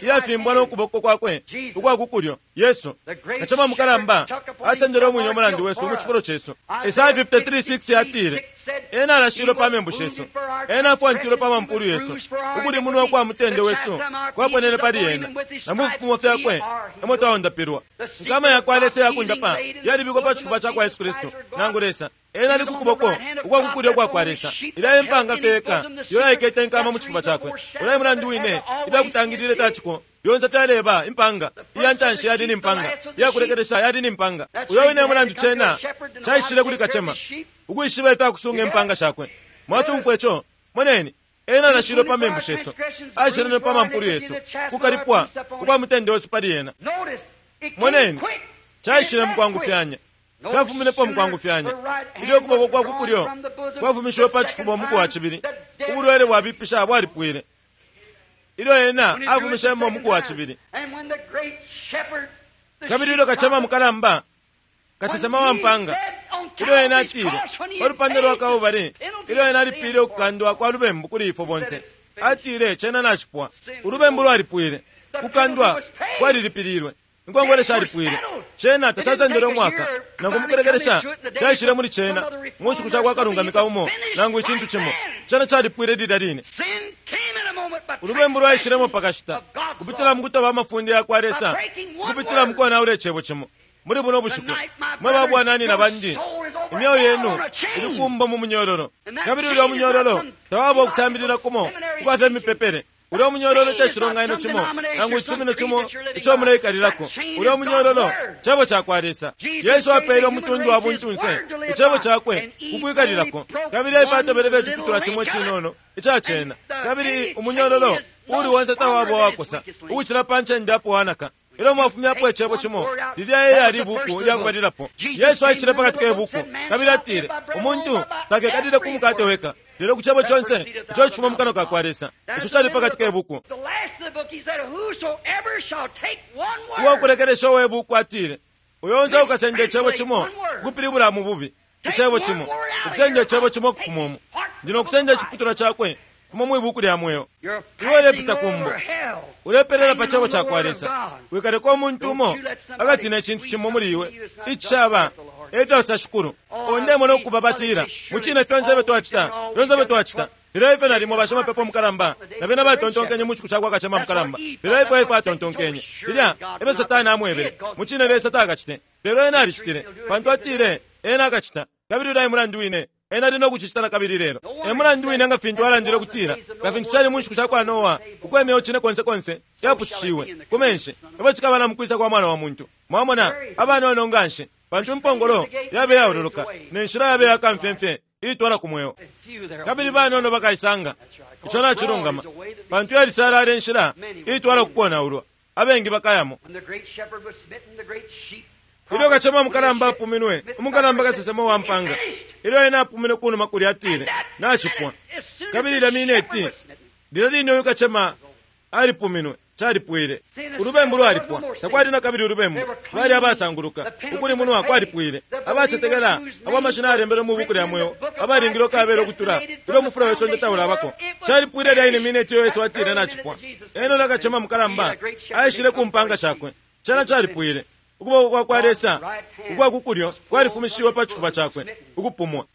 iyafimbwa nokuboko kwakwe ukwakukulyo. Yesu kachema mukalamba asendele umwine umulandu wesu mu chifulo chesu. Isaya fifty-three six yatile ena alashilwe pa membu shesu, ena afwantilwe pa mampulu yesu, ukulimunwa kwa mutende wesu kwaponene pali ena, na mu fipumo fyakwe emo twaundapilwa. Nkama ya kwa Lesa yakundapa yalibikwa pa chifuba cha kwa Yesu Kristu nangu Lesa ena ali kukuboko ukwakukulyo kwa kwa Lesa. Ilya empanga fyeka yo yaikete nkama mu chifuba chakwe. Ulayi mulandu wine ifyakutangilile fyachiko lyonse fyaleba impanga iya ntanshi yali ni mpanga iyakulekelesha yali ni mpanga. Uyo wine mulandu chena chaishile kuli kachema ukwishiba ifyakusunga impanga shakwe. Mwachumfwa ico? Moneni ena anashilwe pa membu shesu, ashilwe pa mampulu yesu, kukalipwa ukwa mutende wesu pali ena. Notice, it came Moneni quick. chaishile mukwangufyanya Fyafuminepo mukwangufyanya. Ilyo ukuboko kwa kukulyo kwafumishiwe pa cifuba umuku wa cibili, ubulwele bwabipisha bwalipwile. Ilyo ena afumishemo umuku wa cibili, kabili ilyo kacema mukalamba, kasesema wa mpanga, ilyo ena atile pa lupanda lwa Kalbale, ilyo ena alipile ukukandwa kwa lubembu kuli ifwe bonse, atile cena nacipwa. Ulubembu lwalipwile, kukandwa kwalilipililwe, inkongole shalipwile. Cena tacasendele umwaka nangu mukulekelesha caishile muli cena mu nshiku sha kwa kalungamika umo nangu icintu cimo. Cena calipwile lilya line. Ulubembu lwaishilemo pakashita kupitila mukutoba amafunde ya kwa Lesa, kupitila mukonaula icebo cimo. Muli buno bushiku, mwe babwanani na bandi, imyeo yenu ilikumba mu munyororo, kabili ulya munyororo tawaba ukusambilila kumo ukwafya mipepele. Ulya munyororo te cilonganino cimo nangu icisumino cimo ico muleikalilako. Ulya munyororo cebo ca kwa Lesa. Yesu apeele umutundu wa buntunse icebo cakwe kukwikalilako, kabili aifatobele iciputulwa cimo icinono ica cena. Kabili umunyororo uli wonse tawaba wakosa ukucila pa ncende apo wanaka. Ilyo mwafumyapo icebo cimo, lilya eyali ibuku lyakubalilapo. Yesu aishile pakati ke buku kabili atile, umuntu takekalile ku mukate weka, lelo ku cebo conse ico cifuma mu kanwa ka kwa Lesa. Ico cali pakati ke buku. Uwakulekelesha uwe buku atile, uyo onse ukasenda icebo cimo ukupilibula mu bubi icebo cimo, ukusenda icebo cimo ukufuma umu, ndi no kusenda iciputulwa cakwe fuma mwi buku lya mweo. Iwe ulepita kumbo, ulepelela pa cebo ca kwa Lesa. Wikaleka umuntu umo akatina icintu cimo muli iwe icishaba efyo shikulu. Ondemona ukubabatila mucine fyonse ifyo twacita, fyonse ifyo twacita. Lelo ifyo nalimo bashimapepo mukalamba na bena batontonkenye mu nshiku sha kwa kacema mukalamba, lelo ifyo ifyo atontonkenye lilya efyo Satani amwebele. Mucine Lesa takacite, lelo ena alicitile, pantu atile ena akacita. Kabili ulya mulandu wine ena ali no kucicita na kabili lelo. E mulandu wine nga fintu alandile ukutila nga fintu cali mu nshiku sha kwa Noa, uko imyeo cine konse konse yapushishiwe ku menshi, efyo cikaba na mukwisa kwa Mwana wa Muntu. Mwamona, abanono nganshi, pantu impongolo yabe yaololoka ne nshila yabe yakamfyemfye iitwala ku mweo, kabili banono bakaisanga. Ico nacilungama, pantu yalisalala inshila iitwala ku konaulwa, abengi bakayamo. Ilyo kacema mukalamba apuminwe, umukalamba kasesema wa mpanga, ilyo ena apuminwe kunuma kulya atile nacipwa. Kabili ilya mineti lilya line uyu kacema alipuminwe, calipwile. Ulubembu lwalipwa, takwali na kabili ulubembu. Bali abasanguluka, ukulimunwa kwalipwile. Abacetekela abo amashina alembelwe mu buku lya mweo, abalingile ukabela ukutula ilyo umufula we sonde taulabako. Calipwile lya ine mineti iyo Yesu atile nacipwa. Ena ulya kacema mukalamba aishile ku mpanga shakwe, cena calipwile. Ukuboko kwa kwa Lesa ukwa kukulyo kwalifumishiwe pa cifuba cakwe ukupumwa.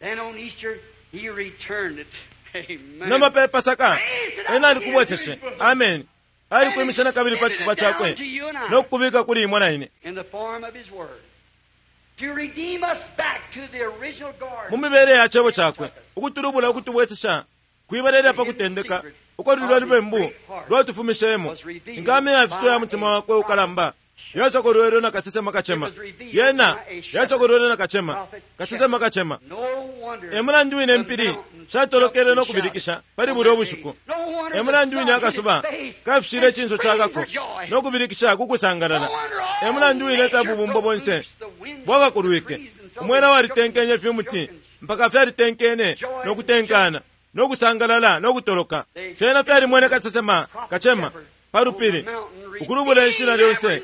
Nomba pe Pasaka ena alikubweseshe, amen, alikwimisha na kabili pa cifuba cakwe no kukubika kuli imwe na ine mu mibele ya cebo cakwe, ukutulubula ukutubwesesha kwibalelela pa kutendeka uko lulya lubembu lwatufumishemo. Inkama ya fiso ya mutima wakwe ukalamba yasokolwelwe na kasesema kacema, yena yasokolwelwe na kacema, kasesema kacema. E mulandu wine mpili shatolokele no kubilikisha pali bulya ubushiku. E mulandu wine akasuba kafishile icinso cakako no kubilikisha kukusangalala. E mulandu wine ifya bubumbo bonse bwakakulwike, umwela walitenkenye fyumuti mpaka fyalitenkene no kutenkana no kusangalala no kutoloka. Fyena fyalimwene kasesema kacema pa lupili ukulubula inshila lyonse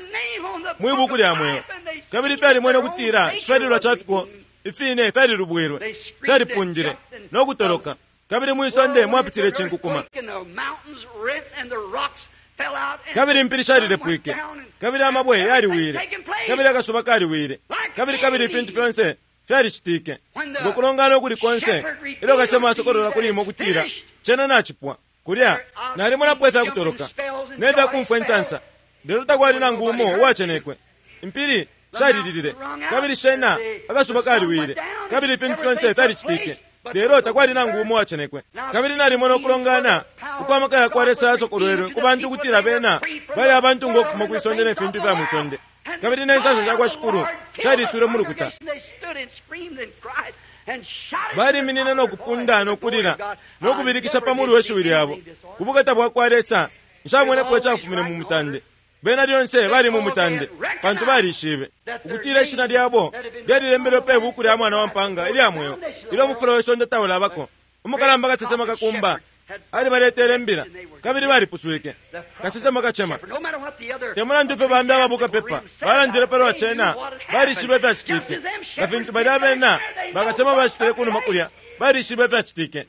mwi buku lya mweo, kabili fyalimwene ukutila icifyalilwa ca fiko ifine fyalilubwilwe, fyalipundile no kutoloka, kabili mwi sonde mwapitile icinkukuma, kabili impili shalilepwike, kabili amabwe yaliwile, kabili akasuba kaliwile, kabili kabili ifintu fyonse fyalicitike ngo kulongana ukuli konse. Ilyo kacema asokolola kuli imwe ukutila cena nacipwa, kulya nalimonapo ifya kutoloka ne fya kumfwa insansa, lelo takwali nangu umo uwacenekwe. Impili shalililile, kabili shena akasuba kaliwile, kabili ifintu fyonse fyalicitike, lelo takwali nangu umo uwacenekwe. Kabili nalimona ukulongana uko amaka ya kwa Lesa yasokolwelwe ku bantu ukutila bena bali abantu ngo kufuma kwi sonde ne fintu fya mwi sonde, kabili ne nsansa sha kwa Shikulu shaliswile mu lukuta. Baliminine no kupunda no kulila no kubilikisha pa mulu we shiwi lyabo ku bukata bwa kwa Lesa. Nshamwenepo icafumine mu mutande. Bena lyonse bali mu mutande, pantu balishibe ukutila ishina lyabo lyalilembelwe pe buku lya mwana wa mpanga ilya mweo ilyo umufula we sonde taulabako. Umukalamba kasesema kakumba alibaletele imbila, kabili balipuswike. Kasesema kacema, te mulandu fye bambi ababuka pepa balandile palwa cena, balishibe ifyacitike. Nga fintu balya bena bakacema bacitile kunuma kulya, balishibe ifyacitike.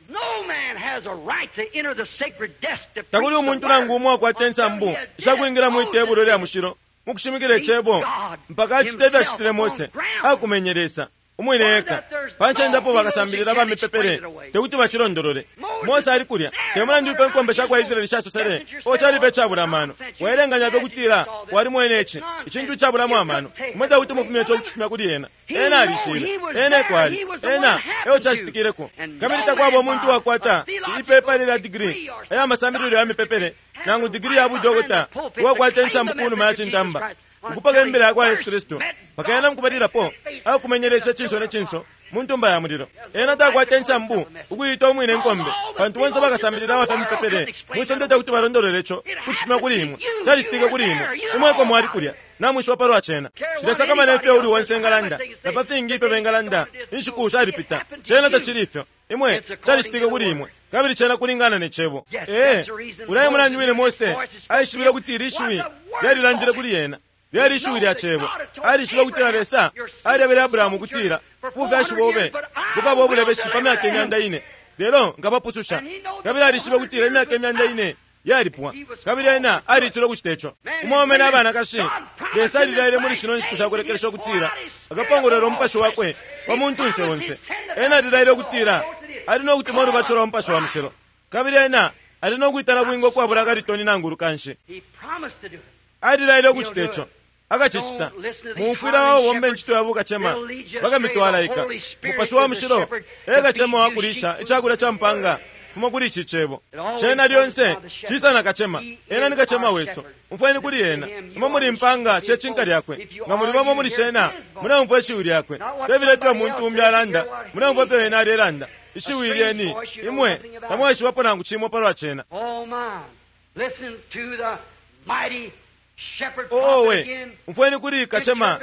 Takuli umuntu nangu umo akwata insambu ishakwingila mwi tebulo lya mushilo mukushimikila icebo mpaka acite ifyacitile Mose, akumenye Lesa umwine eka. Panchendapo bakasambilila bamipepele tekuti bacilondolole. Mose ali kulya, te mulandu ife nkombe shakwa Israeli shasosele, o calife icabula amano. Waelenganya fye kutila walimwene ici icintu icabulamo amano, umwe tekuti mufumye ico kucifumya kuli ena. Ena alishile, ena ekwali, ena eyo cacitikileko. Kabili takwaba umuntu wakwata ipepa lya digiri aya masambililo ya mipepele nangu digiri ya budokota uwakwata insambu kunuma ya cintamba ukupaka imbila yakwa Yesu Kristu pakaena mukubalilapo akumenyelesa cinso ne cinso mu ntumba ya mulilo. Ena takwata insambu ukuyita umwine nkombe, pantu bonse bakasambilila abafya mipepele mwisonde tekuti balondolole ico kucifuma kuli imwe. Calicitike kuli imwe, imwe eko mwali kulya namwishiba palwa cena. Shilesakamana ifyo uli onse engalanda na pa fingi ifyo bengalanda, inshiku shalipita. Cena tacili ifyo, imwe calicitike kuli imwe, kabili cena kulingana ne cebo. Ee, ulaye mulandu wine Mose aishibile kuti ili shiwi lyalilandile kuli ena, lyali ishiwi lya cebo. Alishibe kutila Lesa alyebele Abrahamu kutila ubufyashi bobe bukaba obulebeshi pa myaka imyanda ine, lelo nkabapususha. Kabili alishibe kutila imyaka imyanda ine yalipwa, kabili ena alitile ukucita ico. Umwaume n'abanakashi, Lesa alilaile muli shino nshiku shakulekelesha ukutila akapongolwela umupashi wakwe pa muntunse onse. Ena alilaile ukutila ali no kutuma ulubatisho lwa mupashi wa mushilo, kabili ena ali no kwitana bwinga ukwabula akalitoni nangu ulukanshi. Alilaile ukucita ico, akacicita. Mumfwila wabomba incito ya bukacema bakamitwalaika. Mupashi wa mushilo e kacema wakulisha icakulya ca mpanga fuma kuli ici cebo. Cena lyonse cisa na kacema. Ena ni kacema wesu, umfweni kuli ena. Imwe muli mpanga shecinka lyakwe, nga muli bamo muli shena muleumfwa ishiwi lyakwe. Tebiletwa muntu umbi alanda, muleumfwa ifyo ena alelanda. Ishiwi lyeni imwe tamwaishibapo nangu cimo palwa cena. Owe, umfweni kuli kacema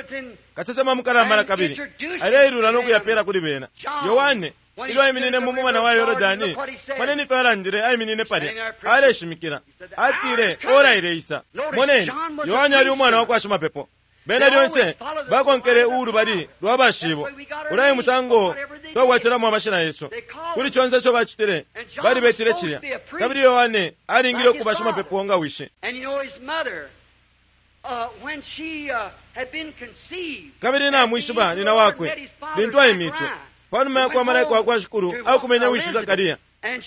kasesema mukalamba na kabili aleilula no kuyapela kuli bena. Yohane ilyo aiminine mu mumana wa Yorodani, moneni ifyo alandile. Aiminine palya aleshimikila, atile ora ileisa. Moneni, Yohane ali umwana wa kwa shimapepo. Bena lyonse bakonkele ulubali lwa bashibo. Ulaye musango twakwatilamo amashina yesu kuli conse ico bacitile, balibetile cilya. Kabili Yohane alingile ukuba shimapepo nga wishi. Kabili namwishiba nina wakwe lintu aimitwe panuma yakwa malaika wakwa shikulu akumenya wishi Zakariya,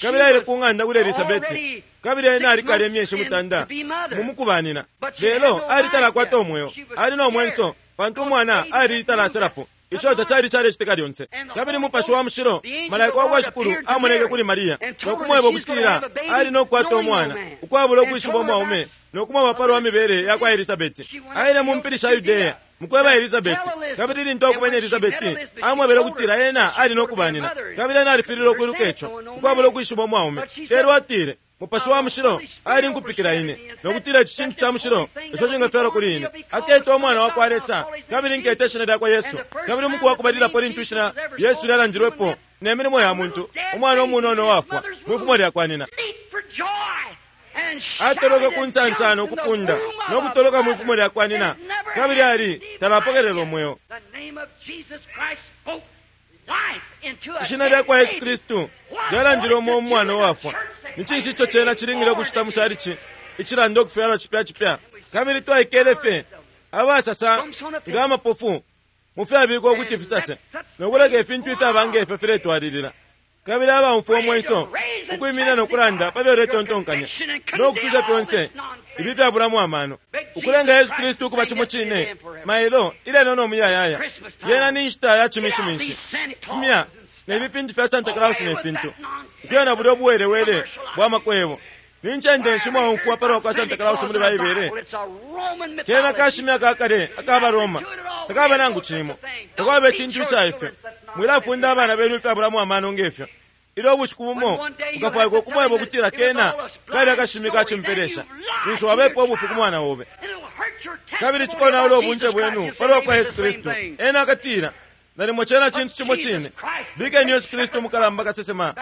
kabili aile ku ng'anda kuli Elisabeti, kabili ena alikale imyeshi mutanda mumukubanina. Lelo alitalakwata umweo, ali no mwenso pantu umwana alitalaaselapo. Ico tacali calecitika lyonse. Kabili mupashi wa mushilo malaika wakwa shikulu amoneke kuli Mariya no kumweba ukutila ali no kukwata umwana ukwabula ukwishiba umwaume, no kumweba palwa mibele yakwa Elisabeti. Aile mu mpili sha Yudeya mukweba Elisabeti, kabili lintu akumenya Elisabeti amwebele ukutila ena ali no kubanina, kabili ena alifilile ukwiluka ico ukwabula ukwishiba umwaume. Lelo atile mupashi wa mushilo ali nkupikila ine, nokutila ici cintu ca mushilo ico cingafyalwa kuli ine. Aketwa umwana wakwa Lesa, kabili nketa ishina lyakwa Yesu. Kabili umuku wakubalilapo lintu ishina Yesu lyalandilwepo ne milimo ya muntu, umwana umunono wafwa mwifumo lyakwa nina. Atoloka ku nsansano ukupunda no kutoloka mwifumo lyakwa nina, kabili ali talapokelela umweo. Ishina lyakwa Yesu Kristu lyalandilwe umo umwana uwafwa. Ni cinshi ico cena cilingile ukucita mu calici icilanda ukufyalwa cipya cipya? Kabili twaikele fye abasasa nga amapofu mu fyabikwa ukuti fisase, no kuleka ifintu ifyaba ngefyo filetwalilila. Kabili abaumfwa umwenso ukwiminina no kulanda pa fyo uletontonkanya no kususha fyonse ibi fyabulamo amano, ukulenga Yesu Kristu ukuba cimo cine mailo ilelo no muyayaya. Yena ni nshita ya cimishiminshi kufumya ne fintu fya Santa Claus ne fintu ukuya na bulyo buwelewele bwa makwebo. Ni ncende nshi mwaumfwa palwa kwa Santa Claus muli Baibele? Kena kashimya kakale akaba Roma takaba nangu cimo, takwaba icintu ica ifyo. Mwilafunda abana benu ifyabulamo amano ngefyo. Ilyo ubushiku bumo ukafwaikwa ukumweba ukutila kena kali akashimi kacimpelesha, ninshi wabepa ubufi ku mwana obe. Kabili cikonaula ubunte bwenu palwa kwa Yesu Kristu. Ena akatila nalimo cena cintu cimo cine. Bikeni Yesu Kristu mukalamba kasesema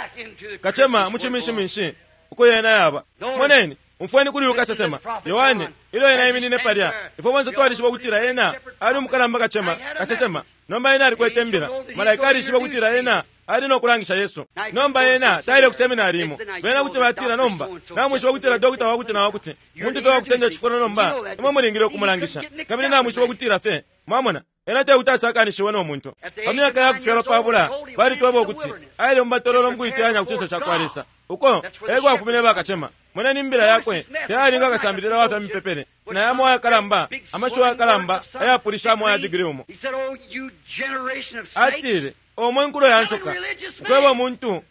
kacema mu ciminshiminshi uko yena yaba. Moneni, umfweni kuli uyu kasesema Yohane ilyo ena iminine palya. Ifwe bonse twalishiba ukutila ena ali umukalamba kacema kasesema. Nomba ena alikwete imbila. Malaika alishiba ukutila ena ali no kulangisha Yesu. Nomba ena taile ku seminari imo. Bena kuti batila nomba namwishiba ukutila dokta wakuti na wakuti muntu fye wakusenda cifulo nomba imwe mulingile ukumulangisha. Kabili namwishiba ukutila fye mwamona ena tekuti asakanishiwe no muntu. Pa myaka ya kufyalwa pabula balitweba ukuti aile mumatololo mukuiteyanya ku cinso ca kwa Lesa. Uko eko afumine bakacema. Moneni imbila yakwe teyalinga akasambilila wa fya mipepele na yamo ayakalamba amashiwi ayakalamba ayapulishamo aya digiri umo. Atile omwe nkulo ya nsoka ukweba umuntu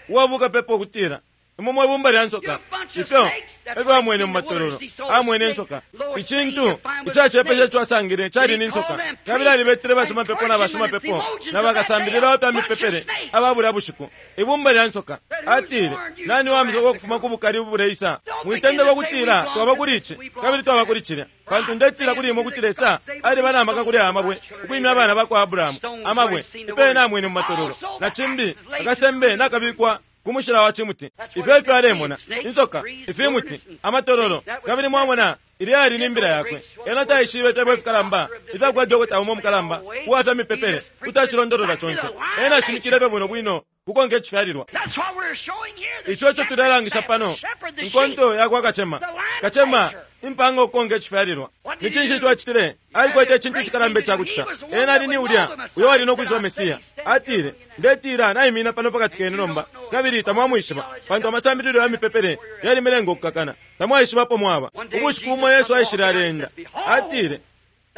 uwabuka pepo ukutila imwe mwe bumba lya nsoka. Ifyo efyo amwene mu matololo, amwene insoka. Icintu icacepesha ico asangile cali ni nsoka. Kabili alibetele bashimapepo na bashimapepo na bakasambilila wa fya mipepele aba bulya bushiku. Ibumba lya nsoka. Atile nani wamisoka ukufuma ku bukali ubuleisa? Mwitendeka ukutila twaba kuli ici kabili twaba kuli cilya, pantu ndetila kuli imwe ukuti Lesa aliba na maka kuli aya mabwe ukwimya abana bakwa Abrahamu. Amabwe ifyo ena amwene mu matololo, na cimbi akasembe nakabikwa ku mushila wa cimuti. Ifyo ifyo alemona insoka, ifimuti, amatololo. Kabili mwamona ilya yali ni mbila yakwe. Ena taishibe ifyabo ifikalamba ifyakuba dokota umo mukalamba uwa fya mipepele kuti acilondolola conse. Ena ashimikile fye bwino bwino kukonka icifyalilwa. Ico eco tulelangisha pano, inkonto yakwa kacema. Kacema impanga ukukonka icifyalilwa. Ni cinshi ico acitile? Alikwete icintu icikalamba icakucita. Ena ali ni ulya uyo ali no kwishiba Mesiya. Atile ndetila naimina pano pakati kenu nomba, kabili tamwamwishiba, pantu amasambililo ya mipepele yalimilenga ukukakana. Tamwaishibapo mwaba. Ubushiku bumo Yesu aishile aleenda. Atile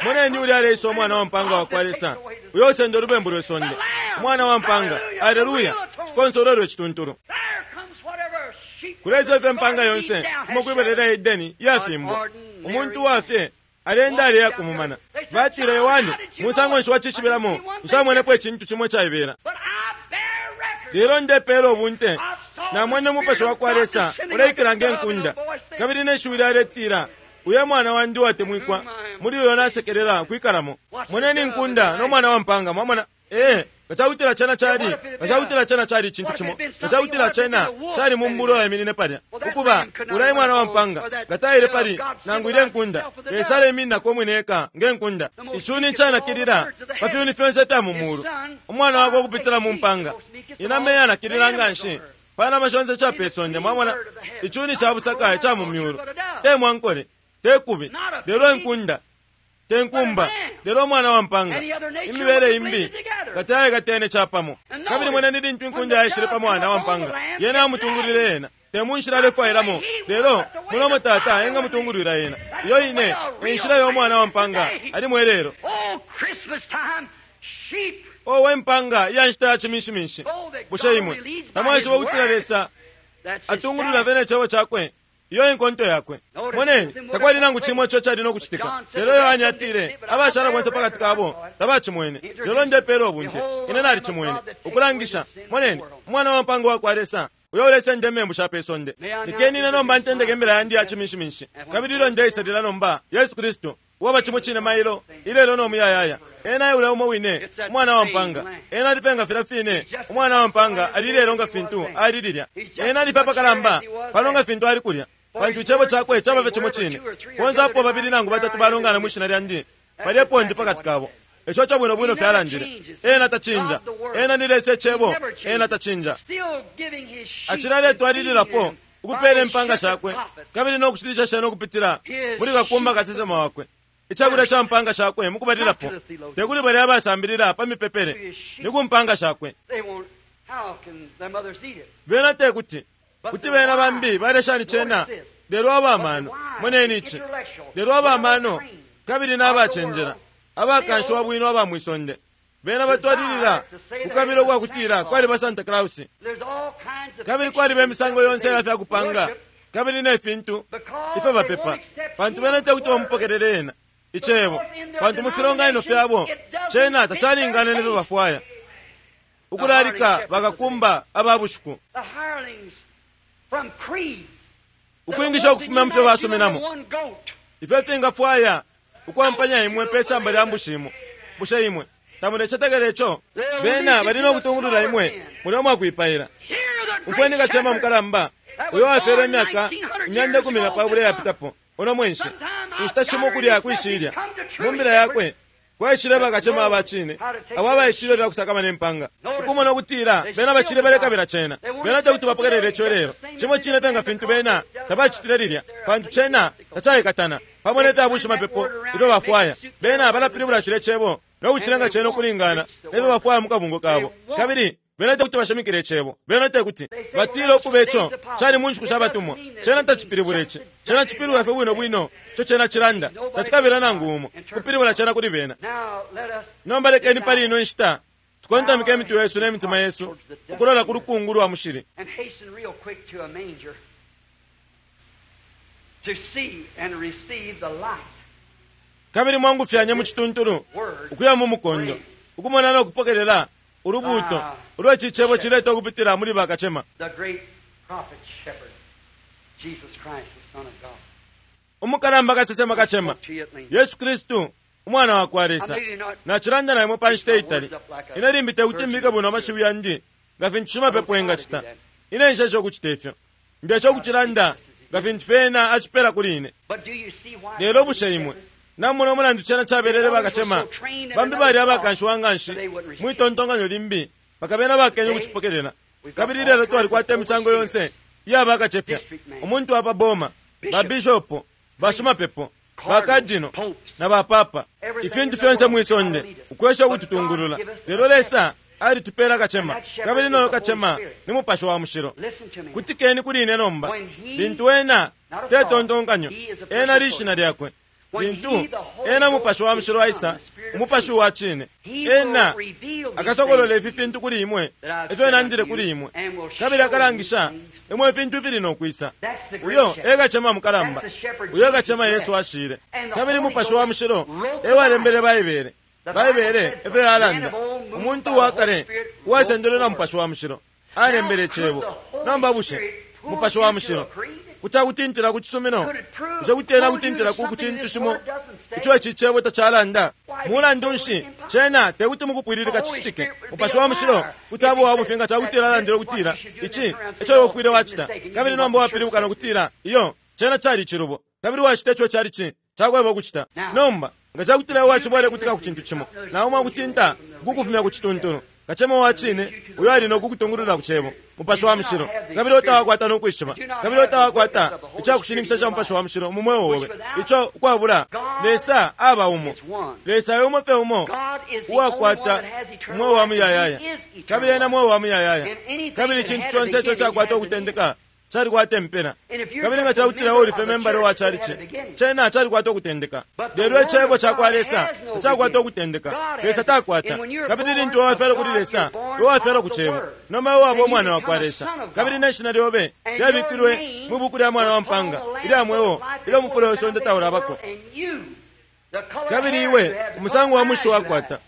moneni ulya aleisa umwana wa mpanga wa kwa Lesa uyo usenda ulubembu lwe sonde. Umwana wa mpanga, aleluya, cikonsolwelwe cituntulu. Kuleisa ifyo impanga yonse fuma kwibelela Edeni iyafimbwa. Umuntu wafye alenda aleya kumumana. Batile Yohane musango nshi wacishibiramo nshamwenepo icintu cimo caibela. Lelo ndepela ubunte namwene umupashi wa kwa Lesa uleikila nge nkunda, kabili neshiwi lyaletila uye mwana wandi uwatemwikwa, muli uyo nasekelela kwikalamo. Moneni inkunda no mwana wa mpanga. Mwamona ee ngacakutila cena cali ngacakutila cena cali icintu cimo, ngacakutila cena cali mumbulo yaminine palya ukuba ulai mwana wa mpanga ngataile pali nangu ile nkunda. Lesa aleimininako umwine eka nge nkunda. Icuni icanakilila pa fyuni fyonse ifya mu mulu, umwana wakwe ukupitila mu mpanga. Inama iyanakilila nga nshi panama shonse ca pe sonde. Mwamona icuni ca busaka ica mu myulu, te mwankole, te kubi, lelo inkunda, te nkumba, lelo umwana wa mpanga. Imibele imbi ngataye katene capamo. Kabili moneni lintu inkunda yaishile pa mwana wa mpanga, yena amutungulile yena te munshila alefwailamo, lelo mulomo tata engamutungulwila yena. Iyo ine enshila yo mwana wa mpanga ali mwelelo. Owe mpanga iya nshita ya ciminshiminshi, bushe imwe tamwaishiba ukutila Lesa atungulula bene icebo cakwe? Iyo inkonto yakwe. Moneni takwali nangu cimo ico cali no kucitika. Lelo Yohane atile abashala bonse pakati kabo tabacimwene, lelo ndepela ubunte ine nalicimwene ukulangisha. Moneni umwana wa mpanga wa kwa Lesa uyo ulesenda imembu sha pe sonde. Lekeni ine nomba ntendeke imbila yandi ya ciminshiminshi. Kabili ilyo ndeisalila nomba Yesu Kristu uwaba cimo cine mailo ilelo no muyayaya. Ena eule umo wine umwana wa mpanga. Ena alife nga filya fine umwana wa mpanga ali lelo nga fintu ali lilya. Ena alife apakalamba pano nga fintu ali kulya, pantu icebo cakwe caba fye cimo cine. Bonse apo babili nangu batatu balongana mwishina lyandi, palyepo ndi pakati kabo. Ico ca bwino bwino fyalandile. Ena tacinja. Ena ni Lesa icebo. Ena tacinja. Acila aletwalililapo ukupela impanga shakwe kabili no kushilisha shena ukupitila muli kakumba kasesema wakwe. Icakulya ca mpanga shakwe mukubalilapo tekuli balya abasambilila pa mipepele, ni ku mpanga shakwe. Bena tekuti kuti bena bambi balya shani cena, lelo abamano. Moneni ici, lelo abamano kabili n'abacenjela abakanshiwa bwino aba mwisonde bena batwalilila kukabila ukwakutila kwaliba Santa Claus, kabili kwaliba imisango yonse ya fyakupanga kabili ne fintu ifyo bapepa, pantu bena tekuti bamupokelele ena icebo, pantu mu filonganino fyabo cena tacalingana nefyo bafwaya. Ukulalika bakakumba aba bushiku, ukwingisha ukufuma mu fyo basuminamo ifyo fingafwaya Ukwampanya imwe pe samba lya mbushi imo. Bushe imwe tamulecetekela ico? Bena bali no kutungulula imwe mulya umwakwipaila. Umfweni kacema mukalamba uyo wafyelwe imyaka imyanda ikumi na pabula iyapitapo uno mwenshi, inshita shimo kulya kwishilya mu mbila yakwe kwaishile bakacema aba cine abo abaishile bya kusakamana impanga, ukumona ukutila bena bacile balekabila cena. Bena tekuti bapokelele ico lelo cimo cine fye nga fintu bena tabacitile lilya, pantu cena tacaikatana pamo ne fya bushimapepo ifyo bafwaya. Bena balapilibula cile cebo no kucilenga cena ukulingana nefyo bafwaya mu kabungo kabo, kabili bena tekuti bashimikile icebo. Bena tekuti batile ukuba ico cali mu nshiku sha batumwa. Cena tacipilibula ici, cena cipilibula fye bwino bwino ico cena cilanda. Tacikabila nangu umo kupilibula cena kuli bena. Nomba lekeni pali ino nshita tukontamike imitwe yesu ne mitima yesu ukulola ku lukungu lwa mushili And hasten real quick to a manger to see and receive the light. Kabili mwangufyanye mu cituntulu ukuya mu mukondo ukumona no kupokelela ulubuuto ulwa ici cebo cileta ukupitila muli bakacema. The great prophet shepherd, Jesus Christ, the Son of God. Umukalamba kasesema kacema To you at length. Yesu Kristu umwana wa kwa Lesa, nacilanda na imwe pa nshita itali. Ine limbi tekuti mbike bwino amashiwi yandi nga fintu shimapepo engacita. Ine nshesha ukucita ifyo, ndesha ukucilanda nga fintu fyena acipela kuli ine. But do you see why? Lelo bushe imwe namona umulandu cena cabelele bakacema bambi bali abakanshiwa nganshi mwitontonkanyo limbi paka bena bakenye ukucipokelela? Kabili lelo twalikwata imisango yonse iya bakacefya, umuntu wa pa boma, babishopo, bashimapepo, bakadino na bapapa, ifintu fyonse mwisonde ukwesha ukututungulula. Lelo Lesa alitupela kacema, kabili noyo kacema ni Mupashi wa Mushilo. Listen to me. Kutikeni kuli ine nomba. Lintu ena tetontonkanyo, ena lishina lyakwe. Lintu ena Mupashi wa Mushilo aisa, Umupashi wa cine, ena akasokolola ifi fintu kuli imwe ifyo nandile kuli imwe, kabili akalangisha imwe ifintu ifili no kwisa. Uyo e kacema mukalamba, uyo e kacema Yesu ashile, kabili Mupashi wa Mushilo ewalembele Baibele. Baibele efyo yalanda, umuntu wa kale uwasendelwe na Mupashi wa Mushilo alembele icebo. Nomba bushe Mupashi wa Mushilo kuti akutintila ku cisumino? Bushe kuti ena akutintila ku cintu cimo ico ici cebo tacalanda? Mulandu nshi, cena tekuti mukupwililika cicitike. Mupashi wa Mushilo kuti aba uwabufi nga cakutila alandile ukutila ici eco iwe ufwile wacita, kabili nomba wapilibuka nokutila iyo cena cali icilubo, kabili wacita ico cali ci cakweba ukucita. Nomba nga cakutila iwe wacibwele kutika ku cintu cimo, naumwe akutinta kukufumya ku cituntulu, kacema wa cine uyo ali no kukutungulula ku cebo, Mupashi wa Mushilo, kabili otawakwata no kwishiba, kabili otawakwata icakushininkisha ca Mupashi wa Mushilo mu mweo obe, ico ukwabula Lesa aba umo. Lesa e umo fye umo God is the uwakwata only one that has eternal umweo wa life, and muyayaya, He is eternal kabili ena life. mweo wa muyayaya, And anything kabili that icintu had a conse ico beginning cakwata has an ukutendeka calikwata impela. And if you're Kabili nga just a cakutila member uli of fye the membala wa church, it calici, had a beginning. cena calikwata ukutendeka. But the Lelo word icebo of ca kwa God Lesa has no tacakwata beginning. ukutendeka. God has Lesa it. takwata. And when you're Kabili born lintu wafyalwa of kuli God, Lesa, you're born iwe wafyalwa of ku the cebo. Word. Nomba iwe waba And you umwana wa become kwa a Lesa, son of God. kabili ne shina lyobe And lyabikilwe your name mwi buku lya mwana wa was put on mpanga the Lamb's ilya mweo book of life ilyo mufula before we the sonde foundation of the taulabako. world, and you, the color Kabili hair iwe you have, the umusango color wa mushi eyes you wakwata, have,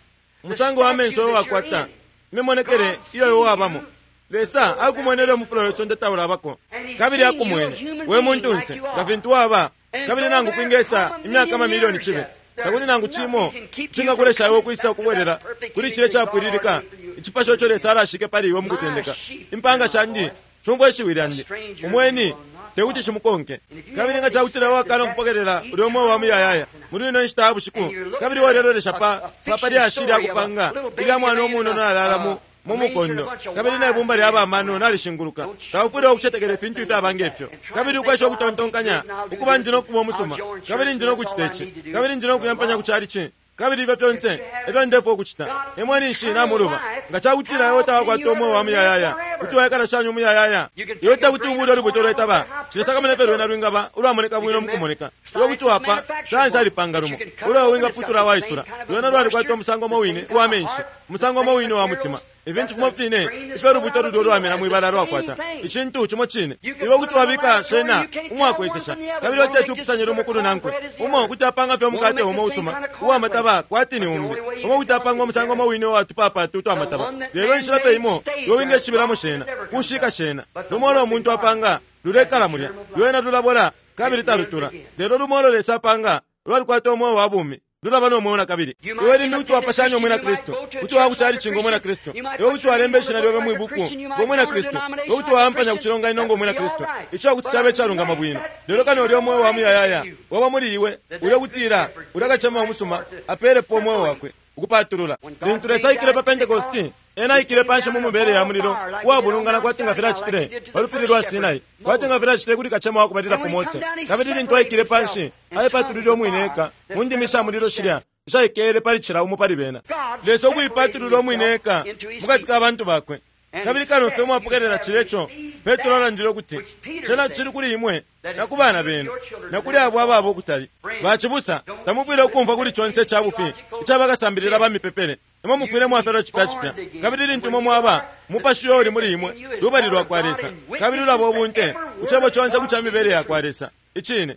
umusango wa menso the oyo statue that wakwata, you're in, imimonekele iyo iwe wabamo, Lesa akumwene ilyo mufula we sonde taulabako, kabili akumwene we muntunse nga fintu waba. Kabili nangu kwingesa imyaka amamilioni cibe, takuli nangu cimo cingakulesha iwe ukwisa ukubwelela kuli cile capwililika icipasho ico Lesa alashike pali iwe mukutendeka. Impanga shandi shumfwa ishiwi lyandi, umweni tekuti shimukonke. Kabili nga cakutila wakana ukupokelela ulya umweo wa muyayaya muli ino nshita ya bushiku, kabili walelolesha pa pa pa lyashi lya kupanga ilya mwana umunono alala mu mu mukondo, kabili ne bumba lya bamano nalishinguluka, taufwile ukucetekela ifintu ifyaba ngefyo, kabili ukwesha ukutontonkanya ukuba ndi no kuba umusuma, kabili ndi no kucita ici, kabili ndi no kuyampanya ku chalichi, kabili ifyo fyonse efyo ndefwa ukucita, imwe ninshi namuluba. Nga cakutila iwe tawakwata umweo wa muyayaya, kuti waikala shani umuyayaya? Iwe tekuti ubule ulubuto lwetaba, cilesakamana fye lwena lwingaba ulwamoneka bwino mukumoneka. Iwe kuti wapa sayansi alipanga lumo ulo wingaputula waisula, lwena lwalikwata umusango umo wine uwa menshi, umusango umo wine uwa mutima, ifintu fimo fine ifyo lubuto lulyo lwamena mwibala lwakwata, icintu cimo cine. Iwe kuti wabika shena umwakwesesha, kabili oteti upusanye lumo kulu nankwe. Umo kuti apanga fye umukate umo usuma uwamataba kwati ni umbi, umo kuti apanga umusango umo wine uwatupapatu twamataba, lelo inshila fye imo iwe wingeshibilamo shena kushika shena. Lumo ulo umuntu apanga lulekala mulya, lwena lulabola kabili talutula, lelo lumo ulo Lesa apanga Lwalikwata umweo wa bumi, lulaba no mweo na kabili. Iwe limbi kuti wapashanya umwina Kristu, kuti waya ku calici ngo mwina Kristu, iwe kuti walemba ishina lyobe mwi buku ngo mwina Kristu, iwe kuti wayampanya ku cilonganino ngo mwina Kristu. Ico kuti cabe icalungama bwino, lelo kano ulya umweo wa muyayaya waba muli iwe, ulya kutila ulya kacema umusuma apeelepo umweo wakwe ukupatulula. Lintu Lesa aikile pa Pentekosti, ena aikile panshi mu mibele ya mulilo uwabulungana kwati nga filya acitile pa lupili lwa Sinai, kwati nga filya acitile kuli kacema wa kubalilapo Mose. Kabili lintu aikile panshi, aipatulile umwine eka mu ndimi sha mulilo shilya ishaikele pali cila umo pali bena. Lesa ukuipatulula umwine eka mukati ka bantu bakwe. Kabili kano fye mwapokelela cilya ico Petro alandile ukuti cena cili kuli imwe na ku bana benu na kuli abo ababa ukutali. Bacibusa, tamufwile ukumfwa kuli conse ica bufi ica bakasambilila ba mipepele. Imwe mufwile mwafyalwa cipya cipya, kabili lintu imwe mwaba umupashi uyo uli muli imwe lubali lwa kwa Lesa, kabili lulaba ubunte ku cebo conse ku ca mibele ya kwa Lesa icine.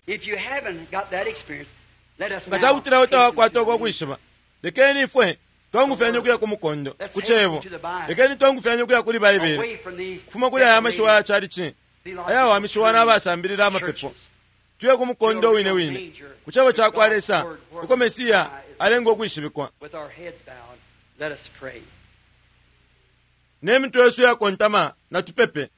Nga cakutila utawakwata uko kwishiba, lekeni ifwe twangufyanye ukuya ku mukondo ku cebo. Lekeni twangufyanye ukuya kuli Baibele, kufuma kuli aya mashiwa ya calici ayawamishiwa n'abasambilila amapepo, tuye ku mukondo wine wine ku cebo ca kwa Lesa uko Mesiya alenga ukwishibikwa. Ne mitwe yesu yakontama na tupepe.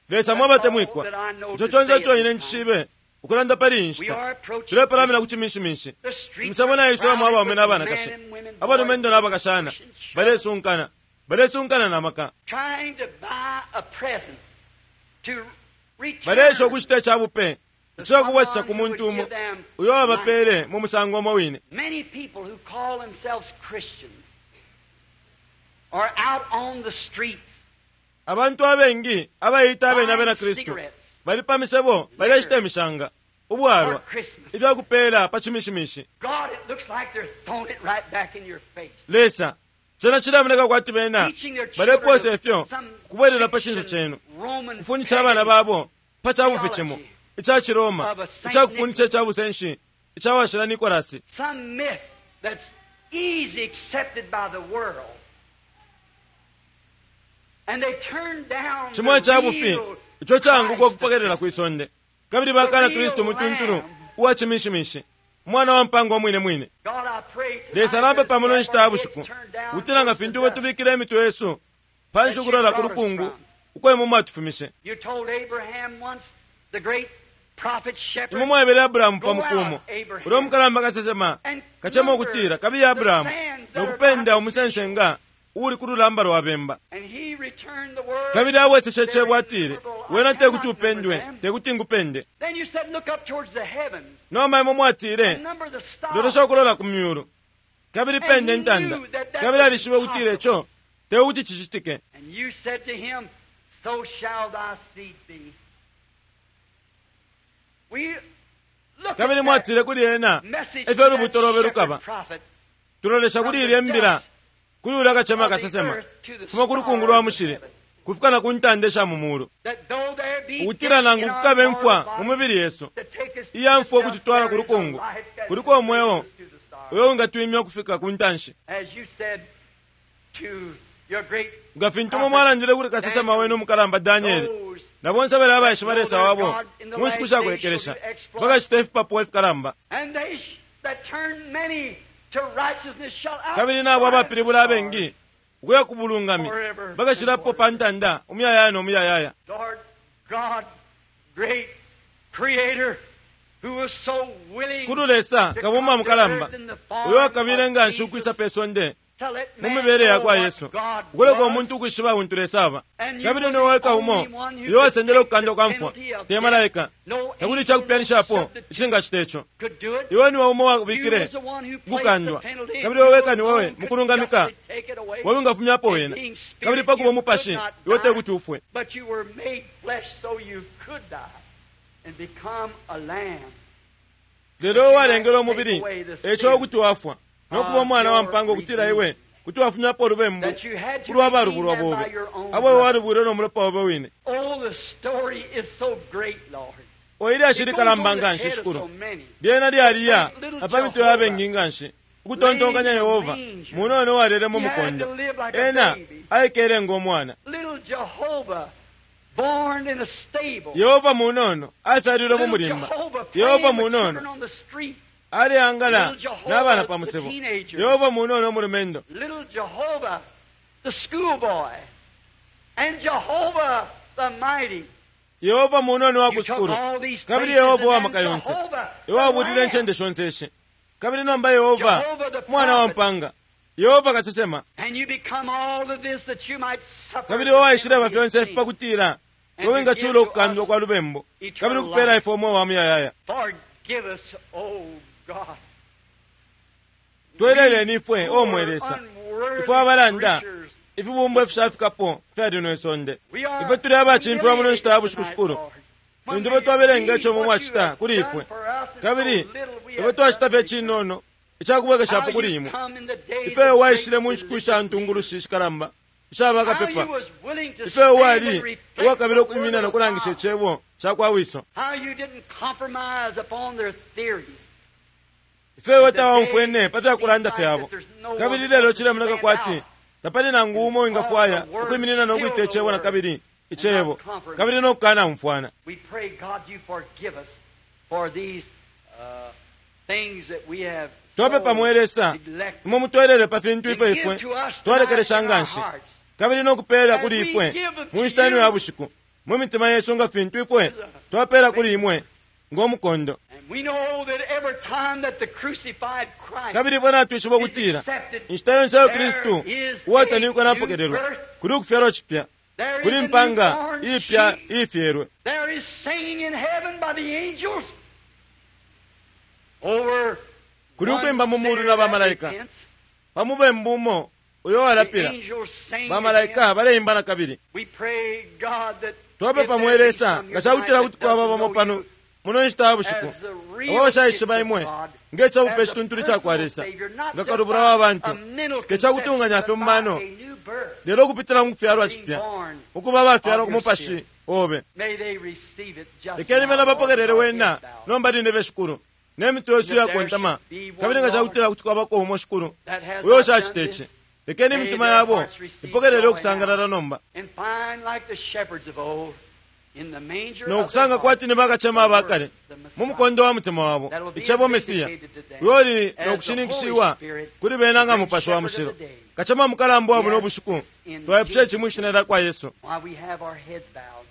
Lesa mwabatemwikwa, ico conse ico ine ncishibe ukulanda pali iyi nshita, tulepalamina ku ciminshiminshi. Imisebo naisulamo abaume n'abanakashi, abalumendo n'abakashana, balesunkana, balesunkana na maka, baleesha ukushita ica bupe ica kubwesesha ku muntu umo uyo wabapeele mu musango umo wine. Abantu abengi abaita abene abena Kristu bali pa misebo baleshita imishanga, ubwalwa, ifya kupeela pa cimishimishi. Lesa, cena cilamoneka kwati bena baleposa ifyo kubwelela pa cinso cenu, kufundisha abana babo pa ca bufi cimo ica Ciroma, ica kufundisha ica busenshi ica washila Nikolasi, cimo ica bufi ico canguka ukupokelela kwi sonde, kabili bakana Kristu mutuntulu uwa cimishimishi, umwana wa mpanga umwine mwine. Lesa napepa muno nshita ya bushiku ukutila nga fintu bwe tubikile imitwe yesu panshi ukulola ku lukungu uko imwe mwatufumishe. Imwe mwaebele Abrahamu pa mukumo ulya umukalamba kasesema kacema ukutila kabiye Abrahamu nokupenda umusensenga uuli ku lulamba lwa bemba. Kabili abweseshe icebo atile, wena tekuti upendwe, tekuti ngupende. Nomba imwe mwatile, lolesha ukulola ku myulu kabili pende intanda. Kabili alishibe ukutila ico tekuti cicitike. Kabili mwatile kuli ena, efyo ulubuto lobe lukaba. Tulolesha kuli ilya mbila, kuli ulya kacema kasesema, fuma ku lukungu lwa mushili kufika na ku ntanda isha mu mulu, ukutila nangu kukabe imfwa mu mibili yesu iya mfwa ukututwala ku lukungu, kuliko umweo uyo wingatwimya ukufika ku ntanshi. Nga fintu imwe mwalandile kuli kasesema wenu umukalamba Danieli, na bonse abali abaishiba Lesa wabo mu nshiku sha kulekelesha bakacita ifipapuwa ifikalamba. Kabili nabo abapilibula abengi ukuya ku bulungami bakashilapo pa ntanda umuyayaya no muyayaya. Shikulu Lesa kabumba mukalamba uyo wakabile nga nshi ukwisa pe sonde mu mibele ya kwa Yesu, ukuleka umuntu ukwishiba untu Lesa aba. Kabili niwe weka umo uyo wasendele ukukandwa kwa mfwa, te malaika, takuli icakupyanishapo icingacita ico. Iwe niwe umo wabikile ukukandwa, kabili iwe weka niwewe mukulungamika wewe ungafumyapo wena. Kabili pakuba umupashi iwe tekuti ufwe. Lelo walengele umubili eco ukuti wafwa no kuba umwana wa mpanga ukutila iwe kuti wafumyapo ulubembu ulwa balubulwa bobe, abo iwe walubwile no mulopa obe wine. O ilyashi likalamba nga nshi shikulu, lyena lyaliya apa mitwe ya bengi nga nshi ukutontonkanya Yehova munono walele mu mukondo, ena aikele ngo mwana. Born in a stable. Yehova munono afyalilwe mu Little mulimba. Jehovah playing Yehova with munono children on the street. aleangala Little Jehovah, n'abana pa the musebo. teenager. Yehova munono umulumendo. Little Jehovah, the schoolboy. And Jehovah the mighty. Yehova munono wa You took ku sukulu. all these Kabili places Yehova wa and maka then yonse. Jehovah, the Ewabulile Lamb. incende shonse ishi. Kabili nomba Yehova Jehovah the mwana wa prophet. mpanga. Yehova kasesema. And you become all of this that you might suffer Kabili the waishileba penalty of fyonse ifi sin. pakutila And iwe to wingachula give to ukukandwa us kwa lubembu. eternal Kabili kupela life. ifwe umweo wa muyayaya. Forgive us, O God. Tweleleni ifwe Poor, o mwe Lesa. unworthy Ifwe abalanda creatures. ifibumbwa ifishafikapo fyali lino isonde. We are Ifwe tuli abacimfiwa muno nshita ya bushiku humiliated shukulu. tonight, Lord. Lintu When ifwe twabelenga we ico read mwe what you mwacita have kuli done ifwe. for us, and Kabili so little we ifwe have twacita done fye to cinono icakubwekeshapo How kuli you imwe. come in the days Ifwe of waishile great mu nshiku sha religious ntungulushi shikalamba isha How bakapepa. you was willing to Ifwe stand and wali reflect uwakabila the ukuimina word no of kulangisha God. icebo ca kwa wiso. How you didn't compromise upon their theories. Ifwe tawaumfwene pa fyakulanda fyabo. Kabili lelo cilemoneka kwati tapali nangu umo wingafwaya ukwiminina no kwita icebo na kabili icebo kabili no kukanaumfwana. We pray, God, you forgive us for these uh, things that we have so Twapepa mwe Lesa neglected. imwe mutwelele pa fintu And ifwe give ifwe to us twalekelesha tonight in nga our nshi hearts kabili no kupeela kuli ifwe mu nshita ino ya bushiku mu mitima yesu nga fintu ifwe twapeela kuli imwe ng'omukondo. And we know that every time that the crucified Christ Kabili ifwe natwishiba ukutila inshita yonse iyo Kristu uwatanikwa napokelelwa kuli ukufyalwa cipya there is kuli a mpanga newborn iipya sheep. iifyelwe. There is singing in heaven by the angels over Kuli one ukwimba mu mulu sinner na that bamalaika. repents. Pa mubembu umo uyo The walapila angels sing bamalaika again. baleimba na kabili. We pray, God, that if Twapepa there mwe be Lesa some nga here cakutila tonight kuti that kwaba doesn't bamo know pano you muno nshita ya bushiku as the real abo bashaishiba gift of imwe God, ngecabupe as a cituntuli ca kwa personal Lesa Savior, not nga just kalubula by wa a bantu mental ke cakutunganya conception, fye mu but by mano a new birth. lelo ukupitila mu kufyalwa Being cipya born ukuba abafyalwa of ku your mupashi spirit. obe. May they receive it just Lekeni now, bena Lord, bapokelele with our wena heads bowed. nomba line be shukulu ne mitwe yesu yakontama kabili nga cakutila kuti kwabako umo shukulu That has uyo not done ushacita this, ici lekeni may imitima their yabo hearts receive ipokelele joy ukusangalala now. nomba And find like the shepherds of old in the manger no of their kusanga heart kwati ni bakacema the abakale word, the mu Messiah. mukondo wa mutima wabo That will be icebo Mesiya vindicated to them uyo uli as the no kushininkishiwa Holy Spirit, kuli bena nga the great mupashi wa shepherd mushilo of the day. kacema mukalamba wa buno Yes, bushiku in twaipusha Jesus' ici mwishina lya kwa Yesu. While we have our heads bowed,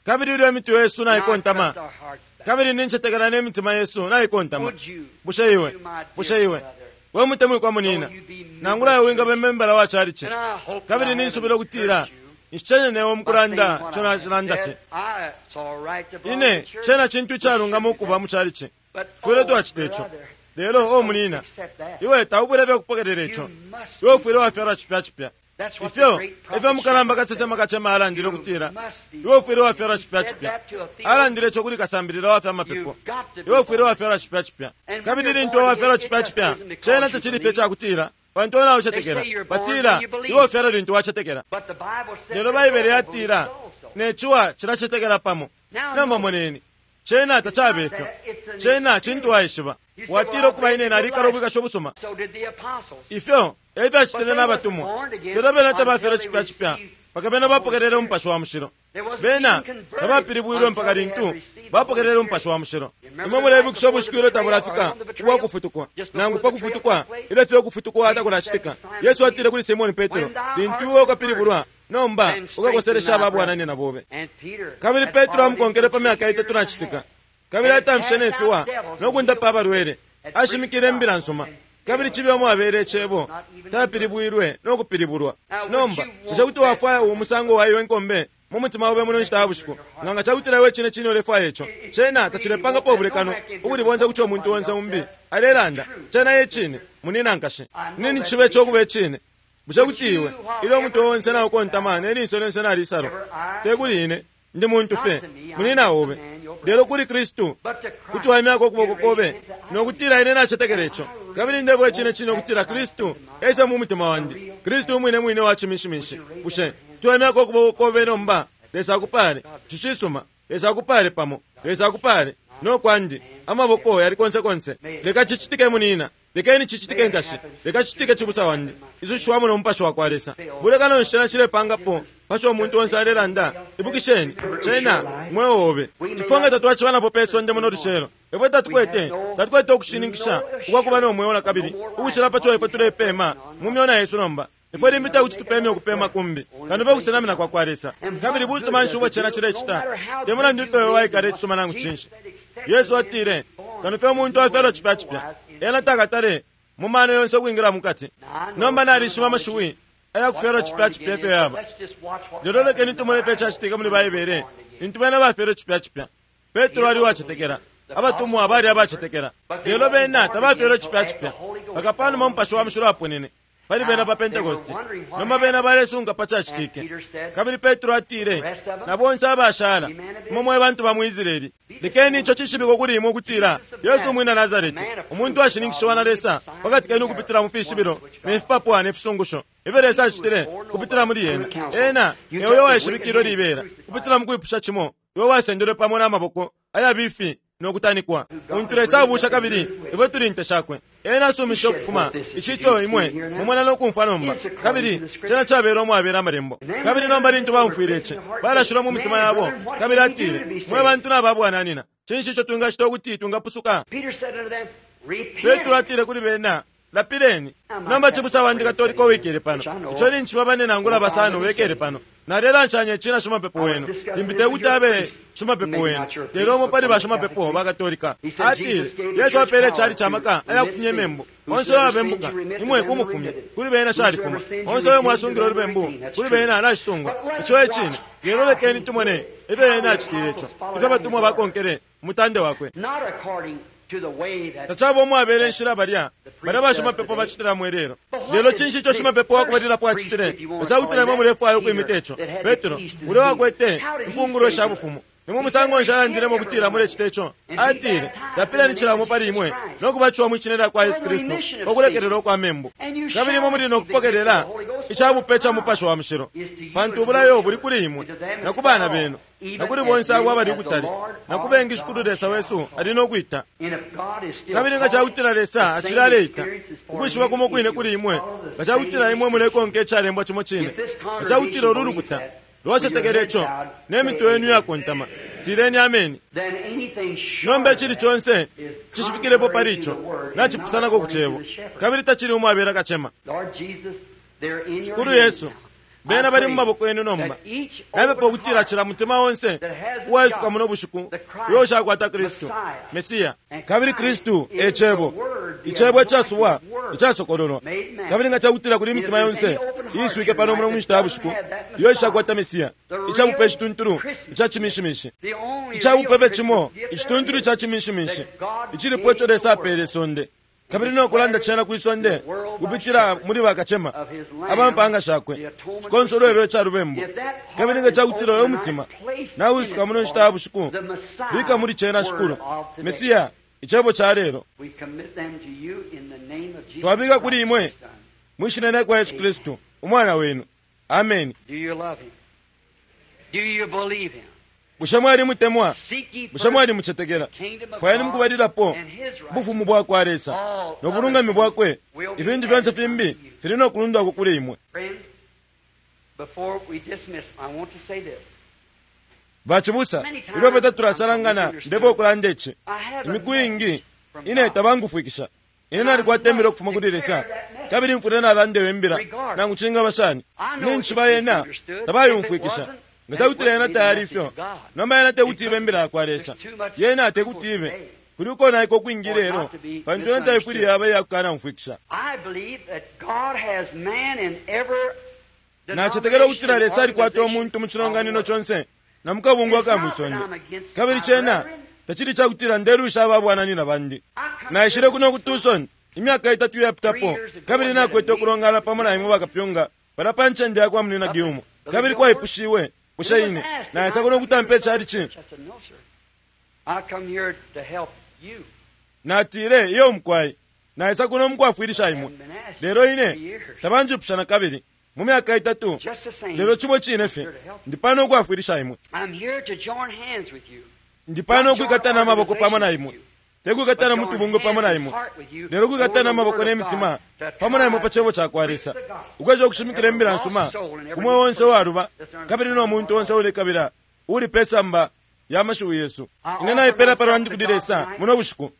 Kabili ilyo imitwe yesu and I naikontama trust our hearts bowed, kabili nincetekela ne mitima yesu naikontama would you, bushe iwe you, my dear bushe iwe brother, we mutemwikwa munina though you be member nangula iwe wingaba membala wa chalichi and I hope kabili that I ninsubila haven't ukutila hurt you nshicenye newe by mukulanda saying what ico I have nacilanda said. fye. I- it's all right to belong Ine to church. cena cintu We icalungama should do ukuba that. mu chalichi But, fwile oh, twacita ico brother, lelo o don't munina accept that. iwe taubwile fye kupokelela You ico must iwe be ufwile wafyalwa cipya cipya. That's what the Ifyo great prophet ifyo mukalamba Shepherd kasesema said. kacema alandile You ukutila must be iwe ufwile born. wafyalwa He cipya said cipya that to a theologian. alandile ico kuli kasambilila wa fya mapepo You've got to be iwe ufwile born. wafyalwa cipya cipya. And when Kabili you're lintu born wafyalwa again, it cipya just cipya isn't because cena you tacili fye believe. cakutila pantu ona ucetekela They say you're born batila when you believe. iwe ufyalwa lintu wacetekela But the Bible says lelo the Baibele devil yatila believes also. ne ciwa cilacetekela pamo. Now Nomba notice, moneni cena tacabe it's not ifyo that, it's an cena cintu experience. waishiba You say, watila well, I've ukuba lived ine a good nalikala life. ubwikasho busuma. So did the apostles. Ifyo efyo But acitile they wasn't n'abatumwa born again lelo bena until tabafyelwe they cipya cipya received mpaka bena the Holy bapokelele Spirit. umupashi wa mushilo. They wasn't Bena even converted tabapilibwilwe mpaka until they had lintu received the Holy bapokelele Spirit. umupashi wa mushilo. You remember Imwe the night mulebukisha before ubushiku the ilyo betrayal or tabulafika on the ubwa betrayal? kufutukwa Just nangu before pa the betrayal kufutukwa took place, ilyo fye ukufutukwa Jesus said takulacitika to Simon Yesu atile Peter, kuli Simoni Petro When thou lintu art iwe ukapilibulwa converted, nomba then strengthen ukakoselesha thy ababwananyina brethren. bobe. And Peter Kabili had Petro followed him amukonkele for pa three myaka years itatu and a na citika half. kabili And had atamfishe cast ne fiwa out devils no and kundapa healed the abalwele sick, had preached ashimikile the imbila gospel, nsuma and kabili healed cibe umwabele was icebo not even converted. tapilibwilwe no kupilibulwa. Now, would Nomba you bushe want kuti that? wafwaya uwu musango wa iwe nkombe mu mutima obe muno nshita ya bushiku nga nga cakutila iwe cine cine ulefwaya ico If you cena really want tacilepangapo that, go ubulekano back into ubuli the bonse book kuco umuntu somebody onse else umbi said. alelanda It's true, cena ye sister. cine munina nkashe I know nini that cibe to be ico kuba true. icine bushe Would kuti iwe you, while ilyo umutwe every onse head naukontama bowed, ne linso lyonse nalisalwa every eye te kuli ine ndi muntu not fye to me, I'm munina just a obe man, your lelo brother, kuli Kristu but to kuti Christ waimyako ukuboko you raise kobe hands that I no believe. kutila ine nacetekela ico I really kabili ndebwa icine want cine that ukutila Christ Kristu into my ese heart, mu mutima the wandi real Kristu thing. umwine mwine wa Would chimishimishi you raise up bushe your hands tuwaimyako ukuboko kobe nomba Lesa akupale God bless cicisuma Lesa akupale pamo Lesa akupale no kwandi amaboko yali konse konse May it leka happen. cicitike munina Lekeni cicitike nkashi, leka cicitike cibusa wandi. Isushiwamo no Mupashi wakwa Lesa. Bulekano nshena cilepangapo pasho umuntu onse alelanda. Ibukisheni, cena mweo obe. Ifwe nga tatwacibanapo pe sonde muno lucelo, ifwe tatukwete tatukwete ukushininkisha ukwakuba no mweo nakabili ukucila paco ifwe tulepema mu myona yesu nomba. Ifwe limbi tekuti tupeme ukupema kumbi kano pe kusenamina kwa kwa Lesa. Kabili busuma nshi ubwo cena cilecita? Te mulandu ifwe waikala icisuma nangu cinshi. Yesu atile, kano fye umuntu afyalwa cipya cipya, ena takatale mu mano yonse ukwingila mukati. Nomba nalishiba amashiwi ayakufyalwa cipya cipya ifyo yaba. Lelo lekeni tumone fye cacitika muli Baibele lintu bena bafyalwe cipya cipya. Petro ali uwacetekela, abatumwa bali abacetekela, lelo bena tabafyalwe cipya cipya mpaka panuma Mupashi wa Mushilo aponene pali bena pa Pentekoste. Nomba bena balesunga pa cacitike. Kabili Petro atile, na bonse abashala imwe mwe bantu ba mu Israeli, lekeni ico cishibikwe kuli imwe ukutila Yesu umwina Nazareti, umuntu ashininkishiwa na Lesa pakati kenu kupitila mu fishibilo ne fipapwa ne fisungusho ifyo Lesa acitile kupitila muli ena. Ena eyo waishibikilwe libela kupitila mu kwipusha cimo, iwe wasendelwe pamo n'amaboko ayabifi nokutanikwa. Untu Lesa abusha kabili ifwe tuli nte shakwe. Ena asumisha ukufuma ici ico imwe mumona nokumfwa nomba. Kabili cena cabela umwabela amalembo. Kabili nomba lintu baumfwile ici, balashilwa mu mitima yabo. Kabili atile, mwe bantu nababwananina, cinshi ico twingacita ukuti twingapusuka? Petro atile kuli bena, lapileni. Nomba cibusa wandi Katolika uwikele pano, ico ninci bane nangula basano wekele pano, nalelanshanya ici na shimapepo wenu. Limbi tekuti abe shimapepo wenu, lelo umo pali bashimapepo ba Katolika. Atile, Yesu apele cali camaka ayakufumya imembu. Onse uyo abembuka, imwe kumufumya, kuli bena shalifuma. Onse uyo mwasungila ulubembu, kuli bena nashisungwa. Ico e cine. Lelo lekeni tumone ifyo ena acitile ico, ifyo abatumwa bakonkele umutande wakwe. Tacaba umwabele inshila balya balya bashimapepo bacitilamo ilelo. Lelo cinshi ico shimapepo wakubalilapo acitile? Ecakutila imwe mulefwaya ukwimita ico. Petro ulya wakwete imfungulo sha bufumu, nimwe musango nshi alandilemo ukutila mulecita ico? Atile, lapileni cilamo pali imwe nokubatishiwa mwi shina lya kwa Yesu Kristu pakulekelelwa kwa membu, kabili imwe muli nokupokelela icabupe ca Mupashi wa Mushilo, pantu ubulayo buli kuli imwe na ku bana benu na kuli bonse abo abali ukutali na ku bengi Shikulu Lesa wesu ali nokwita. Kabili nga cakutila Lesa acili aleita ukwishiba kumo kwine kuli imwe, nga cakutila imwe mulekonka icalembwa cimo cine, nga cakutila ulu lukuta lwacetekela ico ne mitwe yenu iyakontama, tileni ameni. Nomba icili conse cishifikilepo pali ico nacipusanako ku cebo, kabili tacili umwabela kacema. Shikulu Yesu, bena bali mu maboko yenu nomba. Napepa ukutila cila mutima onse uwaisuka muno bushiku uyo ushakwata Kristu Mesiya. Kabili Kristu e cebo, icebo icasubwa icasokololwa. Kabili nga cakutila kuli imitima yonse iiswike pano muno munshita ya bushiku iyo ishakwata Mesiya, icabupe icituntulu ica cimishimishi, icabupe fye cimo icituntulu ica cimishimishi icilipo ico Lesa apele isonde, kabili nokulanda cena kwi sonde kupitila muli bakacema abampanga shakwe, cikonsolwelo ica lubembu. Kabili nga cakutila uyo mutima nawisuka muno nshita ya bushiku, bika muli cena Shikulu Mesiya icebo ca lelo. Twabika kuli imwe mwi shina lya kwa Yesu Kristu umwana wenu. Ameni. Bushe mwalimutemwa? Bushe mwalimucetekela? Fwayeni mukubalilapo ubufumu bwa kwa Lesa no bulungami bwakwe, ifintu fyonse fimbi fili nokulundwako kuli imwe. Bacibusa, ilyo fye tatulasalangana, ndefwaya ukulanda ici. Imiku iingi ine tabangufwikisha. Ine nalikwata imbila ukufuma kuli Lesa, kabili mfwile nalandeyo imbila nangu cingaba shani. Ninshi yena tabayumfwikisha. Nga cakutila yena tayali ifyo, nomba yena tekuti ibe imbila yakwa Lesa. Yena tekuti ibe kuli ukonaika ukwingi lelo, pantu yena taifwile yaba iyakukanaumfwikisha. Nacetekela ukutila Lesa alikwata umuntu mu cilonganino conse na mukabungwe aka mwisonde. Kabili cena tacili cakutila ndelwisha ababwananina bandi. Naishile kuno ku Tucson imyaka itatu iyapitapo, kabili nakwete ukulongana pamo na imwe bakapyunga pala pa ncende ya kwa Munina Gilmore. Kabili kwaipushiwe, bushe ine naisa kuno kutampa icalici? Natile, iyo mukwai, naisa kuno mukwafwilisha imwe. Lelo ine tabanjipusha na kabili mu myaka itatu, lelo cimo cine fye ndi pano ukwafwilisha imwe. Ndi pano ukwikatana amaboko pamo na imwe, Tekwikatana mutubungo pamo na imwe, lelo kwikatana amaboko n'emitima pamo na imwe pa cebo ca kwa Lesa, ukwesha ukushimikila imbila nsuma kumwe onse uwaluba kabili no muntu onse ulekabila uli pe samba ya mashiwi yesu. Ine naipela palwandi kuli Lesa muno bushiku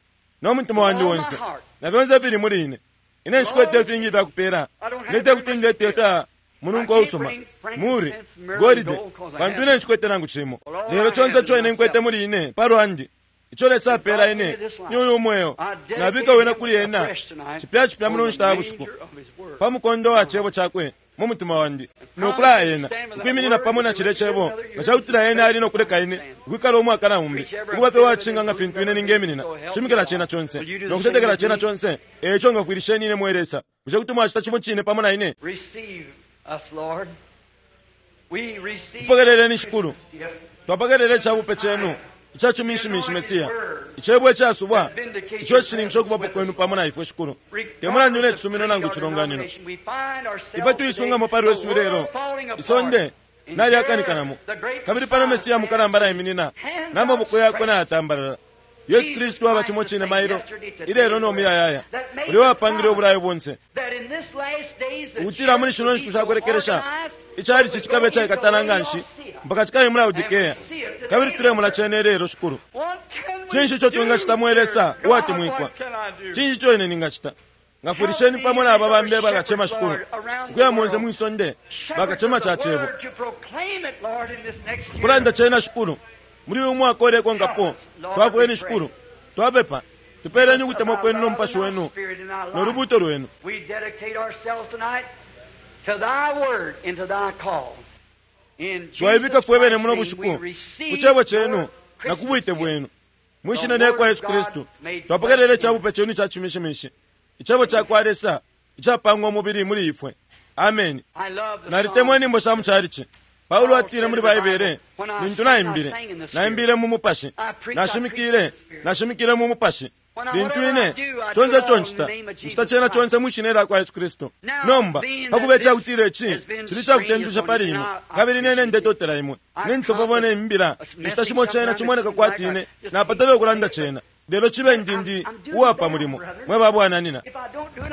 no mutima wandi onse na fyonse fili muli ine. Ine nshikwete ifingi ifyakupela, ndete kuti ndete ifya mununko usuma muri golide, pantu ine nshikwete nangu cimo. Lelo chonse ico ine nkwete muli ine palwandi, ico Lesa apela ine ni uyu mweo, nabika wena kuli ena cipya cipya muno nshita ya bushiku pa mukondo wa cebo cakwe mu mutima wandi, nokulaya ena ukwiminina pamo na cile cebo nga cakutila ena ali nokuleka ine ukwikala umwaka na umbi ukuba fye wacinga nga fintu ine ningeminina shimikila cena conse nokucetekela cena conse. Eco ngafwilisheni ine mwe Lesa. Bushe kuti mwacita cimo cine pamo na ine? Tupokeleleni Shikulu, twapokelele icabupe cenu icaciminshimishi Mesiya, icebo icasubwa ico icishininkisho ukubapo kwenu pamo na ifwe Shikulu. Te mulandu ne cisumino nangu icilonganino, ifwe tuisungamo pali lwesu ilelo, isonde nalyakanikanamo, kabili pano Mesiya mukalamba naiminina n'amaboko yakwe nayatambalala. Yesu Kristu aba cimo cine mailo ilelo no muyayaya, ulya wapangile ubulayo bonse ukutila muli shino nshiku shakulekelesha icalici cikabe icaikatana nganshi mpaka cikabe mu Laodikea, kabili tulemona cene ilelo Shikulu. Cinshi ico twingacita mwe Lesa uwatemwikwa? Cinshi ico ine ningacita? Ngafwilisheni pamo na aba bambi bakacema Shikulu, ukuya monse mwisonde bakacema ca cebo kulanda cena Shikulu muli uyu mwaka ulekonkapo. Twafweni Shikulu, twapepa tupeleni ukutemwa kwenu no mupashi wenu no lubuto lwenu. Twaibika fwe bene muno bushiku ku cebo cenu na ku bwite bwenu mwishina lya kwa Yesu Kristu. Twapokelele icabupe cenu icacimishimishi, icebo ca kwa Lesa icapangwa umubili muli ifwe. Ameni. Nalitemwa inyimbo sha mucalici. Paulo atile muli Baibele, lintu naimbile, naimbile mu mupashi, nashimikile, nashimikile mu mupashi. Lintu ine chonse ico ncita, ncita cena chonse mwishina lya kwa Yesu Kristu. Nomba pakuba icakutila ici cili cakutendusha pali imwe, kabili nene ndetotela imwe ninsopa ne imbila inshita shimo cena cimoneka kwati ine napatele ukulanda cena, lelo cibe ndindi uwapa mulimo mwe babwananina.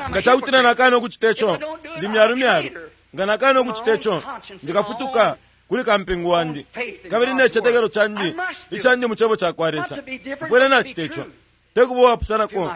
Nga cakutila nakana ukucita ico ndi myalumyalu, nga nakana ukucita ico ndikafutuka kuli kampingu wandi kabili necetekelo candi icandi mu cebo ca kwa Lesa. Mfwele nacita ico tekuba uwapusanako,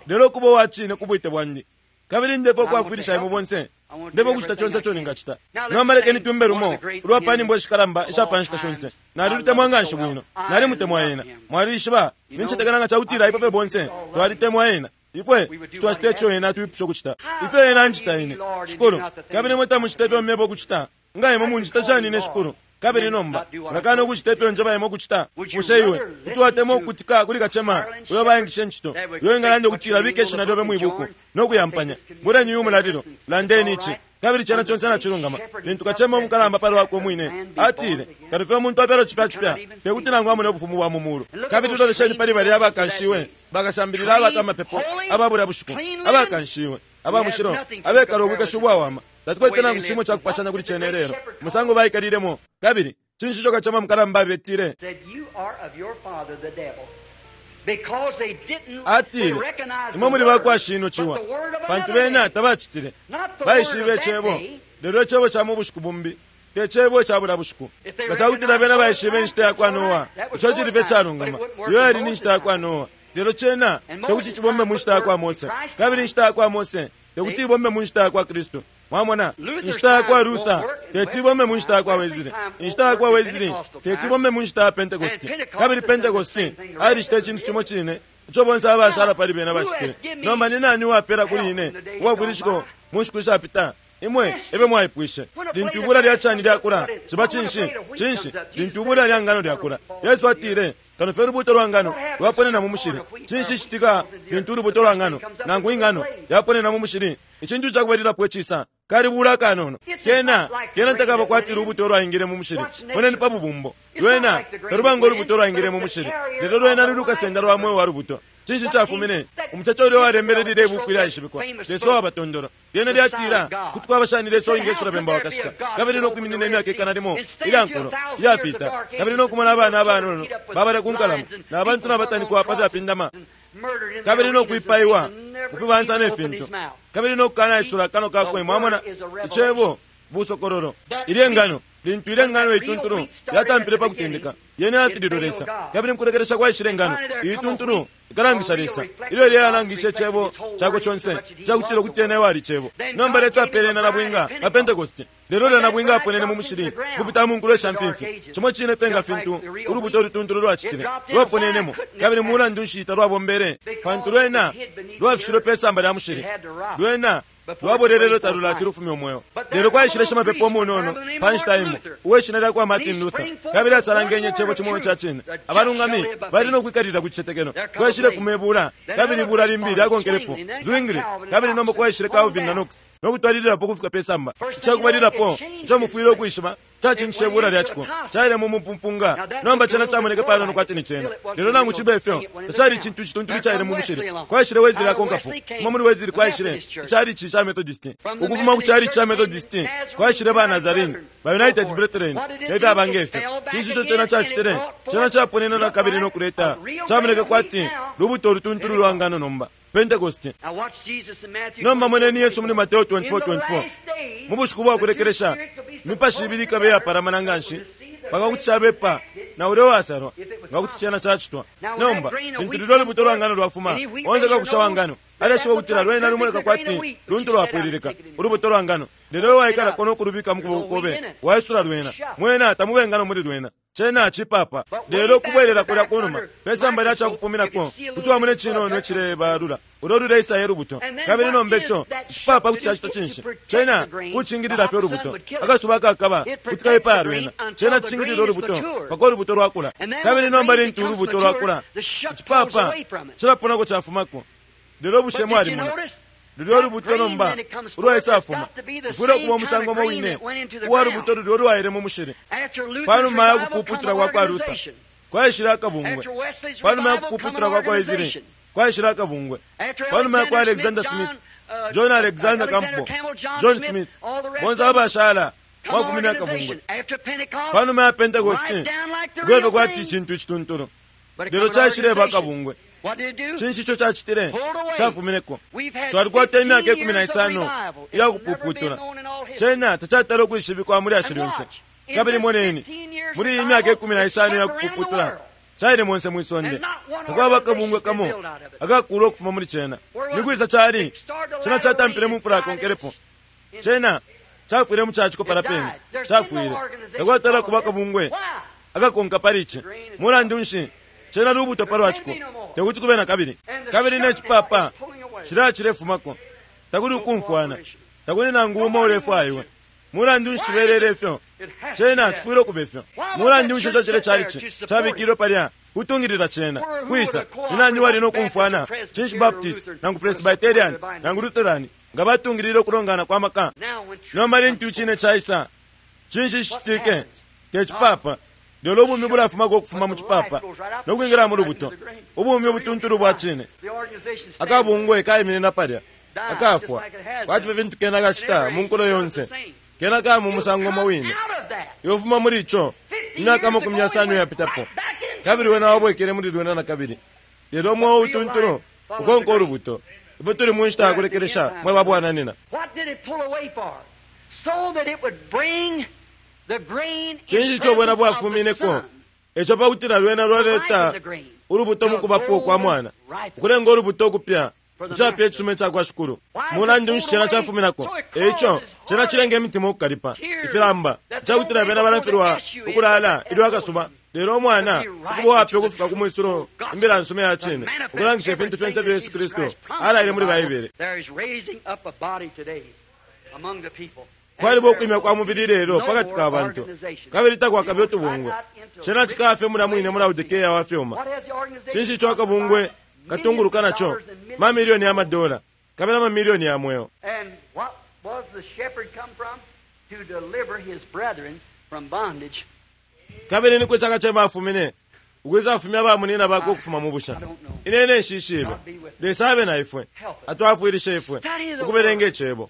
lelo kuba uwacine ku bwite bwandi, kabili ndepo kwafwilisha imwe bonse, ndepo kucita conse ico ningacita. Nomba lekeni tumbe lumo ulwa pa nyimbo ishikalamba isha pa nshita shonse. Nalilutemwa nganshi bwino, nalimutemwa ena. Mwalishiba nincetekela nga cakutila ifwe fye bonse twalitemwa ena. Ifwe twacita ico ena atwipusha ukucita, ifyo ena ancita ine Shikulu, kabili imwe tamucita ifyo mmebo ukucita. Nga imwe muncita shani ine Shikulu? Kabili nomba mulakana ukucita ifyo njeba imwe ukucita. Bushe iwe kuti watemwa ukukutika kuli kacema uyo bayangishe ncito, uyo ingalanda ukutila bika ishina lyobe mwibuku nokuyampanya? Buleni uyu mulalilo, landeni ici, kabili cena conse nacilungama. Lintu kacema umukalamba pali wakwe umwine atile, kali fye umuntu apyalwa cipya cipya tekuti nangu amone ubufumu bwa mu mulu. Kabili lolesheni pali balya abakanshiwe bakasambilila abata amapepo ababulya bushiku, abakanshiwe aba mushilo abekala ubwikashi ubwawama. Tatukwete nangu cimo cakupashanya kuli cene lelo musango baikalilemo. Kabili cinshi ico kacema mukalamba abetile? Atile, imwe muli bakwa shino ciwa, pantu bena tabacitile baishibe icebo, lelo icebo ca mu bushiku bumbi te cebo ica bulya bushiku. Nga cakutila bena baishibe inshita ya kwa Noa, ico cili fye calungama, iyo yali ni nshita ya kwa Noa, lelo cena tekuti cibombe mu nshita ya kwa Mose, kabili inshita ya kwa Mose tekuti ibombe mu nshita ya kwa Kristu. Mwamona, inshita ya kwa Luther teti ibombe mu nshita ya kwa Wesley, inshita ya kwa Wesley teti ibombe mu nshita ya Pentecost, kabili Pentecost alicita icintu cimo cine ico bonse abashala pali bena bacitile. Nomba ni nani uwapela kuli ine uwafwilishiko mu nshiku ishapita? Imwe ebe mwaipwishe. Lintu ibula lya cani lyakula ciba cinshi? Cinshi? Lintu ibula lya ngano lyakula, Yesu atile, kano fye ulubuto lwa ngano lwaponena mu mushili. Cinshi citika lintu ulubuto lwa ngano nangu ingano yaponena mu mushili? Icintu cakubalilapo icisa kalibula kanono kena kena takaba kwati lubuto lwaingile mu mushili. Moneni pa bubumbo, lwena taluba ngo lubuto lwaingile mu mushili, lelo lwena lulukasenda lwa mweo wa lubuto. Cinshi cafumine? Umucaca ulya walembele lile ibuku ilyaishibikwa Lesa wabatondolo lyena lyatila kuti kwaba shani Lesa uwingesula bemba wakashika, kabili nokwiminina imyaka ikana limo ilya nkulo iyafita, kabili nokumona abana abanono babale ku nkalamo na bantu nabatanikwa pa fyapindama Kabili no kwipaiwa kufibansa ne fintu, kabili no kukanaisula kano kakwe. Mwamona, icebo busokololo. Ilye ngano, lintu ile ngano ituntulu yatampile pa kutendeka, yene yafililwe Lesa, kabili mukulekelesha kwaishile ngano ituntulu ikalangisha Lesa. Ilyo ilye yalangisha icebo chakwe chonse cakutila ukuti ena ewali icebo. Nomba Lesa apele ena nabwinga pa Pentecost, lelo lya nabwinga aponene mu mushili kupita mu nkulo sha mfimfi. Chimo chine fye fintu ulubuto lutuntulu lwacitile lwaponenemo, kabili mulandu nshi talwabombele? Pantu lwena lwafishilwe pe samba lya mushili, lwena lwabolelelo talulati lufumya umweo. Lelo kwaishile shimapepo umunono pa nshita imo uweshina lya kwa Martin Luther, kabili asalangenye icebo chimo cha cine. Abalungami bali no kwikalilila ku chicetekelo. Kwaishile fuma ibula, kabili ibula limbi lyakonkelepo Zwingli, kabili nomba kwaishile Calvin na Knox no kutwalililapo kufika pe samba. Icakubalilapo ico mufwile ukwishiba cacinjishe ibula lya ciko caile mu mupumpunga. Nomba cena camoneke panono kwati ni cena, lelo nangu cibe ifyo tacali icintu cituntulu caile mu mushili. Kwaishile Wesley akonkapo, kuma muli Wesley kwaishile icalici ca Methodist, ukufuma ku calici ca Methodist kwaishile ba Nazarene, ba United Brethren ne fyaba ngefyo. Cinshi ico cena cacitile? Cena caponene na kabili no kuleta camoneke kwati lubuto lutuntulu lwa ngano, nomba Pentecost. Nomba moneni Yesu muli Mateo twenty-four twenty-four. Mu bushiku bwa kulekelesha mipashi ibili ikabe yapalamana nganshi mpaka kuti cabepa na ulya uwasalwa nga kuti cena cacitwa. Nomba lintu lilyo lubuto lwa ngano lwafuma, onse kakusha wa ngano aleshiba ukutila lwena lumoneka kwati luntu lwapwililika ulubuto lwa ngano, lelo iwe waikalako no kulubika mu kuboko kobe waisula lwena, mwena tamube ngano muli lwena, cena cipapa. Lelo kubwelela kulya kunuma pe samba lya cakupuminako kuti wamone cinono icilebalula ulo luleisa ye lubuto. Kabili nomba ico icipapa kuti cacita cinshi? Cena kucingilila fye ulubuto. Akasuba kakaba kuti kaipaya lwena, cena cicingilila ulubuto mpaka ulubuto lwakula. Kabili nomba lintu ulubuto lwakula, icipapa cilaponako cafumako. Lelo bushe mwalimona lulyo lubuto nomba ulwaisafuma lufwile ukuba umusango umo wine uwa lubuto lulyo lwaile mu mushili. Panuma ya kupuputula kwa kwa Luther kwaishile akabungwe, panuma ya kupuputula kwa kwa Wesley kwaishile akabungwe, panuma ya kwa Alexander Smith, John Alexander Campbell, John Smith, bonse abashala mwafumine akabungwe. Panuma ya Pentecost kweve kwati icintu icituntulu, lelo caishileba akabungwe. Cinshi ico cacitile? Cafumineko. Twalikwata imyaka ikumi na isano iya kupuputula, cena tacatala ukwishibikwa muli ashi lyonse. Kabili moneni, muli iyi myaka ikumi na isano iya kupuputula caile monse mwisonde, takwaba akabungwe kamo akakula ukufuma muli cena. Ni kwisa cali? Cena catampile mu mfula yakonkelepo, cena cafwile mu caciko pala pene, cafwile. Takwatala kuba akabungwe akakonka pali ici. Mulandu nshi? Cena lubuto palwaciko, tekuti kube na kabili. Kabili ne cipapa cilaya cilefumako, takuli ukumfwana, takuli nangu umo ulefwaiwe. Mulandu nshi cibelele ifyo? Cena cifwile ukuba ifyo. Mulandu nshi ico cile calici cabikilwe palya kutungilila cena? Kwisa ni nani wali no kumfwana? Cinshi Baptist nangu Presbyterian nangu Lutheran nga batungilile ukulongana kwa maka? Nomba lintu icine caisa, cinshi cicitike? Te cipapa, lelo ubumi bulafumako ukufuma mu cipapa no kwingila mu lubuto, ubumi obutuntulu bwa cine. Akabungwe kaiminina palya akafwa kwati fye fintu kena kacita mu nkulo yonse, kena kaya mu musango umo wine. Iwe fuma muli ico imyaka amakumi yasano yapitapo, kabili wena wabwekele muli lwena na kabili. Lelo umweo utuntulu ukonka ulubuto. Ifwe tuli mu nshita ya kulekelesha, mwe babwananina. Cinshi ico bwena bwafumineko? Eco pakutila lwena lwaleta ulubuto mukubapo kwa mwana, ukulenga ulubuto ukupya icapya icisume cakwa Shikulu. Mulandu nshi cena cafuminako? Eico cena cilenga imitima ukukalipa, ifilamba, icakutila bena balafilwa ukulala ilyo akasuba. Lelo umwana ukuba uwapya ukufika ku mwisulo imbila nsume ya cine, ukulangisha ifintu fyonse fya Yesu Kristu alaile muli Baibele. Kwaliba ukwimya kwa mubili lelo pakati ka bantu, kabili takwakabe utubungwe. Cena cikafye mulya mwine mu Laodikea wa fyuma. Cinshi ico akabungwe katunguluka naco? Mamilioni ya madola kabili amamilioni ya mweo. Kabili ni kwisa akacema afumine ukwisa afumya bamunina bakwe ukufuma mu busha? Ine nshishibe. Lesa abe na ifwe, atwafwilishe ifwe ukubelenga icebo.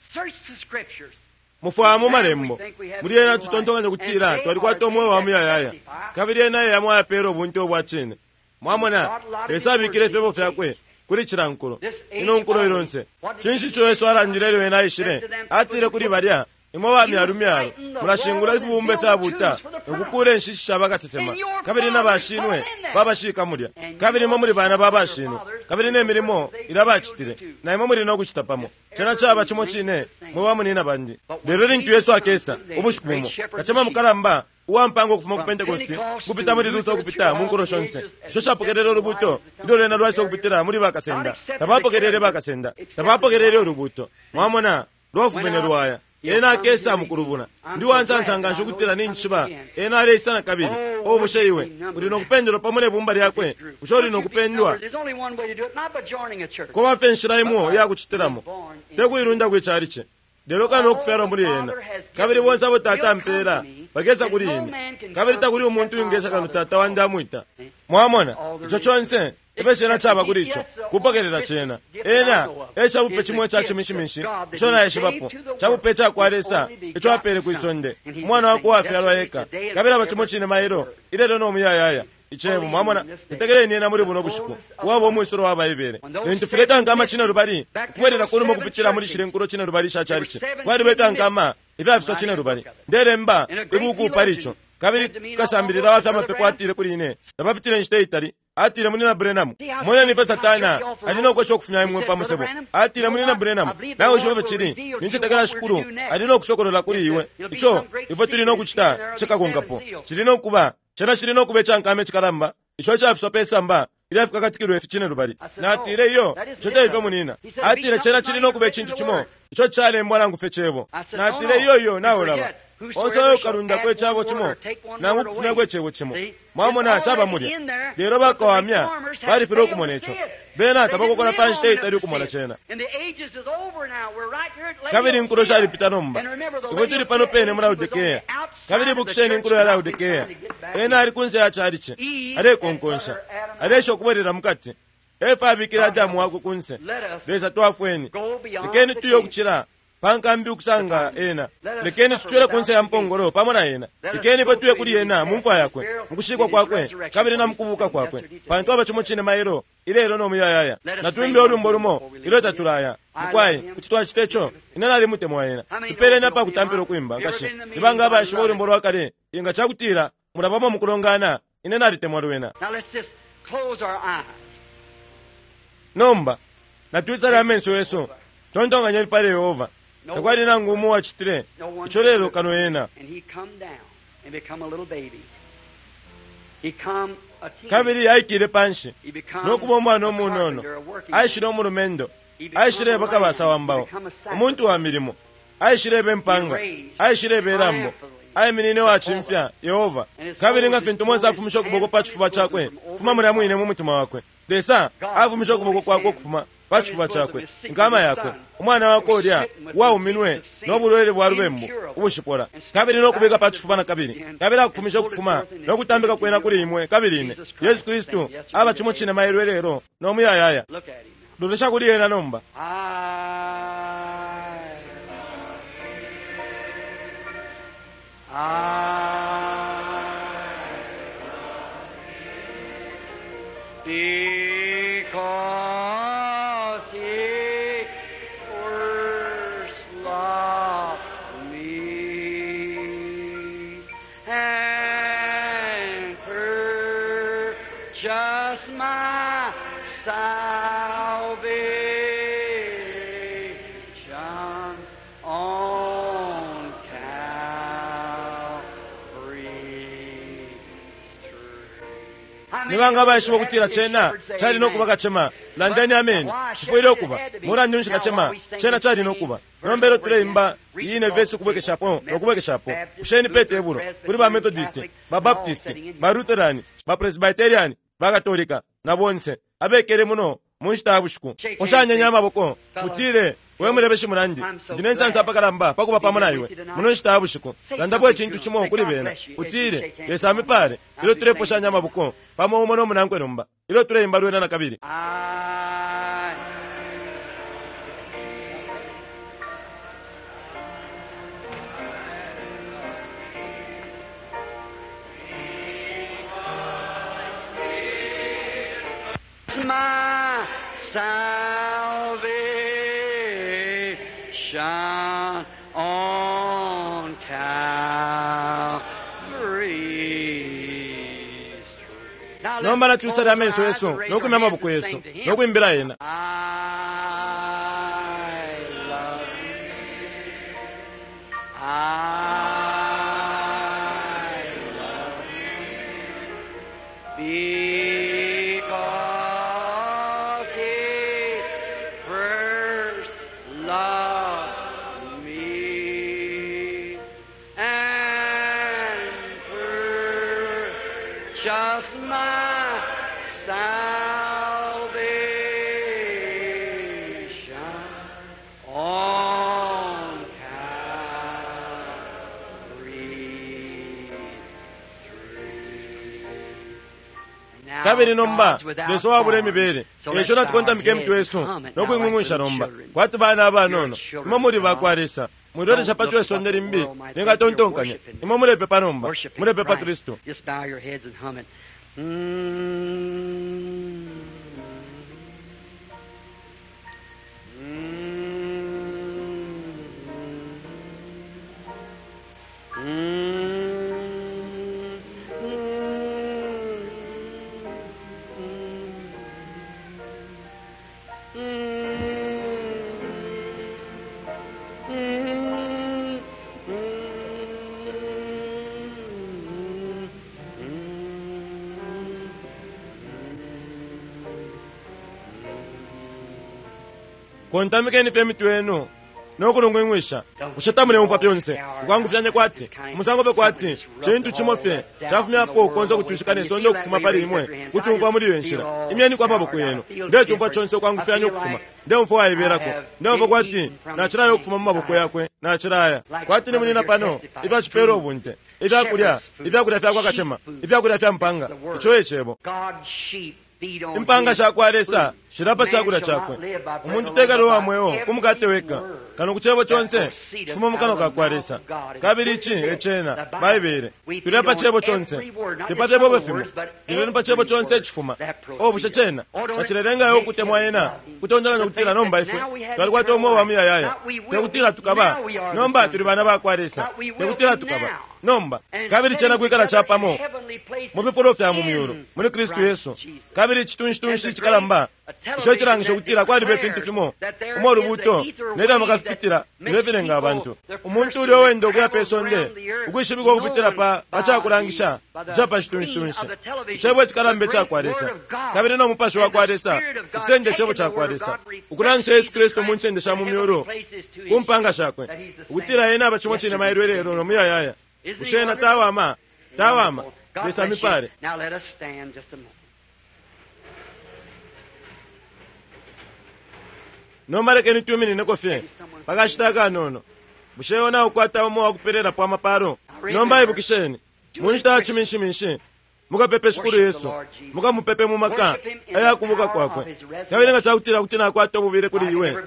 Mufwaya mu malembo muli ena tutontonkanya kutila twalikwata umweo wa muyayaya, kabili ena ye yamwe ayapela ubunte ubwa cine. Mwamona, Lesa abikile ifyebo fyakwe Kuli cila nkulo, ino nkulo ilonse. Cinshi ico Yesu alandile ilyo ena aishile? Atile kuli balya, imwe ba myalo myalo, mulashingula ifibumba ifyabuta nokukuula inshishi sha bakasesema, kabili na bashinwe babashika mulya. Kabili imwe muli bana ba bashinwe, kabili ne milimo ilya bacitile, na imwe muli no kucita pamo. Cena caba cimo cine, mwe bamunina bandi. Lelo lintu Yesu akesa ubushiku bumo, kacema mukalamba uwampanga ukufuma ku Pentecost kupita muli Luther ukupita mu nkulo shonse isho shapokelele ulubuto ilyo lwena lwaisa ukupitila muli bakasenda, tabapokelele bakasenda, tabapokelele ulubuto. Mwamona, lwafumine lwaya. Ena akesa mukulubula. Ndi wansansa nganshi ukutila ninjishiba ena aleisa na kabili. O bushe iwe uli nokupendelwa pamo ne bumba lyakwe? Bushe uli nokupendwa? Kuba fye nshila imo iyakucitilamo, te kuilunda kwi chalichi, lelo kano okufyalwa muli ena. Kabili bonse abo Tata ampela bakesa kuli ine, kabili takuli umuntu wingesa kano Tata wandi amwita. Mwamona, ico conse ifyo cena caba kuli ico kupokelela cena. Ena e cabupe cimo ica cimishimishi ico naishibapo, cabupe cakwa Lesa ico apele kwi sonde, umwana wakwe uwafyalwa eka. Kabili aba cimo cine mailo, ilelo no muyayaya, Icebo. Mwamona, tetekeleni ena muli buno bushiku uwaba umwisolo wa Baibele. Lintu fileta nkama cine lubali ukubwelela kunuma ukupitila muli shile nkulo cine lubali sha chalichi, kwalibeta nkama ifyafiswa cine lubali. Ndelemba ibuku pali ico. Kabili kasambilila wa fyamapepo atile kuli ine, tapapitile inshita itali, atile, Munina Branham, moneni ifyo Satana ali nokwesha ukufumya imwe pa musebo. Atile, Munina Branham, nawe ushiba ifyo cili, nincetekela Shikulu ali nokusokolola kuli iwe ico ifwe tuli nokucita cikakonkapo. Cili nokuba cena cili nokuba icankama icikalamba ico icafiswa pe samba ilyafikakatikilwe ifi cine lubali. Natile, iyo, ico teifyo, munina. Atile, cena cili nokuba icintu cimo ico calembwa nangu fye cebo. Natile, iyo iyo, nawe ulaba onse oyo ukalundako icabo cimo nangu ukufumyako icebo cimo. Mwamona, caba mulya, lelo bakawamya balifilwe ukumona ico. Bena tabakokola pa nshita itali ukumona cena. Kabili inkulo shalipita nomba, ifwe tuli pano pene mu Laodikea. Kabili ibukisheni inkulo ya Laodikea, ena ali kunse ya chalichi alekonkonsha, alesha ukubwelela mukati. Efa abikile Adamu wakwe kunse. Lesa twafweni, lekeni tuye ukucila pa nkambi ukusanga ena. Lekeni tucwele kunse ya mpongolo pamo na ena. Lekeni ifwe tuye kuli ena mu mfwa yakwe, mu kushikwa kwakwe, kabili na mukubuka kwakwe, pantu aba cimo cine mailo, ilelo no muyayaya. Natwimbe ulwimbo lumo ilyo tatulaya. Mukwai, kuti twacita ico? Ine nalimutemwa ena. Tupeleni apakutampila ukwimba, nkashi. Nibanga abaishiba ulwimbo lwa kale, inga cakutila mulabamo mukulongana, Ine Nalitemwa Lwena? Now let's just close our eyes. Nomba natwisale amenso yesu, tontonkanyeni pali Yehova. Takwali nangu umo uwacitile ico lelo kano ena. And he come down and become a little baby. He come a teenager. Kabili aikile panshi He become nokuba umwana a umunono, carpenter, a working man. aishile umulumendo, aishileba kabasa wa mbao, umuntu wa milimo, aishileba impanga, aishileba ilambo, aiminine wacimfya Yehova. Kabili nga fintu Mose afumisha ukuboko pa cifuba cakwe kufuma mulya mwine mu mutima wakwe, Lesa afumisha ukuboko kwakwe ukufuma pa cifuba cakwe, inkama yakwe, umwana wakwe ulya uwauminwe no bulwele bwa lubembu ubushipola, kabili no kubika pa cifuba na kabili, kabili akufumisha ukufuma no kutambika kwena kuli imwe kabili ine. Yesu Kristu aba cimo cine mailo, ilelo, no muyayaya. Look at him now. Lolesha kuli ena nomba. I, I, because he first loved me and purchased my salvation on Calvary's tree. Nibanga abaishiba ukutila cena cali nokuba kacema? Landeni ameni. Cifwile ukuba. Mulandu nshi kacema cena cali nokuba? Nomba ilyo tuleimba iyi vesi ukubwekeshapo nokubwekeshapo, kusheni pe tebulo kuli ba Methodist, ba Baptist, ba Lutheran, ba Presbyterian, ba Katolika na bonse abekele muno mu nshita ya bushiku, ushanyenya amaboko, mutile, we mulebeshi munandi, ndine nsansa apakalamba pakuba pamo na iwe muno nshita ya bushiku. Landapo icintu cimo kuli bena, utile, Lesa amipale, ilyo tuleposhanya amaboko pamo umo no munankwe nomba ilyo tuleimba lwena na kabili. I my Salvation on Calvary's tree. Now let's Nomba natwisale close our amenso eyes yesu and raise no our kwimya hands amaboko and yesu sing to Him. no kwimbila yena. I love you. I love you. Because he first loved me and purchased my salvation on Calvary's tree. Now Kabili nomba God's without Lesa wabula form. imibele So let's esho bow our natukontamika heads emitwe yesu and hum it no now like kwing'ung'wisha little nomba children. kwati bana abanono You're children imwe muli of bakwa God. Lesa mwilolesha Don't pa look what chwesonde the limbi world might think. You're ningatontonkanya worshiping. imwe mulepepa nomba Worshiping mulepepa Christ. Kristu. Just bow your heads and hum it. Mm. Mm. Mm. Mm. Mm. Kontamikeni fye emitwe yenu no kulungwing'wisha bushe tamuleumfwa fyonse ukwangufyanye kwati umusango fye kwati cintu cimo fye cafumyapo ukonse ukutwishika ne sonde ukufuma pali imwe kucumfwa muli iyo nshila imyeniko amaboko yenu ndecumfwa conse ukwangufyanya ukufuma ndeumfwa waibelako ndeumfwa kwati nacilaya ukufuma mu maboko yakwe nacilaya kwati ni munina pano ifyacipela ubunte ifyakulya ifyakulya fyakwa kacema ifyakulya fya mpanga ico e cebo. God's sheep feed on Impanga his sha kwa Lesa food. shilapa Man chakulya shall not chakwe. live by bread Umuntu alone, tekali but uwa by mweo every ku mukate weka word kano ku cebo that conse proceedeth chifuma mu out kanwa of the ka kwa mouth Lesa. of God. And Kabili this ici is e it, cena the Bible. Baibele We feed tulya pa on cebo conse every word, not te pa just cebo some fimo words, but lelo ni pa cebo every conse word icifuma. that O bushe proceedeth. cena Oh, don't it tacilelengayo make ukutemwa you ena love him? kutonjanganya To kutila think nomba that ifwe now we have twalikwata eternal umweo wa life. muyayaya Not we will tekutila be, tukaba now we are the nomba sons tuli of bana God. ba kwa Lesa Not we will tekutila be tukaba now. nomba And kabili cena sitting kwikala together in capamo heavenly places mu fifulo fya mu in myulu muli Kristu Christ Yesu. Jesus. Kabili icitunshi cikalamba ico cilangisha ukutila kwaliba ifintu fimo umo ulubuto nelyo amakafipitila ifyo filenga abantu umuntu ulya uwenda ukuya pe sonde ukwishibikwa ukupitila pa pa cakulangisha ica pa citunshitunshi icebo icikalamba ica kwa Lesa kabili no mupashi wa kwa Lesa ukusenda icebo ca kwa Lesa ukulangisha Yesu Kristu mu ncende sha mu myulu ku mpanga shakwe ukutila ena aba cimo cine mailo ilelo no muyayaya. Bushe ena tawama tawama God Lesa bless you. mipale. Now let us stand just a moment. Nomba lekeni twiminинeko fye pakashita akanono. Bushe iwe naukwata umo wakupelela amapalo? Nomba ibukisheni mu nshita ya ciminshiminshi mukapepe Shikulu Yesu mukamupepe mu maka ayakubuka kwakwe. Kabili nga cakutila kuti nakwata ububile kuli iwe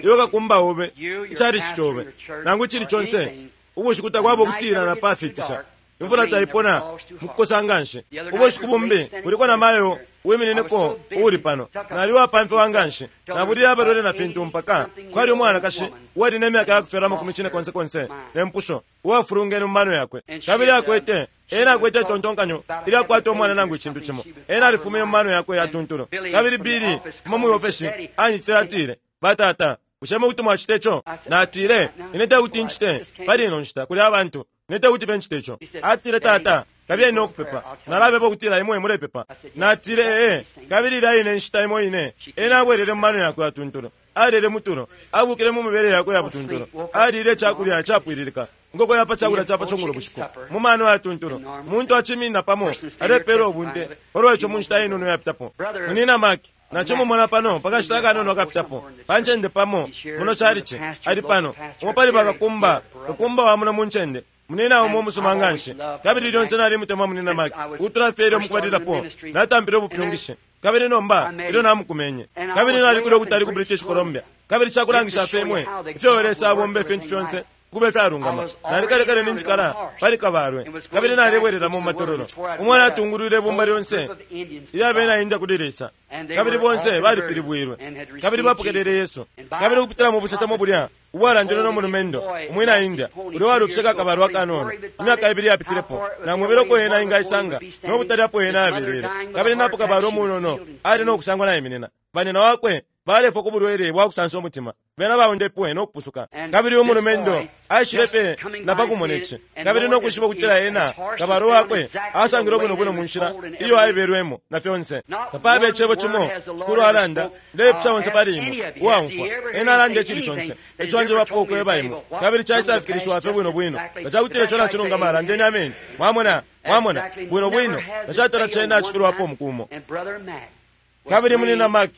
iwe kakumba obe icalici cobe nangu icili conse ubushiku takwaba ukutila na pafitisha imvula taipona mukukosa nganshi. Ubushiku bumbi kuliko na mayo wiminineko uuli pano nali wapamfiwa nganshi nabulile abalwele na fintu mpaka kwali umwanakashi uwali ne myaka yakufyalwa amakumi cine konse konse ne mpusho uwafulungene mu mano yakwe kabili akwete ena akwete itontonkanyo ilyakwata umwana nangu icintu cimo ena alifumine mu mano yakwe yatuntulu. Kabili Bili kuma mwi ofeshi anyitile atile batata bushe mukuti mwacita ico? Natile ine tekuti ncite pali ino nshita kuli abantu ine tekuti fye ncite ico. Atile tata kabili ine ukupepa nalapepa ukutila imwe mulepepa. Natile ee kabili ilya ine nshita imo ine ena abwelele mu mano yakwe yatuntulu alile mutulo abukile mu mibele yakwe ya butuntulu alile icakulya capwililika ngoko yapa cakulya capa cungulo bushiku mu mano yatuntulu muntu aciminina pamo alepela ubunte olwa ico mu nshita inono yapitapo. Munina Maki nacimumona pano pakashita akanono akapitapo pa ncende pamo muno calici ali pano umo pali bakakumba kakumba wa muno mu ncende munina umo umusuma nganshi kabili lyonse nalimutemwa munina Maki ukutula fye ilyo mukubalilapo natampile ubupyungishi kabili nomba ilyo namukumenye kabili nalikule ukutali ku British Columbia kabili cakulangisha fye imwe ifyo Lesa abomba ifintu fyonse Kube fyalungama. Nalikalekale ninjikala pali kabalwe, kabili nalebwerera mu matololo. Umwana atungulwile ibumba lyonse ilya bena India kuli Lesa, kabili bonse balipilibwilwe kabili bapokelele Yesu. Kabili ukupitila mu busesemo bulya ubwalandilwe no mulumendo umwina India ulya walufisheko akabalwe akanono imyaka ibili yapitilepo, namwebele uko ena ingaisanga no butali apo ena abelele. Kabili napo kabalwe umunono ali no kusangwa naiminina, banina wakwe balefwa ku bulwele bwa kusansa umutima, bena baundepwe no kupusuka. Kabili umulumendo aishile fye na pakumona ici, kabili no kwishiba ukutila ena kabalwe wakwe asangile bwino bwino mu nshila iyo aibelwemo na fyonse. Tapabe icebo cimo Shikulu alanda, ndeipusha onse pali imwe uwaumfwa ena alanda icili conse ico anjebapo ukweba imwe, kabili caisafikilishiwa fye bwino bwino. Nga cakutila ico nacilungama, landeni ameni. Mwamona, mwamona bwino bwino, tacatala cena acifilwapo umukumo. Kabili munina Mark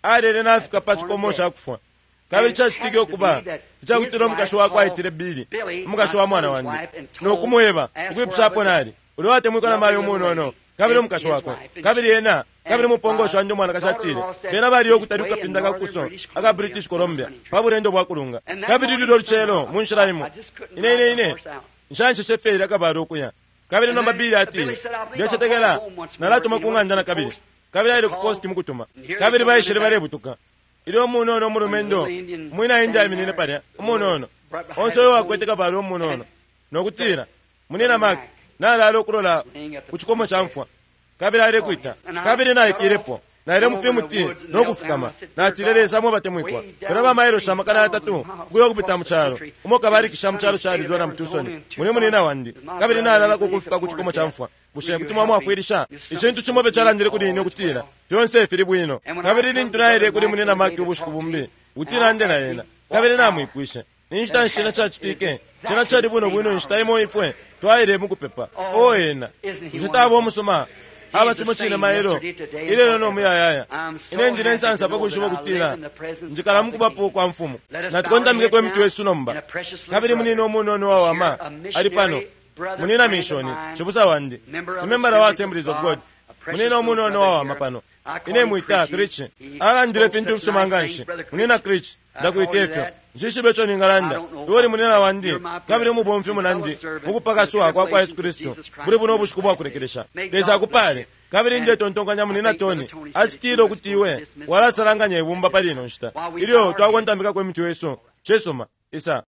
alele nafika pa cikomo ca kufwa. Kabili cacitike ukuba icakutila umukashi wakwe aitile Billy, umukashi wa mwana wandi, no kumweba ukwipushapo nali ulya watemwikwa na mayo umunono kabili umukashi wakwe. Kabili ena kabili umupongoshi wandi umwanakashi atile bena baliyo ukutali kukapinda ka kuso aka British Columbia pa bulendo bwa kulunga. Kabili lulyo lucelo mu nshila imo ine ine ine nshansheshe fye akabalo ukuya. Kabili nomba Billy atile, ndecetekela nalatuma ku ng'anda na kabili. Kabili aile ku posti mukutuma. Kabili baishile balebutuka. Ilyo umunono umulumendo umwina India aiminine palya umunono onse uyo wakwete kabalwe umunono nokutila, munina Mark, nalala ukulola ku cikomo ca mfwa. Kabili alekwita. Kabili naikilepo, naile mu fimuti no kufukama. Natile, Lesa mwe batemwikwa, pela bamailo amakana yatatu ukuya ukupita mu calo umo kabalikisha mu calo ca Arizona mu Tucson, muli munina wandi, kabili nalalako ukufika ku cikomo ca mfwa. Bushe kuti mwamwafwilisha? Icintu cimo fye calandile kuli ine ukutila fyonse fili bwino. Kabili lintu naile kuli munina Mark ubushiku bumbi ukutila nde na ena, kabili namwipwishe ni nshita nshi cena cacitike. Cena cali bwino bwino inshita imo ifwe twaile mukupepa. O ena, bushe taba umusuma? Aba cimo cine mailo ilelo no muyayaya. Ine ndine nsansa pakwishiba ukutila njikala mukubapo kwa mfumu. Natukontamikeko imitwe yesu nomba. Kabili munina umunono wawama ali pano, munina mishoni cibusa wandi, ni membala wa Assemblies of God. Munina umunono wawama pano, ine mwita Krich. Alandile fintu fisuma nganshi. Munina Krich, ndakwita ifyo nshishibe ico ningalanda. Iwe uli munina wandi kabili umubomfi munandi mukupakaswa kwa kwa Yesu Kristu buli buno ubushiku bwakulekelesha. Lesa akupale. Kabili ndetontonkanya munina Tony acitile ukuti iwe walasalanganya ibumba pali ino nshita ilyo twakontamikako imitwe yesu. Cisuma, isa.